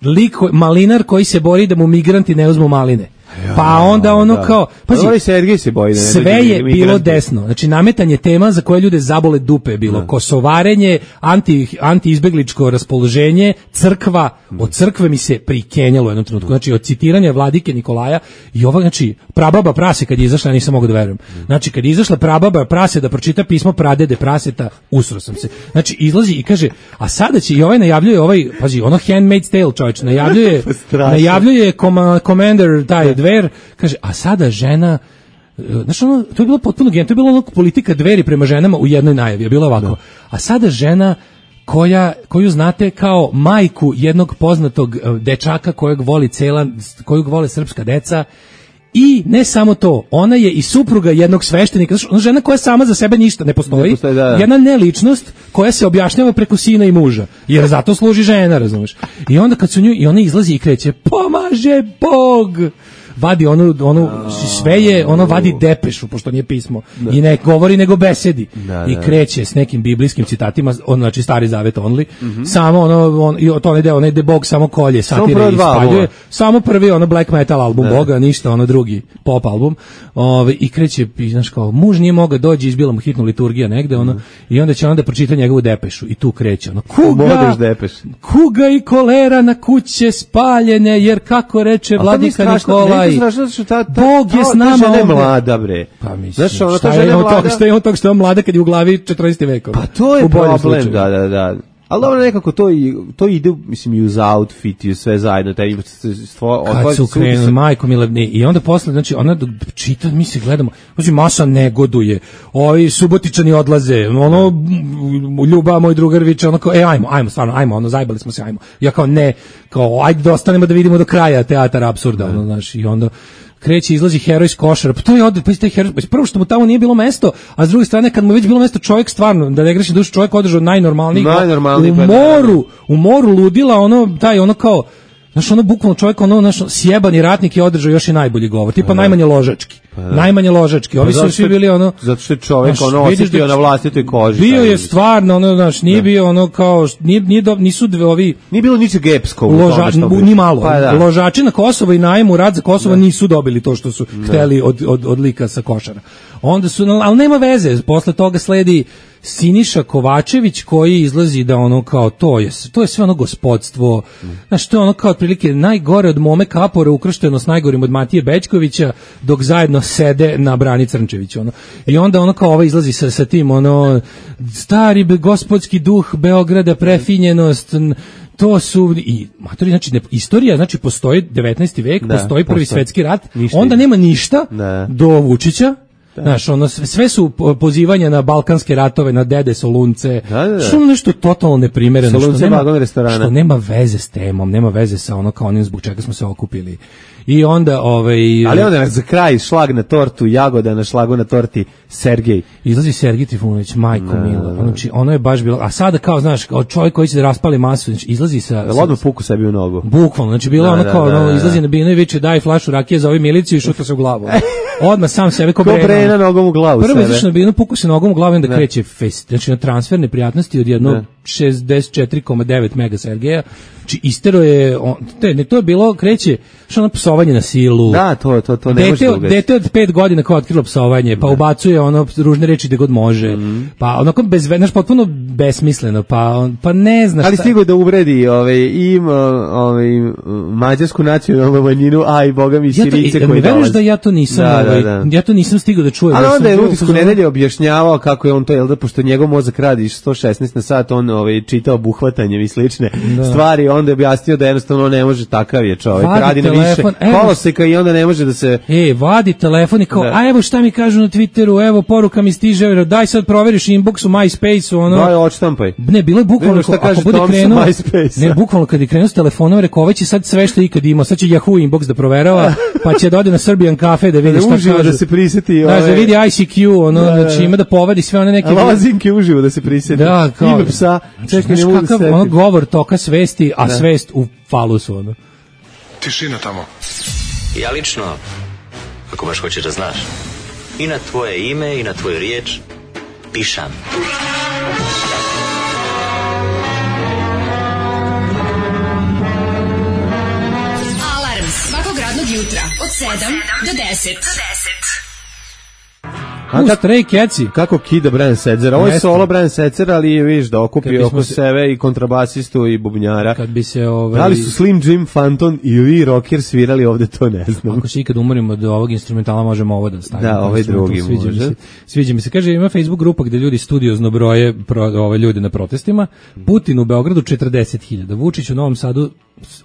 Lik, malinar koji se bori da mu migranti ne uzmu maline. Pa onda ono da. kao pazi,
se boji da ne
sve je bilo desno, znači nametanje tema za koje ljude zabole dupe je bilo, da. kosovarenje, anti, anti-izbegličko raspoloženje, crkva, od crkve mi se prikenjalo u jednom trenutku, znači od citiranja vladike Nikolaja i ova, znači prababa prase kad je izašla, ja nisam mogao da verujem, znači kad je izašla prababa prase da pročita pismo pradede praseta, usro sam se, znači izlazi i kaže, a sada će i ovaj najavljuje, ovaj, pazi, ono Handmaid's Tale čovječ, najavljuje, najavljuje Commander taj Dver, kaže, a sada žena, znaš ono, to je bilo potpuno genijalno, to je bilo ono politika Dveri prema ženama u jednoj najavi, je bilo ovako, da. a sada žena koja, koju znate kao majku jednog poznatog dečaka kojeg voli cela, koju vole srpska deca, i ne samo to, ona je i supruga jednog sveštenika, znači ona žena koja sama za sebe ništa ne postoji, ne postoji da, da. jedna neličnost koja se objašnjava preko sina i muža, jer zato služi žena, razumeš. I onda kad su nju, i ona izlazi i kreće, pomaže Bog! Vadi onu, onu sve je, ono vadi depešu, pošto nije pismo, da. i ne govori nego besedi, da, i kreće s nekim biblijskim citatima, on, znači Stari Zavet only, mm-hmm. samo ono, on, i to ne ide, onaj de Bog samo kolje, satire i spaljuje, samo prvi ono black metal album da. Boga, ništa, ono drugi pop album, ove, i kreće, znaš kao, muž nije mogao dođi, izbila mu hitnu liturgija negde, ono, mm. i onda će onda pročita njegovu depešu, i tu kreće, ono, kuga, kuga i kolera na kuće spaljene, jer kako reče vladika Nikola,
Ta, ta,
Bog je s nama
ovdje. Mlada, bre.
Pa mislim, znaš, ono, šta, je toga, šta je on toga što je mlada kad je u glavi četrnaesti vekova.
Pa to je problem, da, da, da. Ali dobro, nekako to, i, to ide, mislim, i uz outfit, i sve zajedno. Taj, stvo,
kad su krenuli, majko milevni, i onda posle, znači, ona čita, mi se gledamo, znači, masa negoduje, ovi Subotičani odlaze, ono, Ljuba, moj drugar viče, ono kao, e, ajmo, ajmo, stvarno, ajmo, ono, zajbali smo se, ajmo. Ja kao, ne, kao, ajde da ostanemo da vidimo do kraja teatar apsurda, ono, znaš, i onda kreće, izlazi heroj iz košara, pa to je odred, pa taj heroj, prvo što mu tamo nije bilo mesto, a s druge strane, kad mu već bilo mesto, čovjek stvarno, da ne grešim dušu, čovjek održao najnormalnijih, u moru, u moru ludila, ono, taj, ono kao, znaš, ono, bukvalno čovjek, ono, znaš, sjebani ratnik je održao još i najbolji govor, tipa najmanje ložački, pa najmanje ložački, ovi su svi bili, ono,
zato što je čovjek, znaš, ono, osjetio na vlastitoj koži.
Bio je stvarno, ono, znaš, nije bio, ono, kao, nije, nije do, nisu dve ovi...
Nije bilo ničeg epskog u
tome što bi... Ni malo. Pa, da. Ložači na Kosovo i najmu rad za Kosovo da. nisu dobili to što su da. hteli od, od, od lika sa košara. Onda su, ali nema veze, posle toga sledi Siniša Kovačević koji izlazi da ono kao to je, to je sve ono gospodstvo, mm. znaš, to je ono kao otprilike najgore od Mome Kapora ukršteno s najgorim od Matije Bećkovića, dok zajedno sede na Brani Crnčević, ono. I onda ono kao ovo izlazi sa, sa tim, ono, stari gospodski duh Beograda, prefinjenost, to su i matori, znači ne, istorija, znači postoji devetnaesti vek, da, postoji prvi postoji. svetski rat, ništa onda nema ništa da. do Vučića. Da. Znaš, ono, sve su pozivanja na balkanske ratove, na dede Solunce, da, da, da. što nešto totalno neprimereno, što nema, što nema veze s temom, nema veze sa ono kao onim zbog čega smo se okupili. I onda, ovaj...
Ali onda za kraj šlag na tortu, jagoda na šlagu na torti, Sergej.
Izlazi Sergej Trifunović, majko no, mila. Znači, ono je baš bilo... A sada kao, znaš, kao čovjek koji će da raspali masu, znači, izlazi sa...
Da odmah puku sebi u nogu.
Bukvalno, znači, bilo da, ono kao, da, da, ono, izlazi na binu i viče, daj flašu rakije za ovu miliciju i šuta se u glavu. odmah sam sebe ko,
ko
Brena.
Brena nogom u glavu
Prvo
sebe.
izašao na binu, pukao se nogom u glavu i onda kreće fest. Znači na transfer neprijatnosti od jedno šezdeset četiri zarez devet mega Sergeja. Znači istero je, on, te, ne, to je bilo, kreće, što ono psovanje na silu.
Da, to, to, to ne
dete,
može da ugasi.
Dete od pet godina kao otkrilo psovanje, pa da. ubacuje ono ružne reči gde god može, mm. pa onako bez, znaš, potpuno besmisleno, pa, on, pa ne znaš.
Ali
šta...
stigo da uvredi ovaj, i ovaj, mađarsku nacionalnu manjinu, a i boga mi Sirice
ja
koji dolaze.
Da ja to nisam,
da,
ovaj,
da, da.
ja to nisam stigao da čujem.
Ali
ja
onda je
bio,
Utisku nedelje objašnjavao kako je on to, jel da, pošto njegov mozak radi sto šesnaest na sat, on ovaj, čitao buhvatanjem i slične da. stvari, onda je objasnio da jednostavno ne može, takav je čovjek, vadi radi telefon, na više koloseka i onda ne može da se...
E, vadi telefon i kao, da. a evo šta mi kažu na Twitteru, evo poruka mi stiže, evo, daj sad proveriš inbox u MySpace-u, ono...
Daj, odštampaj.
Ne, bilo je bukvalno,
šta
ako bude krenuo, ne, bukvalno kad je krenuo s telefonom, rekao, ovaj će sad sve što ikad imao, sad će Yahoo inbox da proverava, pa će da ode na Serbian Cafe da vidi šta
uživo
kažu.
Da se prisjeti...
Da, da vidi I C Q, ono, da, znači ima da povadi sve one neke...
Lozinke uživo da se prisjeti.
Da, kao...
Ime psa, čekaj, ne mogu da se...
Ono govor toka svesti, a da. svest u falusu, ono.
Tišina tamo.
Ja lično, ako baš hoćeš da znaš, i na tvoje ime i na tvoju riječ pišam.
Alarm svakog radnog jutra od sedam do deset.
U Stray Catsi.
Kako kida Brian Setzer. Ovo je solo Brian Setzer, ali je viš da okupio oko se... sebe i kontrabasistu i bubnjara.
Kad bi se ovaj...
Da li su Slim Jim Phantom i Lee Rocker svirali ovde, to ne znam.
Ako se ikad umorimo od ovog instrumentala, možemo ovo da stavimo.
Da, ovaj drugi
sviđa
može.
Mi se, sviđa mi se. Kaže, ima Facebook grupa gde ljudi studiozno broje pro, ove ljude na protestima. Putin u Beogradu četrdeset hiljada. Vučić u Novom Sadu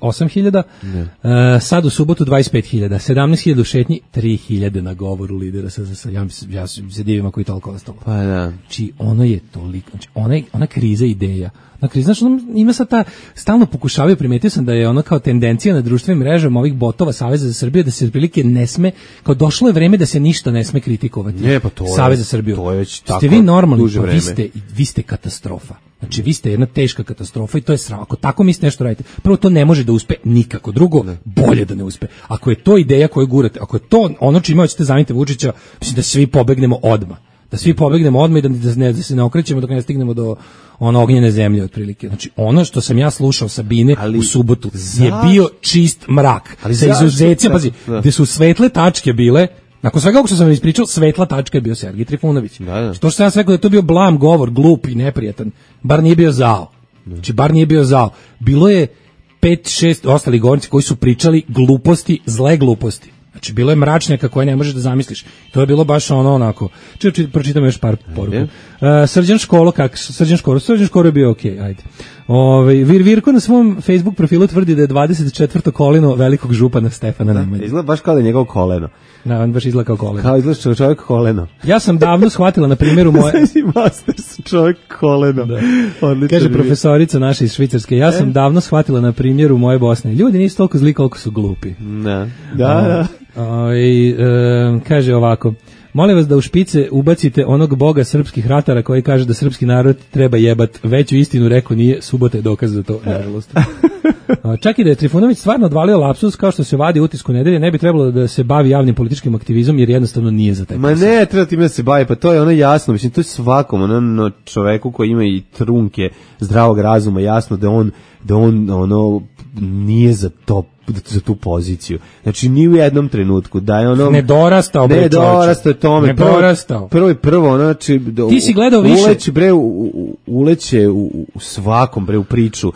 osam hiljada. Uh, sad u subotu dvadeset pet hiljada. sedamnaest hiljada u šetnji, tri hiljade na govoru lidera. Sa, sa, ja, ja se divim ako i toliko ostalo.
Pa da.
Znači, ono je toliko, znači, ona, ona kriza ideja. Ona kriza, znači, ono, ima sad ta, stalno pokušavaju, primetio sam da je ono kao tendencija na društvenim mrežama ovih botova Saveza za Srbiju, da se otprilike ne sme, kao došlo je vreme da se ništa ne sme kritikovati.
Je, pa to je,
Savez za Srbiju.
To je već tako
ste vi normalni,
duže vreme.
Vi ste, vi ste katastrofa. Znači, vi ste jedna teška katastrofa i to je sram. Ako tako mislite nešto radite, prvo to ne može da uspe nikako. Drugo, ne. bolje da ne uspe. Ako je to ideja koju gurate, ako je to ono čime hoćete zameniti Vučića, mislim da svi pobegnemo odmah. Da svi pobegnemo odmah i da, da, ne, da se ne okrećemo dok ne stignemo do ono ognjene zemlje otprilike. Znači, ono što sam ja slušao Sabine ali, u subotu za... je bio čist mrak. Ali sa izuzecima, pazi, da. gde su svetle tačke bile. Nakon svega ovog što sam vam ispričao, svetla tačka je bio Sergij Trifunović. Da, da. To što sam ja rekao da je to bio blam govor, glup i neprijatan, bar nije bio zao. Znači, bar nije bio zao. Bilo je pet, šest ostali govornici koji su pričali gluposti, zle gluposti. Znači, bilo je mračnjaka koje ne možeš da zamisliš. To je bilo baš ono onako. Čekaj, pročitam još par poruka. Uh, Srđan Školo, kak, Srđan Školo, Srđan Školo je bio okej, okay, ajde. Ove, Vir Virko na svom Facebook profilu tvrdi da je dvadeset četvrto koleno velikog župana Stefana Nemanje.
Izgleda baš kao da je njegov koleno.
Da, on baš izgleda kao koleno.
Kao izgleda čovjek koleno.
Ja sam davno shvatila na primjeru moje...
Znači, Masters čovjek koleno. Da.
Kaže profesorica naša iz Švicarske, ja sam e? davno shvatila na primjeru moje Bosne. Ljudi nisu toliko zli koliko su glupi.
Da, da, da.
O, i, e, kaže ovako, molim vas da u špice ubacite onog boga srpskih ratara koji kaže da srpski narod treba jebat. Veću istinu rekao nije, subota je dokaz za to, nažalost. Čak i da je Trifunović stvarno odvalio lapsus kao što se vadi u Utisku nedelje, ne bi trebalo da se bavi javnim političkim aktivizmom jer jednostavno nije za taj
Ma posao. Ne, treba time da se bavi, pa to je ono jasno, mislim, to je svakom ono čoveku koji ima i trunke zdravog razuma jasno da on, da on ono nije za to za tu poziciju. Znači ni u jednom trenutku da je ono
ne dorastao bre,
ne dorastao tome,
ne dorastao.
Prvo i prvo, ono, znači
ti si gledao više
uleće bre u, uleće u, u svakom bre u priču,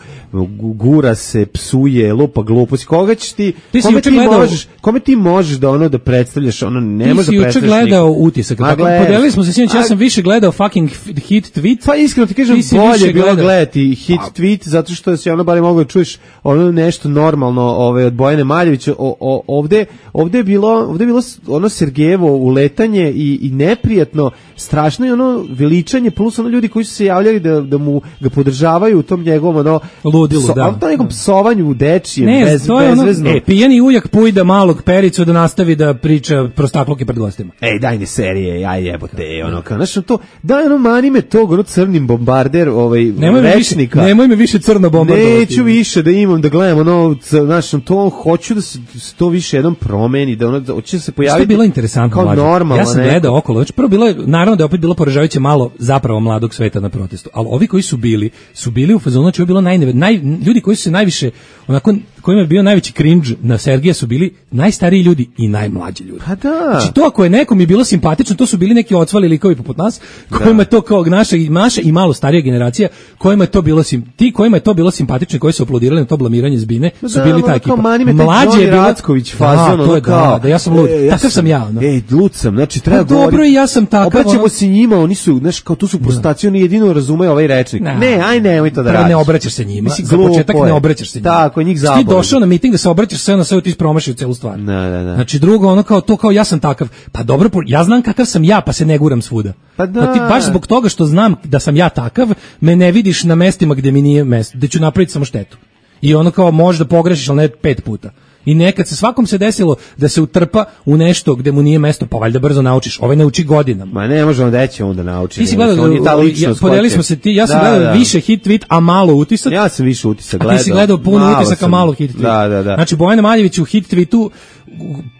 gura se, psuje, lupa gluposti. Koga ćeš ti,
ti
kome ti
gledao,
možeš, kome ti možeš da ono da predstavljaš, ono ne možeš da predstavljaš.
Ti si juče gledao Utisak, tako podelili smo se sinoć, ja sam više gledao fucking hit tweet.
Pa iskreno ti kažem, bolje je bilo gledati hit tweet zato što si ono bare mogao da čuješ ono nešto normalno, ove od Bojane Maljevića. O, o, ovde ovde je bilo ovde je bilo ono Sergejevo uletanje i, i neprijatno, strašno je ono veličanje plus ono ljudi koji su se javljali da, da mu ga podržavaju u tom njegovom ono
ludilu,
pso,
da.
To nekom psovanju u dečijem,
ne,
bez,
to je
bezvezno.
Ono, e, pijani ujak pujda malog Pericu da nastavi da priča prostakluke pred gostima.
Ej, daj mi serije, ja jebote, ono kao, znaš, to, daj ono, mani me tog, ono crnim bombarder, ovaj,
nemoj
rečnika.
Me više, nemoj me više crno bombardovati.
Neću više da imam, da gledam, ono, znaš, tu to hoću da se to više jednom promeni, da ono hoće se pojaviti.
Što je bilo interesantno,
kao normalno.
Ja sam gledao okolo, znači prvo bilo je, naravno da je opet bilo poražavajuće malo zapravo mladog sveta na protestu, ali ovi koji su bili, su bili u fazonu, znači je bilo najneve, naj, ljudi koji su se najviše, onako, kojima je bio najveći cringe na Sergeja su bili najstariji ljudi i najmlađi ljudi.
Pa da.
Znači to ako je nekom je bilo simpatično, to su bili neki ocvali likovi poput nas, kojima je to kao naša, naša i malo starija generacija, kojima je to bilo sim, ti kojima je to bilo simpatično, koji su aplaudirali na to blamiranje Zbine, su
da,
bili ta ekipa.
Mlađi je bilo Racković fazon,
da, to je,
kao,
da, da, ja sam lud,
e, ja
takav sam ja. No.
Ej, lud sam, znači treba
pa, dobro, ja sam takav.
Obraćamo se njima, oni su, znaš, kao tu su prostaci, oni jedino razumeju ovaj rečnik.
Na,
ne, aj nemoj to da radiš.
Ne obraćaš se njima,
Mislim,
za početak ne obraćaš se njima.
Tako, njih zaboli.
Ti došao na miting da se obraćaš sve na sve, ti promašio celu stvar.
Da, da, da.
Znači drugo, ono kao to, kao ja sam takav. Pa dobro, ja znam kakav sam ja, pa se ne guram svuda.
Pa da.
Pa ti baš zbog toga što znam da sam ja takav, me ne vidiš na mestima gde mi nije mesto, gde ću napraviti samo štetu. I ono kao možda pogrešiš, ali ne pet puta. I nekad se svakom se desilo da se utrpa u nešto gde mu nije mesto, pa valjda brzo naučiš. Ovaj ne uči godinama.
Ma ne možemo da će onda nauči.
Ti si gledao, ja, podelili smo se ti, ja sam da, gledao da. više hit tweet, a malo utisak.
Ja sam više utisak gledao.
A ti si gledao puno utisaka, malo hit tweet.
Da, da, da.
Znači Bojana Maljević u hit tweetu,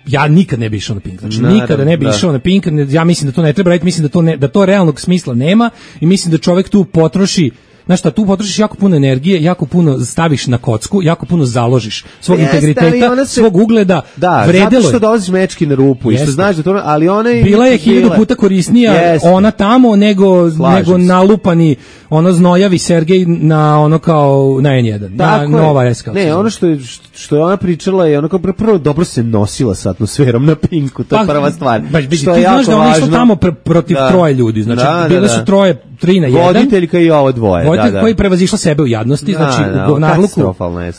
ja nikad ne bi išao na Pink. Znači Naravno, nikada ne bi da. išao na Pink. Ja mislim da to ne treba raditi, mislim da to ne, da to realnog smisla nema i mislim da čovjek tu potroši. Znaš šta, tu potrošiš jako puno energije, jako puno staviš na kocku, jako puno založiš svog Jeste, integriteta, se, svog ugleda,
da,
vredelo je.
Zato što dolaziš mečki na rupu Jeste. i što znaš da to, ali ona je...
Bila je hiljadu puta korisnija Jeste. ona tamo nego, nego nalupani ono znojavi Sergej na ono kao na en jedan, Tako na je. Nova S.
Ne, ono što je, što je ona pričala je ono kao prvo dobro se nosila sa atmosferom na Pinku, to je pa, prva stvar.
Ba, ti znaš da ona išla tamo pr protiv da. troje ljudi, znači da, bile da, da. su troje, tri na jedan.
Voditeljka i ovo dvoje.
Voditelj
da, da.
koji prevazišla sebe u jadnosti,
da,
znači
da,
u govnarluku.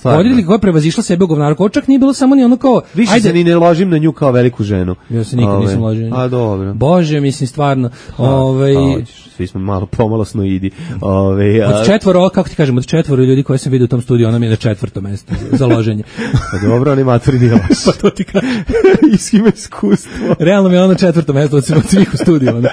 Voditelj koji prevazišla sebe u govnarluku, čak nije bilo samo ni ono kao
više ajde, se ni ne ložim na nju kao veliku ženu.
Ja se nikad Ove. nisam ložio.
A dobro.
Bože, mislim stvarno, ovaj
svi smo malo pomalo snoidi. Ove,
a... Od četvoro, kako ti kažem, od četvoro ljudi koje sam vidio u tom studiju, ona mi je na četvrtom mestu za loženje.
Pa dobro, oni matori nije loš.
Pa to ti kažem.
Iskima iskustvo.
Realno mi je ono četvrto mesto od svih u studiju. Onda.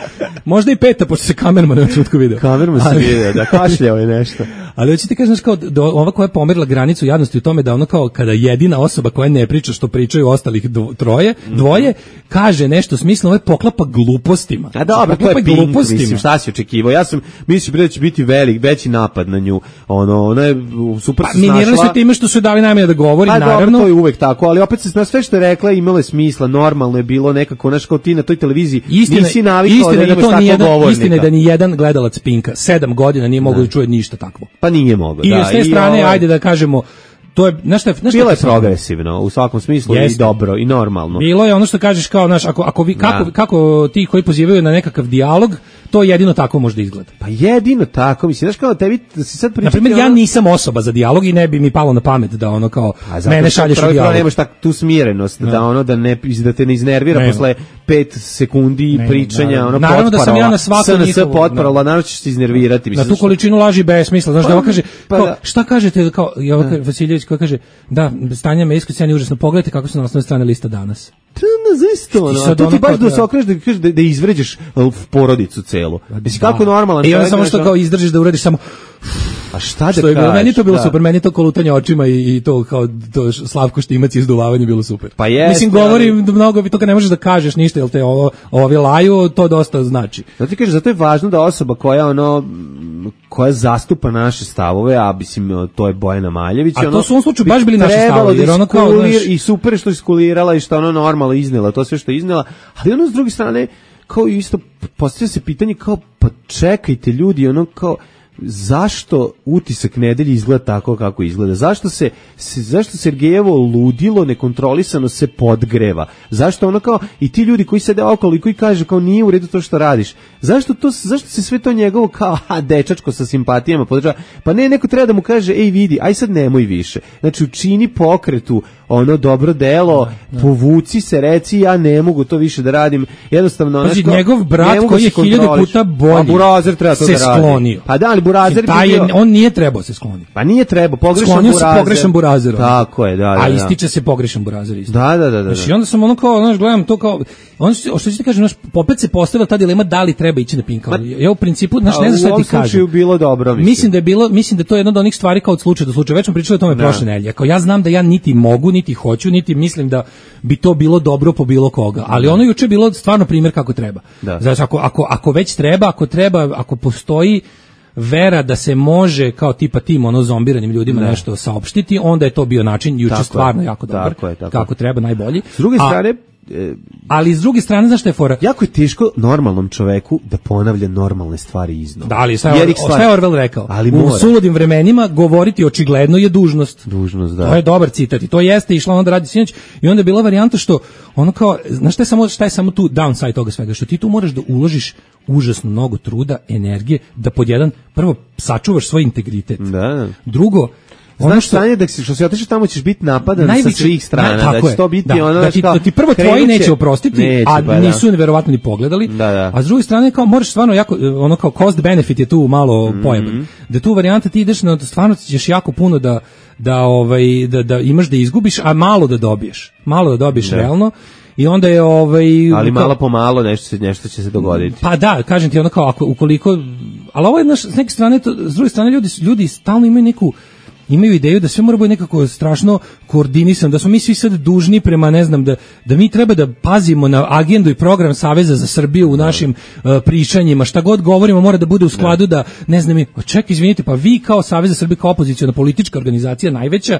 Možda i peta, pošto se kamerman na čutku video.
Kamerman se video, da kašljao je nešto.
Ali hoćete kažem, kao do, ova koja je pomerila granicu jadnosti u tome da ono kao kada jedina osoba koja ne priča što pričaju ostalih dvo, troje, dvoje, kaže nešto smisleno, ovo poklapa glupostima.
A dobro, to je Pink, mislim, šta si očekivao? Ja sam, mislim da će biti velik, veći napad na nju. Ono, ona je super
pa,
se snašla.
Minirali su time što su dali najmanje da govori,
pa,
naravno.
Dobro, to je uvek tako, ali opet se sve što je rekla imalo je smisla, normalno je bilo nekako, znaš, kao ti na toj televiziji
istina,
nisi navikao da imaš tako govornika.
Istina je da ni jedan gledalac Pinka sedam godina nije mogao da čuje ništa takvo.
Pa nije mogao,
I
da.
I s te strane, ovaj... ajde da kažemo, to je, znaš šta, znaš
bilo je progresivno u svakom smislu Jeste. i dobro i normalno.
Bilo je ono što kažeš kao, znaš, ako, ako vi, kako, da. kako ti koji pozivaju na nekakav dijalog, to jedino tako može da izgleda.
Pa jedino tako, mislim, znaš kao tebi da si sad pričati...
Naprimjer, ono... ja nisam osoba za dijalog i ne bi mi palo na pamet da ono kao mene šalješ u dijalog.
Nemaš tak, tu smirenost, da, da ono da, ne, da te ne iznervira Nema. posle pet sekundi Nema, pričanja, naravno. ono
naravno da sam ja na svaku
S N S potparala, naravno ćeš se iznervirati.
Na tu količinu laži besmisla, znaš pa, da ovo kaže, pa, kao, šta kažete, kao, Jovaka Vasiljević koja kaže, da, Stanja Mejsković je užasno, pogledajte kako su na osnovnoj strane lista danas.
Zaista, ono, a to ti baš da se okreneš da kažeš da, da izvređaš porodicu celu. Mislim, kako normalan
čovjek. I onda samo što kao izdržiš da uradiš samo...
A šta da
kažeš? Meni to bilo da. super, meni to kolutanje očima i, i to kao to Slavko Štimac i izduvavanje bilo super.
Pa jest,
Mislim, govori ali... mnogo, to kad ne možeš da kažeš ništa, jel te ovo, ovi laju, to dosta znači.
Zato ti kažeš, zato je važno da osoba koja ono koja zastupa naše stavove, a mislim, to je Bojana Maljević.
A
ono,
to su u ovom slučaju baš bili naši stavovi, jer ono kao... Naš...
I super što je iskulirala i što ono normalno iznela, to sve što je iznela, ali ono s druge strane, kao isto, postavlja se pitanje kao, pa čekajte ljudi, ono kao, zašto utisak nedelje izgleda tako kako izgleda? Zašto se, se zašto Sergejevo ludilo nekontrolisano se podgreva? Zašto ono kao i ti ljudi koji sede okolo i koji kažu kao nije u redu to što radiš? Zašto to zašto se sve to njegovo kao a dečačko sa simpatijama podržava? Pa ne, neko treba da mu kaže ej vidi, aj sad nemoj više. Znači učini pokretu ono dobro delo, da, da. povuci se, reci ja ne mogu to više da radim. Jednostavno
znači njegov brat koji je hiljadu puta bolji.
A Burazer treba to
se
da radi.
Sklonio.
Pa da, ali Burazer
taj bio... on nije trebao se skloniti.
Pa nije trebao, pogrešan
Sklonio
Burazer.
se pogrešan Burazer.
Tako je, da, da.
A ističe se pogrešan Burazer isto.
Da, da, da, da.
Znači onda sam ono kao, znaš, gledam to kao on što ti kažem, znaš, opet se postavila ta dilema da li treba ići na Pinka. Ja u principu, znaš, ne znam šta ti kažem.
Bilo dobro,
mislim. mislim da je bilo, mislim da to je jedna od onih stvari kao od slučaja do slučaja. Već smo pričali o tome prošle nedelje. Kao ja znam da ja niti mogu, niti hoću, niti mislim da bi to bilo dobro po bilo koga, ali ono juče je bilo stvarno primjer kako treba. Znači, ako, ako, ako već treba, ako treba, ako postoji vera da se može kao tipa tim ono zombiranim ljudima ne. nešto saopštiti, onda je to bio način juče stvarno je. jako dobar, tako je, tako kako treba, najbolji.
S druge strane,
A, ali s druge strane, znaš šta je fora?
Jako je teško normalnom čoveku da ponavlja normalne stvari iznova.
Da, ali šta je, šta je Orwell rekao? Ali u suludim vremenima govoriti očigledno je dužnost.
Dužnost, da.
To je dobar citat i to jeste išla onda radi sinoć i onda je bila varijanta što ono kao, znaš šta je samo, šta je samo tu downside toga svega, što ti tu moraš da uložiš užasno mnogo truda, energije, da pod jedan, prvo, sačuvaš svoj integritet.
Da.
Drugo,
ono znaš što stanje da si, što se otišao tamo ćeš biti napadan najviše, sa svih strana, na, da će to biti
da,
ono
da ti,
kao,
da ti prvo tvoji neće oprostiti, neće, a ba, nisu verovatno ni pogledali,
da, da.
A s druge strane kao moraš stvarno jako, ono kao cost benefit je tu malo mm-hmm. pojeban, da tu varijanta ti ideš na, stvarno ćeš jako puno da, da, ovaj, da, da imaš da izgubiš, a malo da dobiješ, malo da dobiješ da. realno. I onda je ovaj
ali malo po malo nešto se nešto će se dogoditi.
Pa da, kažem ti ono kao ako ukoliko, ali ovo je naš, s neke strane to, s druge strane ljudi ljudi stalno imaju neku imaju ideju da sve mora biti nekako strašno koordinisano, da smo mi svi sad dužni prema, ne znam, da, da mi treba da pazimo na agendu i program Saveza za Srbiju u našim uh, pričanjima, šta god govorimo mora da bude u skladu da, ne znam, ček, izvinite, pa vi kao Savez za Srbiju, kao opoziciona politička organizacija najveća,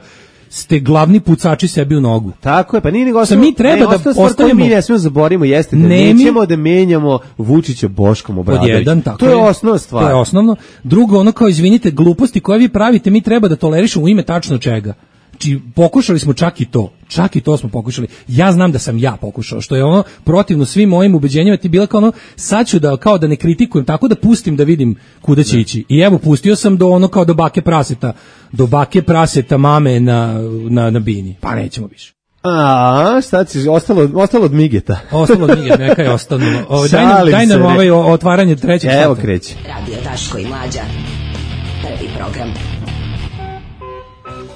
ste glavni pucači sebi u nogu.
Tako je, pa nije nego ostalo,
mi treba ne, da ostavimo,
mi ne smijemo zaboravimo jeste da ne nećemo da menjamo Vučića Boškom Obradovićem. To je osnovna stvar.
To je osnovno. Drugo, ono kao izvinite, gluposti koje vi pravite, mi treba da tolerišemo u ime tačno čega. Či pokušali smo čak i to. Čak i to smo pokušali. Ja znam da sam ja pokušao, što je ono protivno svim mojim ubeđenjima, ti bila kao ono, sad ću da, kao da ne kritikujem, tako da pustim da vidim kuda će ne. ići. I evo, pustio sam do ono kao do bake praseta, do bake praseta mame na, na, na bini. Pa nećemo više.
A, šta će, ostalo, ostalo od Migeta.
Ostalo od Migeta, neka je ostalo. O, daj nam, daj nam ovaj otvaranje trećeg sata.
Evo kreće.
Radio Daško i Mlađa. Prvi program.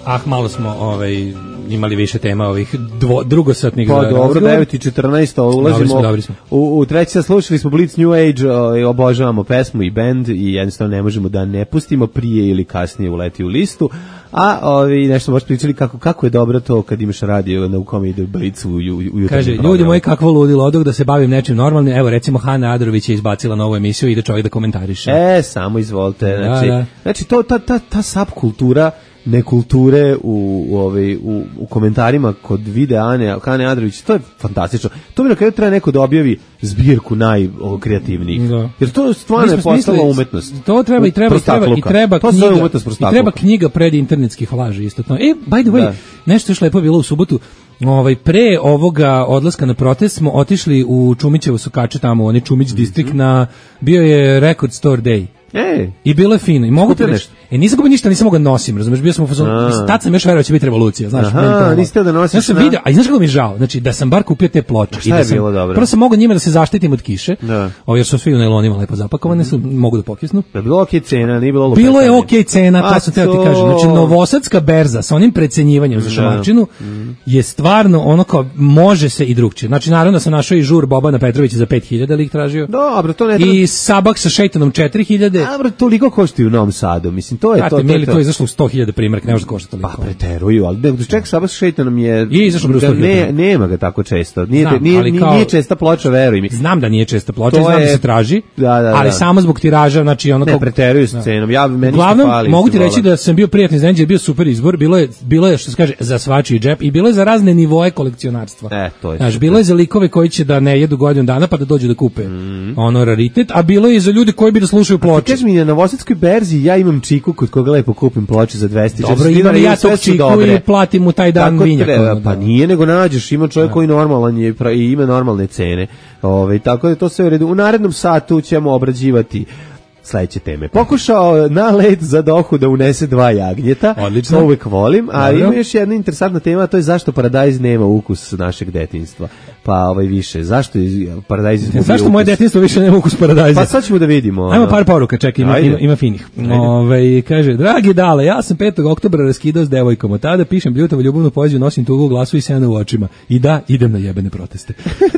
Ah, malo smo ovaj, imali više tema ovih dvo, drugosatnih.
Pa dobro, devet i četrnaest ulazimo. Dobri smo, dobri smo. U, u treći sad slušali smo Blitz New Age, o, obožavamo pesmu i band i jednostavno ne možemo da ne pustimo, prije ili kasnije uleti u listu. A ovi nešto baš pričali kako kako je dobro to kad imaš radio na u kome ide Blitz u, u, u jutarnjem
Kaže,
programu.
Ljudi moji, kakvo ludilo odog da se bavim nečim normalnim. Evo recimo Hana Adrović je izbacila novu emisiju, ide čovjek da komentariše.
E, samo izvolite. Znači,
da, da.
znači to ta ta ta subkultura nekulture u u ovaj u, u komentarima kod videa Ane Hane Adrović, to je fantastično. To bi na kraju treba neko da objavi zbirku najkreativnijih. Jer to stvarno je postala umetnost.
To treba i treba i treba i treba
to
knjiga. I treba knjiga pred internetskih laži isto to. E, by the way, da. nešto još lepo bilo u subotu. Ovaj pre ovoga odlaska na protest smo otišli u Čumićevo Sokače tamo, onaj Čumić mm-hmm. distrikt, na bio je Record Store Day.
Ej,
i bilo je fino. I mogu ti reći, e nisam kupio ništa, nisam mogao nosim, razumeš, bio sam u fazonu, tad sam još verovao da će biti revolucija, znaš.
Aha, niste da nosiš.
Ja sam video, a znaš kako mi je žao, znači da sam bar kupio te ploče.
Šta je bilo dobro?
Prvo sam mogao njima da se zaštitim od kiše, da. O, jer su svi u nailonima lepo zapakovane, su, mogu da pokisnu.
Da je bilo okej cena, nije bilo
Bilo je okej cena, to sam teo ti kažem. Znači, novosadska berza sa onim precenjivanjem za šamarčinu je stvarno ono kao, može se i drugčije. Znači, naravno da sam našao i žur Bobana Petrovića za pet hiljada, ali ih tražio.
Dobro, to ne treba.
I Sabak sa šejtanom četiri hiljade.
Dobro, toliko košta u Novom Sadu, mislim, to je Kati, to.
To je to izašlo u sto hiljada primjerak, ne može da košta toliko.
Pa preteruju, ali da ček Sabak sa šejtanom je
je izašlo u sto hiljada.
Ne, nema ga tako često. Nije znam, nije, kao, nije česta ploča, veruj mi.
Znam da nije česta ploča, znam je, da se traži.
Da, da, da.
Ali samo zbog tiraža, znači ono kao
ne preteruju s cenom. Ja meni
uglavnom, fali. Mogu ti reći da sam bio prijatni iznenađen, bio super izbor, bilo je bilo je što se kaže za svačiji džep i bilo je za razne nivoe kolekcionarstva.
E, to je.
Znači, bilo je za likove koji će da ne jedu godinu dana pa da dođu da kupe mm. ono raritet, a bilo je i za ljude koji bi da slušaju ploče.
Kažeš mi, na novosadskoj berzi ja imam čiku kod koga lepo kupim ploče za dvesta
Dobro, imam ja tog čiku i platim mu taj dan vinjak.
Pa nije, nego nađeš, ima čovjek koji normalan je i ima normalne cene. Ove, tako da to sve u redu. U narednom satu ćemo obrađivati sledeće teme. Pokušao na led za dohu da unese dva jagnjeta.
Odlično.
To uvek volim, ali ima još jedna interesantna tema, to je zašto paradajz nema ukus našeg detinjstva. Pa ovaj više, zašto je paradajz izgubio ukus?
Zašto moje detinjstvo više nema ukus paradajza?
Pa sad ćemo da vidimo.
Ajmo par poruka, čekaj, ima, ima, ima finih. Ove, kaže, dragi Dale, ja sam petog oktobra raskidao s devojkom, od tada pišem bljutavo ljubavnu poeziju, nosim tugu u glasu i sena u očima. I da, idem na jebene proteste.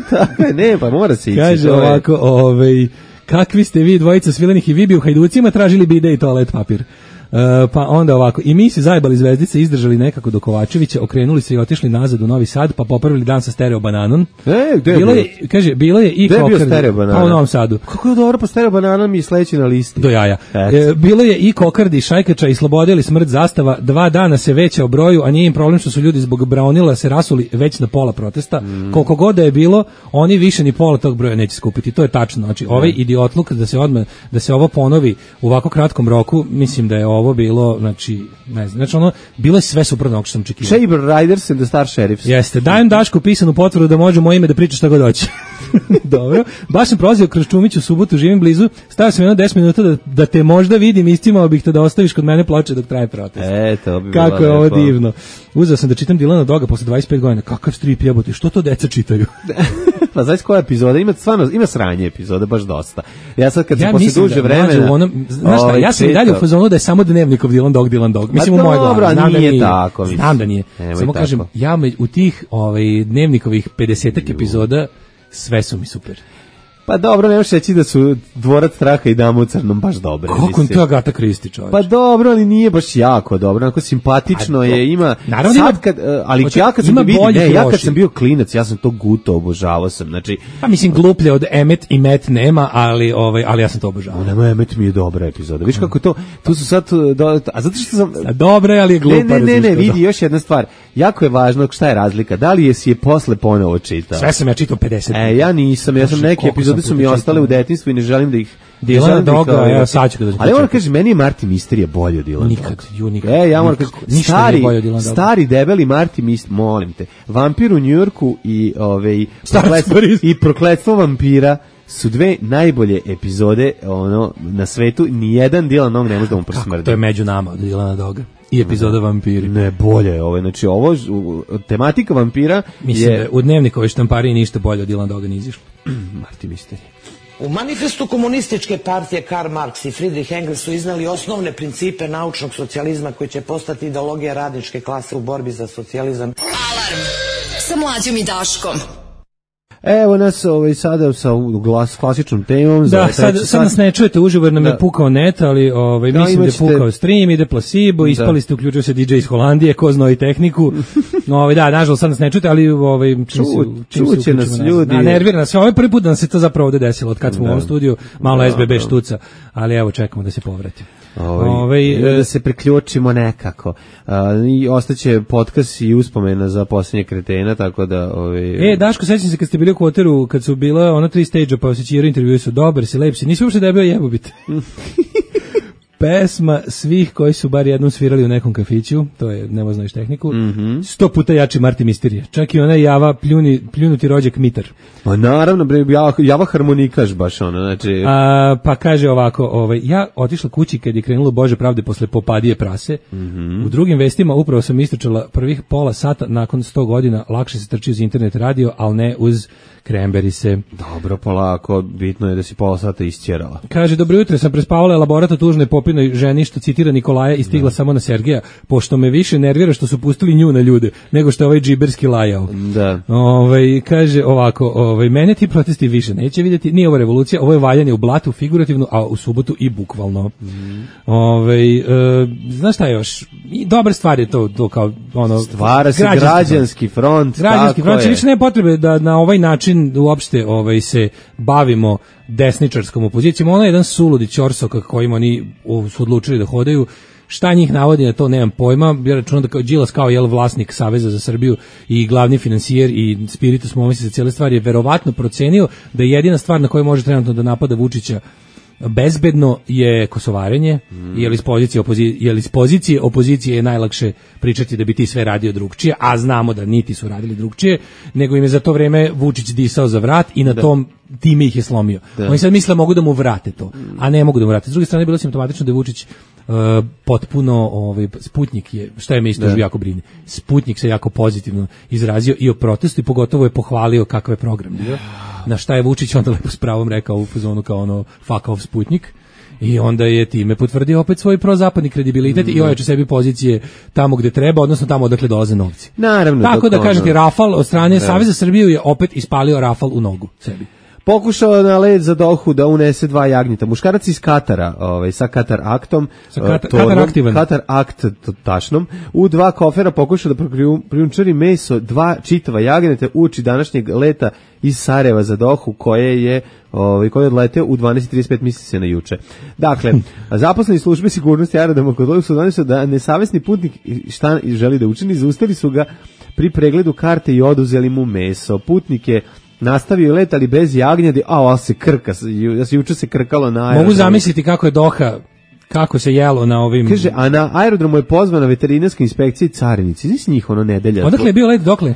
Tako je, ne, pa mora se ići.
Kaže ovako, ovaj kakvi ste vi dvojica svilenih i vi bi u Hajducima tražili bide i toalet papir. Uh, pa onda ovako, i mi se zajebali zvezdice, izdržali nekako do Kovačevića, okrenuli se i otišli nazad u Novi Sad, pa popravili dan sa stereo bananom.
E, gde je
bilo je, kaže, bilo je i kokardi, pa u Novom Sadu.
Kako je dobro, pa stereo banana mi je sledeći na listi.
Do jaja. E, bilo je i kokardi, šajkača i slobodeli smrt zastava, dva dana se veća o broju, a nije im problem što su ljudi zbog braunila se rasuli već na pola protesta. Mm. Koliko god da je bilo, oni više ni pola tog broja neće skupiti. To je tačno. Znači, ovaj idiotluk da se odmah, da se ovo ponovi u ovako kratkom roku, mislim da je ovo bilo, znači, ne znam, znači ono, bilo je sve suprotno što sam očekivao.
Saber Riders and the Star Sheriffs.
Jeste, dajem Dašku pisanu potvrdu da može moje ime da priča šta god hoće. Dobro. Baš sam prolazio kroz Čumić u subotu, živim blizu, stavio sam jedno deset minuta da, da te možda vidim, istimao bih te da ostaviš kod mene ploče dok traje protest.
E, to bi
kako je ovo divno. Uzeo sam da čitam Dilana Doga posle dvadeset pet godina. Kakav strip jebote, što to deca čitaju?
Pa znaš koja epizoda? Ima stvarno, ima sranje epizode, baš dosta. Ja sad kad ja se posle duže
da,
vremena...
Onom, znaš šta, ja sam i dalje u fazonu da je samo Dnevnikov Dilan Dog, Dilan Dog. Mislim, u mojoj glavi. Znam da nije
tako.
Znam da nije.
Nemoj
samo
tako.
Kažem, ja me, u tih ovaj, Dnevnikovih pedesetak epizoda sve su mi super.
Pa dobro, nemaš reći da su Dvorac straha i Dama u crnom baš dobre.
Kako je to Agata Kristi, čovječ?
Pa dobro, ali nije baš jako dobro, onako simpatično je, ima...
Naravno
sad kad, ali
hoće,
ja kad sam vidim, ne, ja kad sam bio klinac, ja sam to guto obožavao sam, znači...
Pa mislim, gluplje od Emmet i Matt nema, ali, ovaj, ali ja sam to obožavao.
Nema, Emmet mi je dobra epizoda. Viš kako to, tu su sad... Do, a zato što sam...
A dobra je, ali je glupa.
Ne, ne, ne, ne, vidi, još jedna stvar. Jako je važno šta je razlika. Da li je si je posle ponovo čitao?
Sve sam ja čitao pedeset.
E, ja nisam, ja sam neke epizode su mi ostale u detinjstvu i ne želim da ih
Dilana Doga, ja sad ću da
ali moram kažem, meni je Marty Misterija bolje od Dilana
Nikad, ju nikad.
E, ja moram kažem, stari, stari debeli Marty Misterija, molim te, Vampir u Njujorku i, ove, prokletstvo, i Prokletstvo vampira su dve najbolje epizode ono, na svetu, nijedan Dilan Dog ne može da mu prosmrdi.
To je među nama od Dilana Doga. I epizoda Vampiri.
Ne, bolje je ovo. Znači, ovo, tematika vampira
mislim
je...
da u Dnevnikovoj štampariji ništa bolje od Dilana Doga ne izišlo.
Marty Misterija.
U manifestu komunističke partije Karl Marx i Friedrich Engels su iznali osnovne principe naučnog socijalizma koji će postati ideologija radničke klase u borbi za socijalizam.
Alarm sa Mlađom i Daškom.
Evo nas ovaj, sada sa glas, klasičnom temom.
Da, sad, sad nas ne čujete uživo jer nam da. je pukao net, ali ovaj, da, mislim da je pukao stream, ide placebo, ispali ste, uključio se D J iz Holandije, ko zna i tehniku. No, ovaj, da, nažalost sad nas ne čujete, ali ovaj, čim
Ču,
se, čim
čuće
se
nas ljudi.
Na, nervira nas. Ovaj prvi put da nam se to zapravo ovde desilo, od kad smo da. u ovom studiju, malo da, S B B da. štuca, ali evo čekamo da se povrati.
Ovaj, ovaj, da se priključimo nekako. Uh, i ostaće podcast i uspomena za posljednje kretena, tako da... Ovaj,
e, Daško, sećam se kad ste bili u Kvoteru, kad su bila ono tri stage-a, pa osjećirao intervju, su dobar si, lep si, nisi uopšte debeo jebobit. Pesma svih koji su bar jednom svirali u nekom kafiću, to je, nema znaš tehniku,
mm-hmm.
sto puta jači Marty Misterija. Čak i onaj Java pljuni, pljunuti rođak Mitar.
Pa naravno, bre, Java, Java harmonikaš baš ono, znači...
A, pa kaže ovako, ovaj, ja otišla kući kad je krenulo Bože pravde posle Popadije prase.
Mm-hmm.
U drugim vestima upravo sam istračala prvih pola sata nakon sto godina, lakše se trči uz internet radio, ali ne uz Kremberise.
Dobro, polako, bitno je da si pola sata isćerala.
Kaže, dobro jutro, sam prespavala elaborat o tužnoj popinoj ženi što citira Nikolaja i stigla da. samo na Sergeja, pošto me više nervira što su pustili nju na ljude, nego što je ovaj džiberski lajao.
Da.
Ovaj, kaže ovako, ovaj, mene ti protesti više neće vidjeti, nije ovo revolucija, ovo je valjanje u blatu figurativno, a u subotu i bukvalno. Mm. Ovaj, e, znaš šta još? I dobar stvar je to, to kao ono...
Stvara se građanski, građanski front.
Građanski front, je. Više nema potrebe da na ovaj način uopšte ovaj, se bavimo desničarskom opozicijom. Ono je jedan suludi ćorsok kojim oni su odlučili da hodaju. Šta njih navodi na to, nemam pojma. Ja računam da kao Đilas kao jel vlasnik Saveza za Srbiju i glavni finansijer i spiritus momis za cijele stvari je verovatno procenio da je jedina stvar na kojoj može trenutno da napada Vučića bezbedno je kosovarenje, mm. jer iz pozicije opozicije, jer iz pozicije opozicije je najlakše pričati da bi ti sve radio drugčije, a znamo da niti su radili drugčije, nego im je za to vreme Vučić disao za vrat i na da. tom time ih je slomio. Da. Oni sad misle mogu da mu vrate to, a ne mogu da mu vrate. S druge strane, bilo simptomatično da je Vučić uh, potpuno, ovaj, Sputnjik je, šta je me isto jako brine, Sputnjik se jako pozitivno izrazio i o protestu i pogotovo je pohvalio kakav je program. Da. Na šta je Vučić onda lepo s pravom rekao u fazonu kao ono fuck off Sputnjik. I onda je time potvrdio opet svoj prozapadni kredibilitet mm. i ojača sebi pozicije tamo gde treba, odnosno tamo odakle dolaze novci.
Naravno.
Tako da kažete, Rafal od strane Saveza Srbiju je opet ispalio Rafal u nogu sebi.
pokušao na led za Dohu da unese dva jagnjeta. Muškarac iz Katara, ovaj, sa Katar aktom,
sa Katar,
tornom,
Katar aktivan.
Katar akt tašnom, u dva kofera pokušao da prijunčari meso, dva čitava jagnjeta uoči današnjeg leta iz Sarajeva za Dohu, koje je ovaj koji je odleteo u dvanaest i trideset pet, misli se na juče. Dakle, zaposleni službe sigurnosti aerodroma kod Doha su donesli da nesavesni putnik šta želi da učini, zaustavili su ga pri pregledu karte i oduzeli mu meso. Putnik je nastavio let, ali bez jagnjadi, a ovo se krka, da se juče se krkalo na aerodromu.
Mogu zamisliti kako je Doha, kako se jelo na ovim...
Kaže, a na aerodromu je pozvana veterinarska inspekcija i carinici. Znači njih ono nedelja.
Odakle je bio let, dokle?
Uh,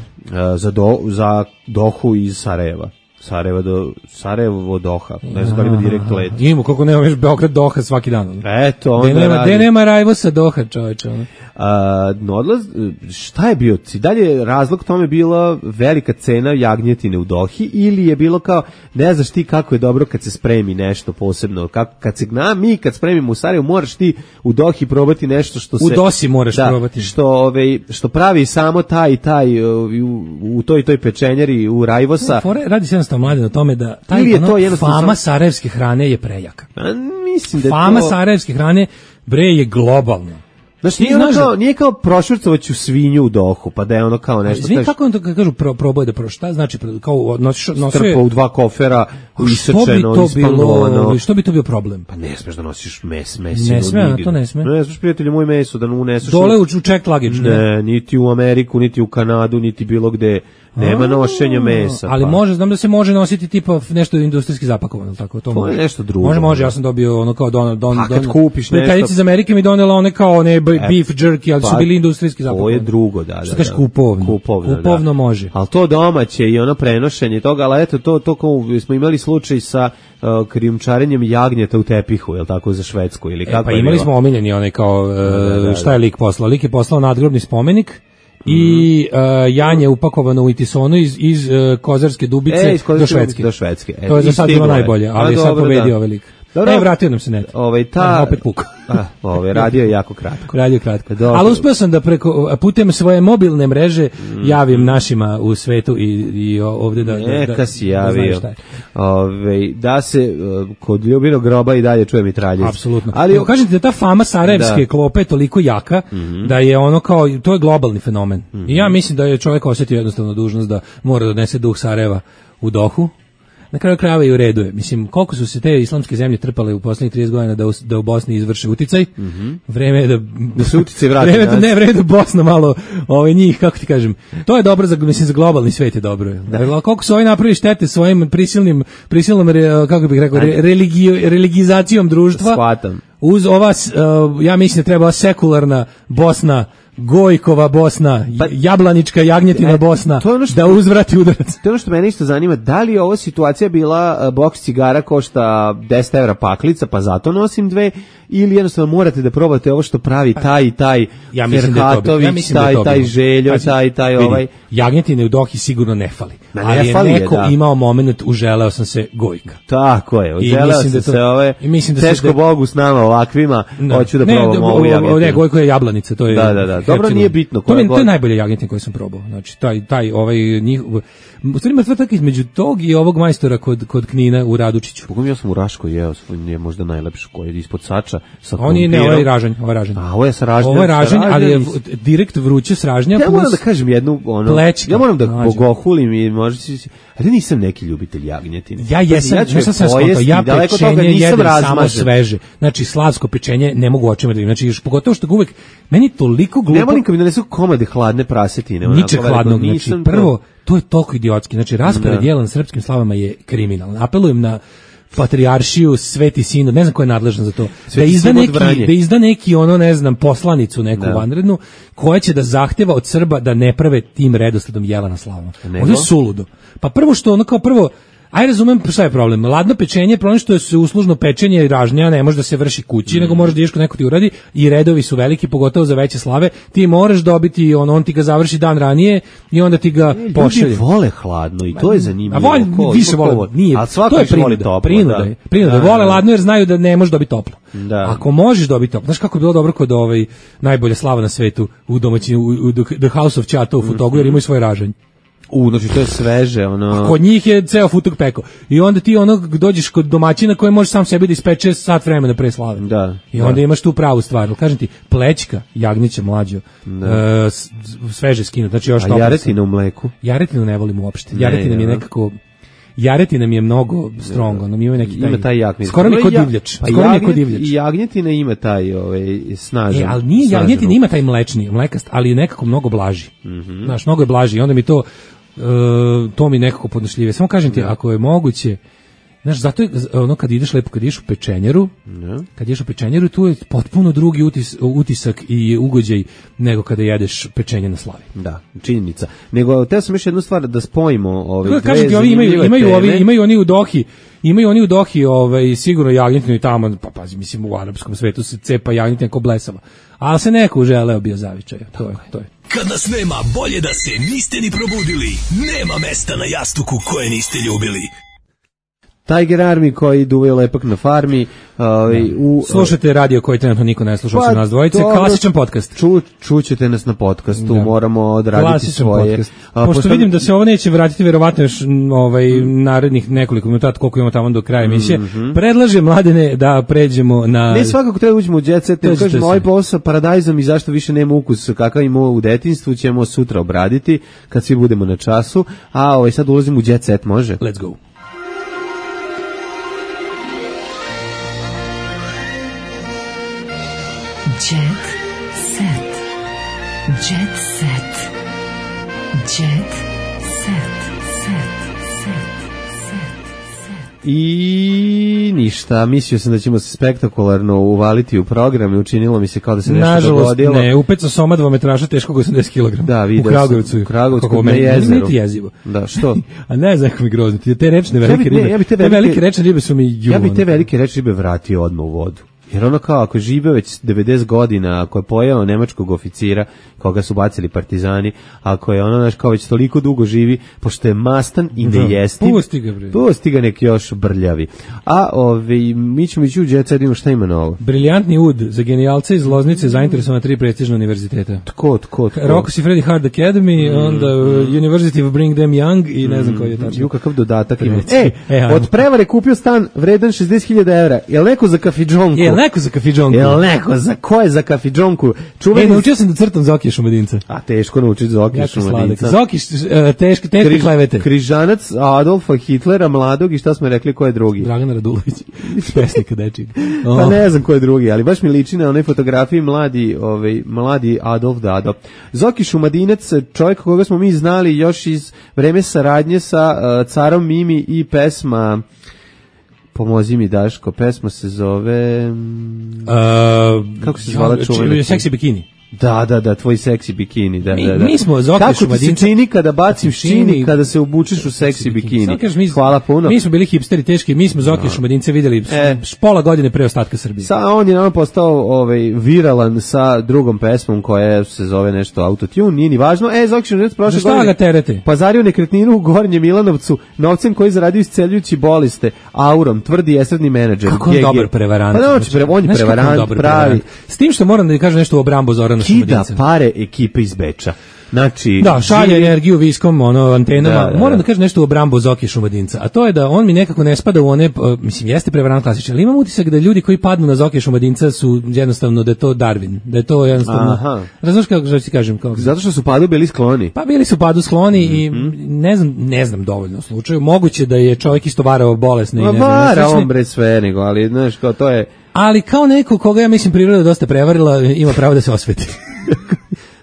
za, do, za Dohu iz Sarajeva. Sarajeva do Sarajevo Doha. Ne znam da li ima direkt let.
Imamo, kako nema već Beograd Doha svaki dan.
Eto, onda
de nema,
radi.
De nema Rajvosa Doha, čoveče.
A, no odlaz, šta je bio? Dalje razlog tome bila velika cena jagnjetine u Dohi ili je bilo kao, ne znaš ti kako je dobro kad se spremi nešto posebno, kako, kad se gna, mi kad spremimo u Sarajevu moraš ti u Dohi probati nešto što se...
U Dosi moraš
da,
probati.
Što, ove, što pravi samo taj i taj u, u toj toj pečenjeri u Rajvosa.
Fore, radi se jednostavno mlade na tome da taj
je
ono,
to jednostavno
fama sarajevske hrane je prejaka.
A, mislim da
fama
to...
sarajevske hrane bre je globalna.
Znaš, nije, ono kao, nije kao prošvrcovać u svinju u Dohu, pa da je ono kao nešto...
Izvini, kako on to kažu, pro, proboj da pro, šta znači, kao nosiš...
Strpa u dva kofera, isečeno,
ispangovano... Što bi to bio problem?
Pa ne smeš da nosiš mes, mesinu.
Ne sme, a to ne sme.
Ne smeš, prijatelju, moj meso da uneseš...
Dole u, u check luggage, ne?
Ne, niti u Ameriku, niti u Kanadu, niti bilo gde... Nema nošenja mesa.
Ali
pa.
može, znam da se može nositi tipa nešto industrijski zapakovano, tako to, to može.
Je nešto drugo.
Može, može, ja sam dobio ono kao don don
don. A kad kupiš nešto,
prijateljica iz Amerike mi donela one kao one beef jerky, ali
pa,
su bili industrijski zapakovani.
To je drugo, da, da.
Što kažeš kupovno?
Kupovno,
kupovno
da.
može.
Ali to domaće i ono prenošenje toga, ali eto to to kao smo imali slučaj sa uh, krijumčarenjem jagnjeta u tepihu, je l' tako, za Švedsku ili kako
e, pa imali bilo? Smo omiljeni onaj kao uh, da, da, da, šta je lik poslao? Lik je poslao nadgrobni spomenik i uh, janje upakovano u itisonu iz, iz uh, Kozarske Dubice
e, iz
do Švedske.
Do Švedske. E,
to je za sad bilo najbolje, ali je sad pobedio ovaj lik.
Dobro.
Ne, vratio nam se net.
Ovaj ta
a, opet puk.
A, ovaj radio je jako kratko.
Radio kratko. Dobro. Ali uspeo sam da preko putem svoje mobilne mreže mm. javim našima u svetu i i ovde da
Neka
da, da,
si javio.
Da,
ovaj da se uh, kod Ljubinog groba i dalje čuje mitraljez.
Apsolutno. Ali evo, kažete da ta fama sarajevske da. klope je toliko jaka mm -hmm. da je ono kao to je globalni fenomen. Mm -hmm. I ja mislim da je čovjek osjetio jednostavno dužnost da mora da donese duh Sarajeva u Dohu. Na kraju krajeva i u redu je. Mislim, koliko su se te islamske zemlje trpale u poslednjih trideset godina da u, da u Bosni izvrše uticaj. Mm -hmm. Vreme je da...
Da se uticaj vrati.
Vreme da, ne, vreme da Bosna malo ovaj, njih, kako ti kažem. To je dobro, za, mislim, za globalni svet je dobro. Da. Koliko su ovi napravili štete svojim prisilnim, prisilnom, kako bih rekao, re, religio, religizacijom društva.
Shvatam.
Uz ova, uh, ja mislim da treba sekularna Bosna, Gojkova Bosna, pa, jablanička jagnjetina e, Bosna, što, da uzvrati udarac.
To je ono što mene isto zanima, da li je ova situacija bila uh, boks cigara košta deset evra paklica, pa zato nosim dve, ili jednostavno morate da probate ovo što pravi taj i taj
ja
Ferhatović,
ja
taj,
da
taj Željo, Pazi, taj, taj vidi, ovaj.
Jagnjetine u Dohi sigurno ne fali,
ne,
ali
ne fali
je neko
je, da.
imao moment, uželeo sam se Gojka.
Tako je, uželeo sam da to, se ove,
da
teško da, Bogu s nama ovakvima, no, hoću da ne, probam ovu jagnjetinu.
Ne, Gojko je jablanica, to je...
Da, da, da, dobro, nije bitno.
To je, to je najbolja jagnjetina koju sam probao. Znači taj taj ovaj njih u stvari mrtva tak između tog i ovog majstora kod kod Knina u Radučiću.
Pogledam, ja sam u Raškoj jeo, je možda najlepši koji je ispod Sača sa
on je ne ovaj ražanj, ovaj ražanj.
A ovo je sa ražnjem.
Ovo je ražanj, ali je direkt vruće s ražnja.
Ja moram da kažem jednu ono.
Plečka.
Ja moram da bogohulim i možda ali nisam neki ljubitelj jagnjetine.
Ja jesam, ja ću sam skontao, ja pečenje jedem samo sveže. Znači slavsko pečenje ne mogu očima da vidim. Znači pogotovo što uvek meni toliko glupo.
Ne volim kad mi donesu komade hladne prasetine.
Ničeg hladnog, znači prvo to je toliko idiotski. Znači raspored jela na srpskim slavama je kriminalan. Apelujem na patrijaršiju, Sveti Sinod, ne znam ko je nadležan za to, da izda, neki, da izda neki ono, ne znam, poslanicu neku da. vanrednu, koja će da zahteva od Srba da ne prave tim redosledom jela na slavama. Ovo je suludo. Pa prvo što ono kao prvo, aj razumem šta je problem. Ladno pečenje je problem što je se uslužno pečenje i ražnja ne može da se vrši kući, mm. nego možeš da ideš kod neko ti uradi i redovi su veliki, pogotovo za veće slave. Ti moraš dobiti, on, on ti ga završi dan ranije i onda ti ga e, pošalje.
Ljudi vole hladno i to je zanimljivo.
A vole, više vole, nije.
A svako
to je prinuda,
voli toplo.
Prinuda,
da.
prinuda. Da, vole ladno jer znaju da ne možeš dobiti toplo.
Da.
Ako možeš dobiti toplo, znaš kako je bilo dobro kod ovaj najbolja slava na svetu u domaćini, u, u The House of Chata u Fotogu, jer imaju svoje ražanje.
U, znači to je sveže, ono...
Kod njih je ceo futuk peko. I onda ti ono dođeš kod domaćina koji može sam sebi da ispeče sat vremena pre slave.
Da.
I onda
da.
imaš tu pravu stvar. Kažem ti, plećka, jagnjeća mlađo, uh, sveže skinut. Znači još
a jaretina u mleku?
Jaretinu ne volim uopšte. Jaretina mi je nekako... Jaretina mi je mnogo strong, ono mi ima neki taj,
ima taj jakni.
Skoro mi kod divljač,
pa
skoro mi kod divljač.
I jagnjetina ima taj ovaj snažan.
E, ali nije jagnjetina ima taj mlečni, mlekast, ali je nekako mnogo blaži.
Mm-hmm.
Znaš, mnogo je blaži i onda mi to uh, to mi nekako podnošljivije. Samo kažem ti, ako je moguće, znaš, zato je ono kad ideš lepo, kad ideš u pečenjeru,
no.
kad ideš u pečenjeru, tu je potpuno drugi utis, utisak i ugođaj nego kada jedeš pečenje na slavi.
Da, činjenica. Nego, te sam još jednu stvar da spojimo ove dve
kažem ti, ovi imaju, imaju, ovi, imaju oni u Dohi, imaju oni u Dohi ovaj, sigurno jagnjetinu i tamo, pa pazi, mislim u arapskom svetu se cepa jagnjetina ko blesava. Ali se neko uželeo bio zavičaj, to je, to je.
Kad nas nema, bolje da se niste ni probudili. Nema mesta na jastuku koje niste ljubili.
Tiger Army koji duvaju lepak na farmi. Uh, u,
Slušajte radio koji trenutno niko ne sluša osim pa, nas dvojice. To, klasičan podcast.
Ču, čućete nas na podcastu, da. Moramo odraditi klasičan svoje.
A, pošto, pošto vidim da se ovo neće vratiti verovatno još ovaj, narednih nekoliko minuta, koliko imamo tamo do kraja emisije, mm-hmm. predlažem Mladene da pređemo na...
Ne, svakako treba uđemo u Jet Set, ne kažemo ovaj posao Paradajzom i zašto više nema ukus kakav imao u detinjstvu, ćemo sutra obraditi kad svi budemo na času, a ovaj, sad ulazimo u Jet Set, može?
Let's go.
Jet set. Jet set. Jet set. Set. Set. Set.
I ništa, mislio sam da ćemo se spektakularno uvaliti u program i učinilo mi se kao da se nešto
nažalost,
dogodilo.
Nažalost, ne, upecao soma dvometraža teškog osamdeset kilograma.
Da, vidio
u Kragujevcu.
U Kragujevcu,
na jezeru.
Niti
jezivo.
Da, što?
A ne znam kako mi grozno. Te rečne velike
ja bi,
ribe,
ne, ja bi te,
te
velike,
velike rečne ribe su mi ju.
Ja bi te velike rečne ribe vratio odmah u vodu. Jer ono kao, ako žive već devedeset godina, ako je pojeo nemačkog oficira, koga su bacili partizani, ako je ono, znaš, kao već toliko dugo živi, pošto je mastan i ne jesti,
pusti ga, bre.
Pusti ga nek još brljavi. A ove, mi ćemo ići u Jet Set, imamo šta ima novo.
Briljantni ud za genijalce iz Loznice, zainteresovana tri prestižna univerziteta.
Tko, tko, tko?
Rocco Siffredi Hard Academy, mm. onda University of Bring Them Young i ne znam koji je tačno.
Ju, kakav dodatak ima. E, e od prevare kupio stan vredan šezdeset hiljada evra. Jel neko za kafidžonku?
Jel neko za kafidžonku?
Jel neko za ko je za kafidžonku?
Čuveni... E, naučio sam da crtam Zokija Šumadinca.
A teško naučiti Zokija Šumadinca.
Zokiš, teške, teške Križ, klevete.
Križanac Adolfa Hitlera, mladog, i šta smo rekli, ko je drugi?
Dragan Radulović, pesnika dečig.
Oh. Pa ne znam ko je drugi, ali baš mi liči na onoj fotografiji mladi, ovaj, mladi Adolf Dado. Zoki Šumadinac, čovjek koga smo mi znali još iz vreme saradnje sa uh, carom Mimi i pesma... Pomozi mi, Daško, pesma se zove...
Uh,
kako se zvala čuvena?
Seksi bikini.
Da, da, da, tvoj seksi bikini, da,
mi,
da, da.
Mi smo Zoki
Kako
Šumadinca.
Kako ti se čini kada bacim šini, kada se obučeš u seksi bikini?
Mi,
hvala puno.
Mi smo bili hipsteri teški, mi smo Zoki no. Šumadince videli e. pola godine pre ostatka Srbije.
Sa, on je nam postao ovaj, viralan sa drugom pesmom koja se zove nešto Autotune, nije ni važno. E, Zoki Šumadinec prošle godine
ga terete?
Pazario nekretninu u Gornjem Milanovcu novcem koji zaradio isceljujući boliste, aurom, tvrdi esredni menadžer.
Kako on dobar prevarant.
Pa on, pre, on je prevarant, pravi.
S tim što moram da kažem nešto u obrambu Zorana Šumadinca.
Ekipe iz Beča. Znači,
da, šalje živi... energiju viskom, ono, antenama.
Da, da,
moram da kažem nešto u obrambu Zoki Šumadinca, a to je da on mi nekako ne spada u one, uh, mislim, jeste prevarant klasičan, ali imam utisak da ljudi koji padnu na Zoki Šumadinca su jednostavno da je to Darwin, da je to jednostavno... Razumiješ kako što ti kažem? Kako...
Zato što su padu bili skloni.
Pa bili su padu skloni mm-hmm. i ne znam, ne znam dovoljno u slučaju. Moguće da je čovjek isto varao bolesne.
Ma
i ne znam.
Vara on bre sve, nego, ali znaš, kao to je...
Ali kao neko koga ja mislim priroda dosta prevarila, ima pravo da se osveti.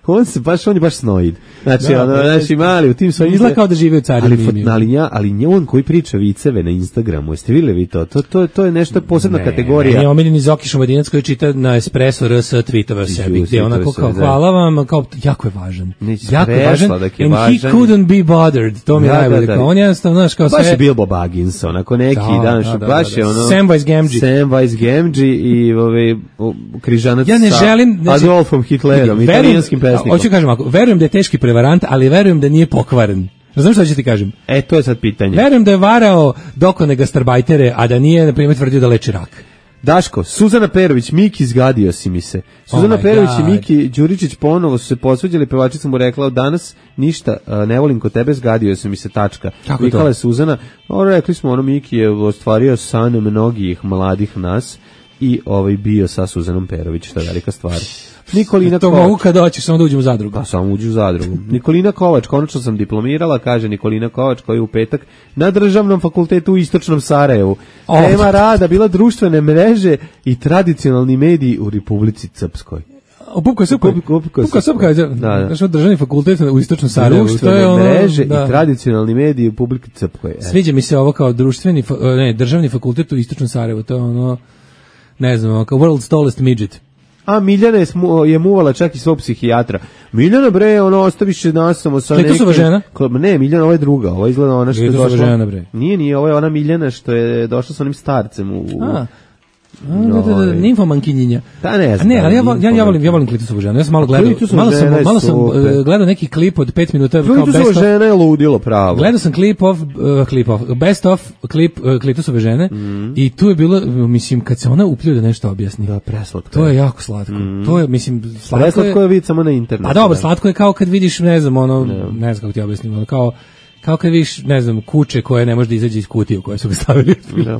On se baš, on je baš snoid. Znači,
da,
ono, znači, mali, u tim svojim...
Izgleda kao da živi u Carinu.
Ali, ali, ja, ali nje on koji priča viceve na Instagramu, jeste vidjeli vi to? To, to, to je nešto posebna
ne,
kategorija.
Ne, omiljeni Zoki Šumadinac koji čita na Espresso R S tweetova sebi, gdje onako kao, hvala vam, kao, jako je važan.
Neći
jako je važan,
and
važan. He couldn't be bothered. To mi je
da,
najbolje.
Da, da.
On jednostavno, znaš, kao sve...
Baš je Bilbo Baggins, onako neki
da,
dan,
da, da,
baš
da, da.
je ono...
Samwise Gamgee.
Samwise Gamgee i ove, križanac
ja ne želim,
sa Adolfom Hitlerom, italijanskim pesnikom.
Hoću kažem ako, verujem da je teški prevarant, ali verujem da nije pokvaren. Razumiješ što ću ti kažem?
E, to je sad pitanje.
Verujem da je varao dokone gastarbajtere, a da nije, na primjer, tvrdio da leči rak.
Daško, Suzana Perović, Miki, zgadio si mi se. Suzana
Oh my
Perović
God.
i Miki Đuričić ponovo su se posveđali, pevačica mu rekla, danas ništa, uh, ne volim kod tebe, zgadio si mi se, tačka.
Kako
Vikala
to?
je Suzana, o, rekli smo, ono, Miki je ostvario san mnogih mladih nas i ovaj bio sa Suzanom Perović, što je velika stvar. Nikolina
To
Kovač.
mogu kad hoćeš, samo da uđem u zadrugu.
Pa samo uđu u zadrugu. Nikolina Kovač, konačno sam diplomirala, kaže Nikolina Kovač, koji je u petak na državnom fakultetu u Istočnom Sarajevu.
O.
Tema rada bila društvene mreže i tradicionalni mediji u Republici Srpskoj.
O, Pupka Srpka. Pupka Srpka, znaš, državni fakultet u Istočnom Sarajevu.
Društvene
To je ono,
mreže
da.
i tradicionalni mediji u Republici Srpskoj. E.
Sviđa mi se ovo kao društveni, fa- ne, državni fakultet u Istočnom Sarajevu. To je ono, ne znam, ono, kao world's tallest midget.
A Miljana je, smu, je muvala čak i svog psihijatra. Miljana, bre, ono, ostaviše nas samo sa nekim...
Klitusova žena?
Ne, Miljana, ovo je druga. Ovo izgleda ona što je
Klitusova
došla...
žena, bre.
Nije, nije, ovo je ona Miljana što je došla sa onim starcem u...
A, A, da, da, da, nimfomankinjinja.
Da, ne znam.
A ne, ali ja, vol- ja, ja volim, ja volim Klitusovu ženu. Ja sam malo gledao,
Klitusova
malo sam,
žena je
malo sam
super.
uh, gledao neki klip od pet minuta kao
Klitusova
best of.
žena je ludilo pravo.
Gledao sam klip of, uh, klip of, best of klip uh, Klitusove žene
Mm.
i tu je bilo, mislim, kad se ona uplju da nešto objasni.
Da, preslatko.
To je jako slatko.
Mm.
To je, mislim, slatko
Preslatko je vid samo na internetu.
Pa dobro,
da.
slatko je kao kad vidiš, ne znam, ono,
Ne.
ne znam kako ti objasnim, ono, kao, kao kad vidiš, ne znam, kuće koje ne može da izađe iz kutije u koje su ga stavili.
Da.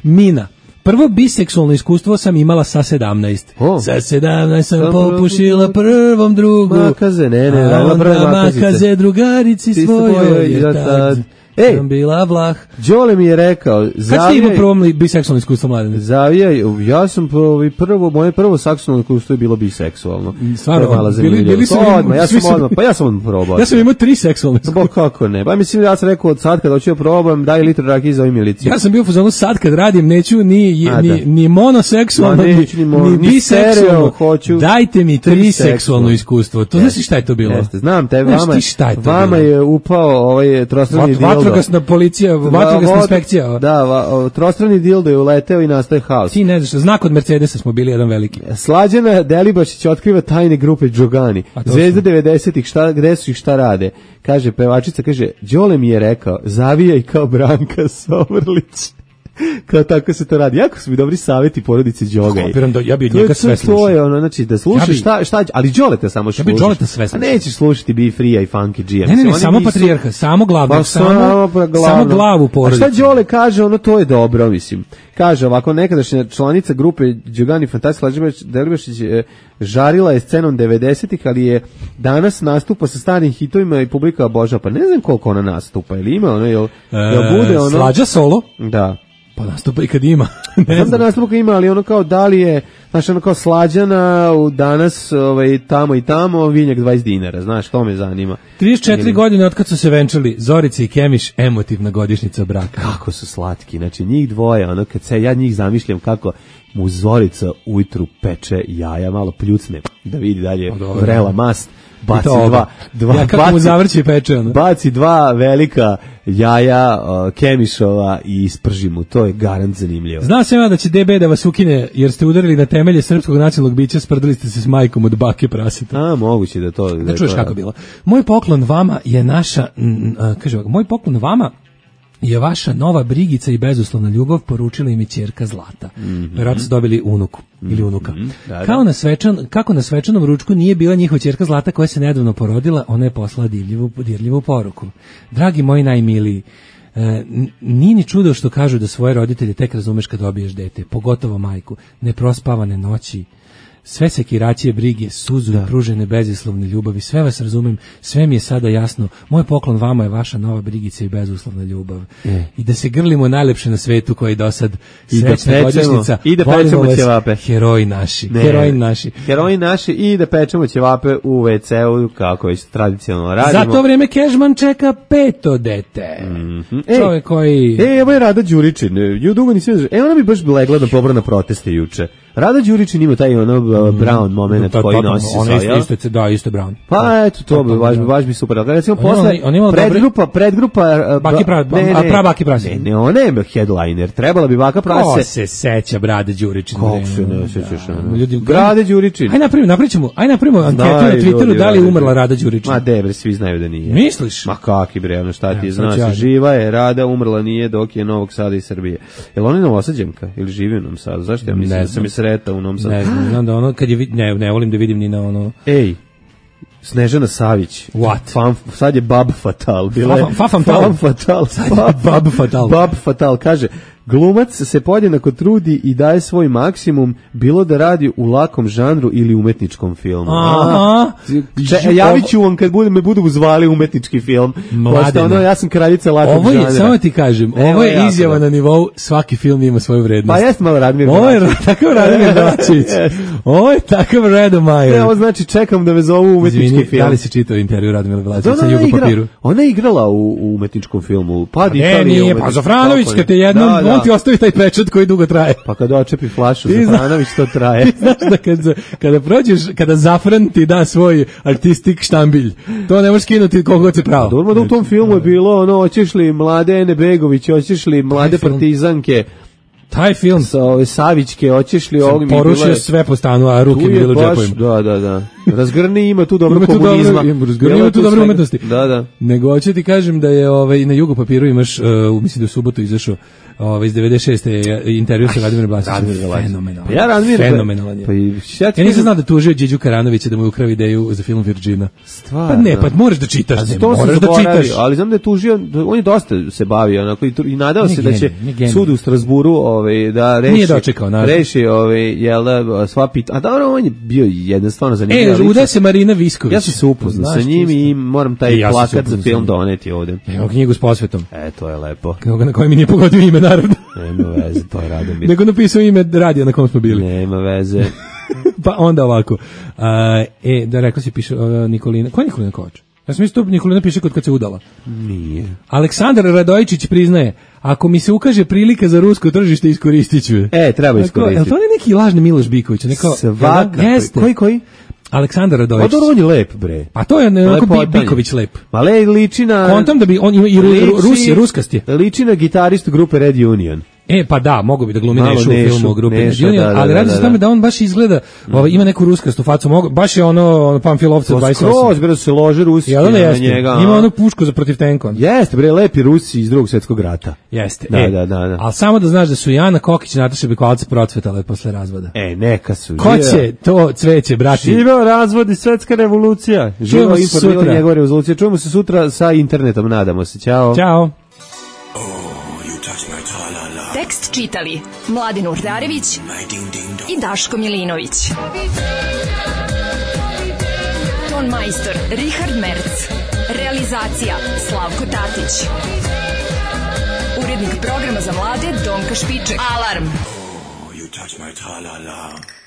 Mina. Prvo biseksualno iskustvo sam imala sa sedamnaest.
O.
Sa sedamnaest sam popušila prvom drugu.
Makaze, ne, ne,
a
radila prve
onda
makazice.
makaze drugarici
Ti
svojoj,
svojoj,
jer
ja
tad
tad. Ej,
sam bila vlah.
Đole mi je rekao,
Kad ste
zavijaj,
imao prvo li- biseksualno iskustvo, Mladene?
zavijaj, ja sam prvo, prvo moje prvo seksualno iskustvo je bilo biseksualno.
Stvarno,
To je mala
bili-
zanimljivost.
bili su
To
mi-
odmah, ja
svi
sam
su-
odmah, pa ja sam odmah probao.
Ja sam imao tri seksualne
Ba
iskustva.
kako ne? Ba mislim ja sam rekao od sad kad hoću da probam, daj litru rakije za ovu miliciju.
Ja sam bio u fazonu sad kad radim neću ni
A,
ni,
da.
ni monoseksualno
Ma,
ni,
neću ni mono-
ni
ni
biseksualno.
stereo, hoću
Dajte mi tri
triseksualno.
seksualno iskustvo. To znaš ti šta je to bilo?
Jeste, znam te,
Znaš
vama,
ti šta je to
vama
bilo?
je upao ovaj trostrani
Vat-
dildo.
Vatrogasna policija, vatrogasna
Va-
inspekcija.
Da, va, o, trostrani dildo je uleteo i nastaje haos.
Ti ne znaš, znak od Mercedesa smo bili jedan veliki.
Slađana Delibašić otkriva tajne grupe Džogani.
A to
Zvezde
su?
devedesetih, šta, gde su i šta rade? Kaže, pevačica, kaže, Đole mi je rekao, zavijaj kao Branka Sovrlić. Kao tako se to radi. Jako su mi dobri savjeti porodici Đogaj.
Kapiram da ja bi od
To je-
njega
to-
sve
To je
slušao.
ono, znači, da slušaš
Ja bi-
šta, šta, ali Đoleta samo slušaš.
Ja bi Đoleta sve
A
slušao.
nećeš slušati Be Free i Funky G.
Ne, ne, ne, samo patrijarha, samo glavnog,
Pa
samo,
pa glavno.
samo glavu porodice.
A šta Đole kaže, ono to je dobro, mislim. Kaže ovako, nekadašnja članica grupe Đogani Fantastic Lađebaš Delibašić e, žarila je scenom devedesetih, ali je danas nastupa sa starim hitovima i publika obožava. Pa ne znam koliko ona nastupa, ili ima ono, jel, jel bude ono...
Slađa solo?
Da.
Pa nastupa i kad ima. Ne
Znam da
znam.
nastupa ima, ali ono kao da li je, znaš, ono kao Slađana u danas ovaj, tamo i tamo, vinjak dvadeset dinara, znaš, to me zanima.
trideset četiri
Ili-
godine od kad su se venčali, Zorica i Kemiš, emotivna godišnjica braka.
Kako su slatki, znači njih dvoje, ono kad se ja njih zamišljam kako mu Zorica ujutru peče jaja, malo pljucne da vidi dalje
dobro.
vrela mast, baci
I to oba.
dva, dva
Ja kako mu zavrće i peče, ono.
baci dva velika jaja uh, Kemišova i isprži mu, to je garant zanimljivo.
Znao sam ja da će D B da vas ukine jer ste udarili na temelje srpskog nacionalnog bića, sprdali ste se s majkom od bake praseta.
A, moguće da to...
Da
je
čuješ
to-
kako je bilo. Moj poklon vama je naša, mm, a, kaže ovako, moj poklon vama je vaša nova brigica i bezuslovna ljubav, poručila im je ćerka Zlata.
Mhm.
Verovatno su dobili unuku ili unuka.
Da, da.
Kao na svečan, kako na svečanom ručku nije bila njihova ćerka Zlata koja se nedavno porodila, ona je poslala divljivu, dirljivu poruku. Dragi moji najmiliji, e, n- nije ni čudo što kažu da svoje roditelje tek razumeš kad dobiješ dete, pogotovo majku, neprospavane noći, sve sekiracije, brige, suzu i pružene bezuslovne ljubavi, sve vas razumem, sve mi je sada jasno, moj poklon vama je vaša nova brigica i bezuslovna ljubav.
E.
I da se grlimo najlepše na svetu koji do sad
I da
srećna
pečemo-
godišnjica,
i da
volimo
pečemo
vas,
ćevape.
heroji naši,
Ne.
heroji naši.
Heroji naši i da pečemo ćevape u ve ce u, kako već tradicionalno radimo.
Za to vreme Kežman čeka peto dete.
Ej,
Čovjek koji...
E, evo je Rada Đuričin. Ju dugo nisam vidio. E, ona bi baš legla da pobra na proteste juče. Rada Đuričin ima taj ono Brown moment
to,
koji
to,
nosi
on
sa,
isto, isto, isto, da, isto Brown.
Pa eto, to bi baš, baš bi super. Kada recimo
On ima-
posle,
on ima
predgrupa, predgrupa... uh,
Baki
ba-
Pra-
ne,
a
ne,
pra Baki Prase.
Ne, ne, ona je headliner. Trebala bi Baka
Ko
Prase.
se seća Brade Đuričin?
Kako se ne sećaš? ono?
Ljudi,
Brade Đuričin.
Aj napravimo, napravimo, aj napravimo anketu na
Znaju
Twitteru
ljudi,
da li je
Rada
umrla Rada Đuričin.
Ma debre, svi znaju da nije.
Misliš?
Ma kaki bre, ono šta ti
Evo,
znaš,
sad ću ja.
živa je, Rada, umrla nije, dok je Novog Sada i Srbije. Jel ona je Novosađanka ili živi u Novom Sadu? Zašto ja mislim
Ne
da sam
znam.
je sretao u Novom Sadu?
Ne znam, znam da ono, kad je, vid- ne, ne volim da vidim ni na ono...
Ej, Snežana Savić.
What?
Fam, sad je Bab Fatal. Bila je
Fafam- Fafam Tal.
Fam Fatal.
Sad je Bab Fatal.
Bab Fatal. Kaže, glumac se podjednako trudi i daje svoj maksimum, bilo da radi u lakom žanru ili umetničkom filmu.
Aha.
Če, javit ću vam kad bude, me budu zvali umetnički film.
Mladene.
Pošto ono, ja sam kraljica lakog
Ovo
žanra.
je, samo ti kažem,
Evo
ovo je
jako
izjava
dobro.
na nivou svaki film ima svoju vrednost.
Pa jeste malo Radmir
Ovo je
Belačević.
takav Radmir Belačević. Ovo je takav Redomajer.
Ne, ovo znači čekam da me zovu umetnički
Izvini,
film.
da li si čitao intervju Radmila Belačevića sa
Ona je
Jugo
igra-
papiru?
Ona je igrala u, u umetničkom filmu. Pad
Ne,
Italije.
nije,
umetnički-
pa Zafranović,
Kako
kad te
ne?
jednom,
Da, da.
on ti ostavi taj pečat koji dugo traje.
Pa kad očepi flašu
Ti zna-
Zafranović, to traje.
Ti znaš da kad, za- kada prođeš, kada Zafran ti da svoj artistik štambilj, to ne možeš skinuti koliko god se pravo.
Dobro da u tom filmu je bilo ono, hoćeš li mlade Ene Begović, hoćeš li mlade
film-
partizanke,
Taj film
sa ove Savićke, hoćeš li ovog mi
porušio
bilo je-
sve po stanu, a ruke
Tu
mi
je
bilo u
baš-
džepovima.
Da, da, da. Razgrni ima tu dobro
Ima tu dobro-
komunizma.
ima- razgrni
Ima
ima tu dobre
svega.
umetnosti.
Da, da.
Nego hoću ti kažem da je ovaj, na Jugo papiru imaš, uh, mislim da je u subotu izašao ovaj, iz devedeset šeste je intervju sa Radimirom Blačićem.
Radmir Belačević.
Fenomenalan.
Pa ja Radmir-
Fenomenalan je.
Pa i šta ti
Ja nisam
kažem-
znao da tužio Đeđu Karanovića da mu je ukrao ideju za film Virgina.
Stvarno?
Pa ne, pa moraš da čitaš,
A
ne,
to sam
moraš da
zaboravio,
čitaš.
ali znam da je tužio, da on je dosta se bavio onako i, tru- i nadao
On je
se da će
genij, on je genij.
sud u Strasburu ovaj, da reši,
Nije dočekao, naravno.
reši ovaj, jel da, sva pita. A dobro, on je bio jedan stvarno zanimljiv.
E,
ličnost.
udaje se Marina Visković.
Ja sam se upoznao sa
Znaš,
njim
ti
i moram
I
taj
ja sam se
plakat za
upoznao
film
sa njim.
doneti ovde.
Evo knjigu s posvetom.
E, to je lepo.
Na kojoj mi nije pogodio ime, naravno.
Nema veze, to je Radomir.
Nego napisao ime radija na kom smo bili.
Nema veze.
Pa onda ovako. A, e, da rekao si piše uh, Nikolina. Ko je Nikolina Kovač? Ja sam mislio Nikolina piše kod kad se udala.
Nije.
Aleksandar Radojičić priznaje, ako mi se ukaže prilika za rusko tržište, iskoristit ću je.
E, treba
Tako,
iskoristiti.
jel to ne neki lažni Miloš Biković? Neko,
Svakako.
Jeste.
Koji, koji?
Aleksandar
Pa
Radojičić.
dobro, on je lep, bre.
Pa to je onako Bi-
Lepotanje.
Biković lep.
Ma le, liči na...
Kontam da bi on ima i ru,
liči-
Rus je, ruskast je.
Liči na gitaristu grupe Red Union.
E, pa da, mogu bi da glumi
Malo
Nešu u
Nešu,
filmu o grupi
Neša,
Junior,
da, da,
ali
da,
radi se
da,
o tome
da.
da on baš izgleda, ovaj, ima neku ruskastu facu, mogu, baš je ono, ono Pamfilovca
To
dvadeset osam.
skroz, bre, da se lože Rusi
Jel da
na
jeste?
njega.
Ima
a?
onu pušku za protiv tenka.
Jeste, bre, lepi Rusi iz drugog svjetskog rata.
Jeste.
Da,
e,
da, da, da.
Ali samo da znaš da su i Ana Kokić i Nataša Bekvalac procvetale posle razvoda.
E, neka su.
Ko će to cveće, brati?
Živeo razvod i svetska revolucija. Živeo
Čujemo se
informiranje
sutra.
njegove revolucije. Čujemo se sutra sa internetom, nadamo se. Ćao.
Ćao.
Tekst čitali Mladin Urdarević i Daško Milinović. Ton majstor Richard Merc. Realizacija Slavko Tatić. Urednik programa za mlade Donka Špiček. Alarm!
You touch my tra-la-la.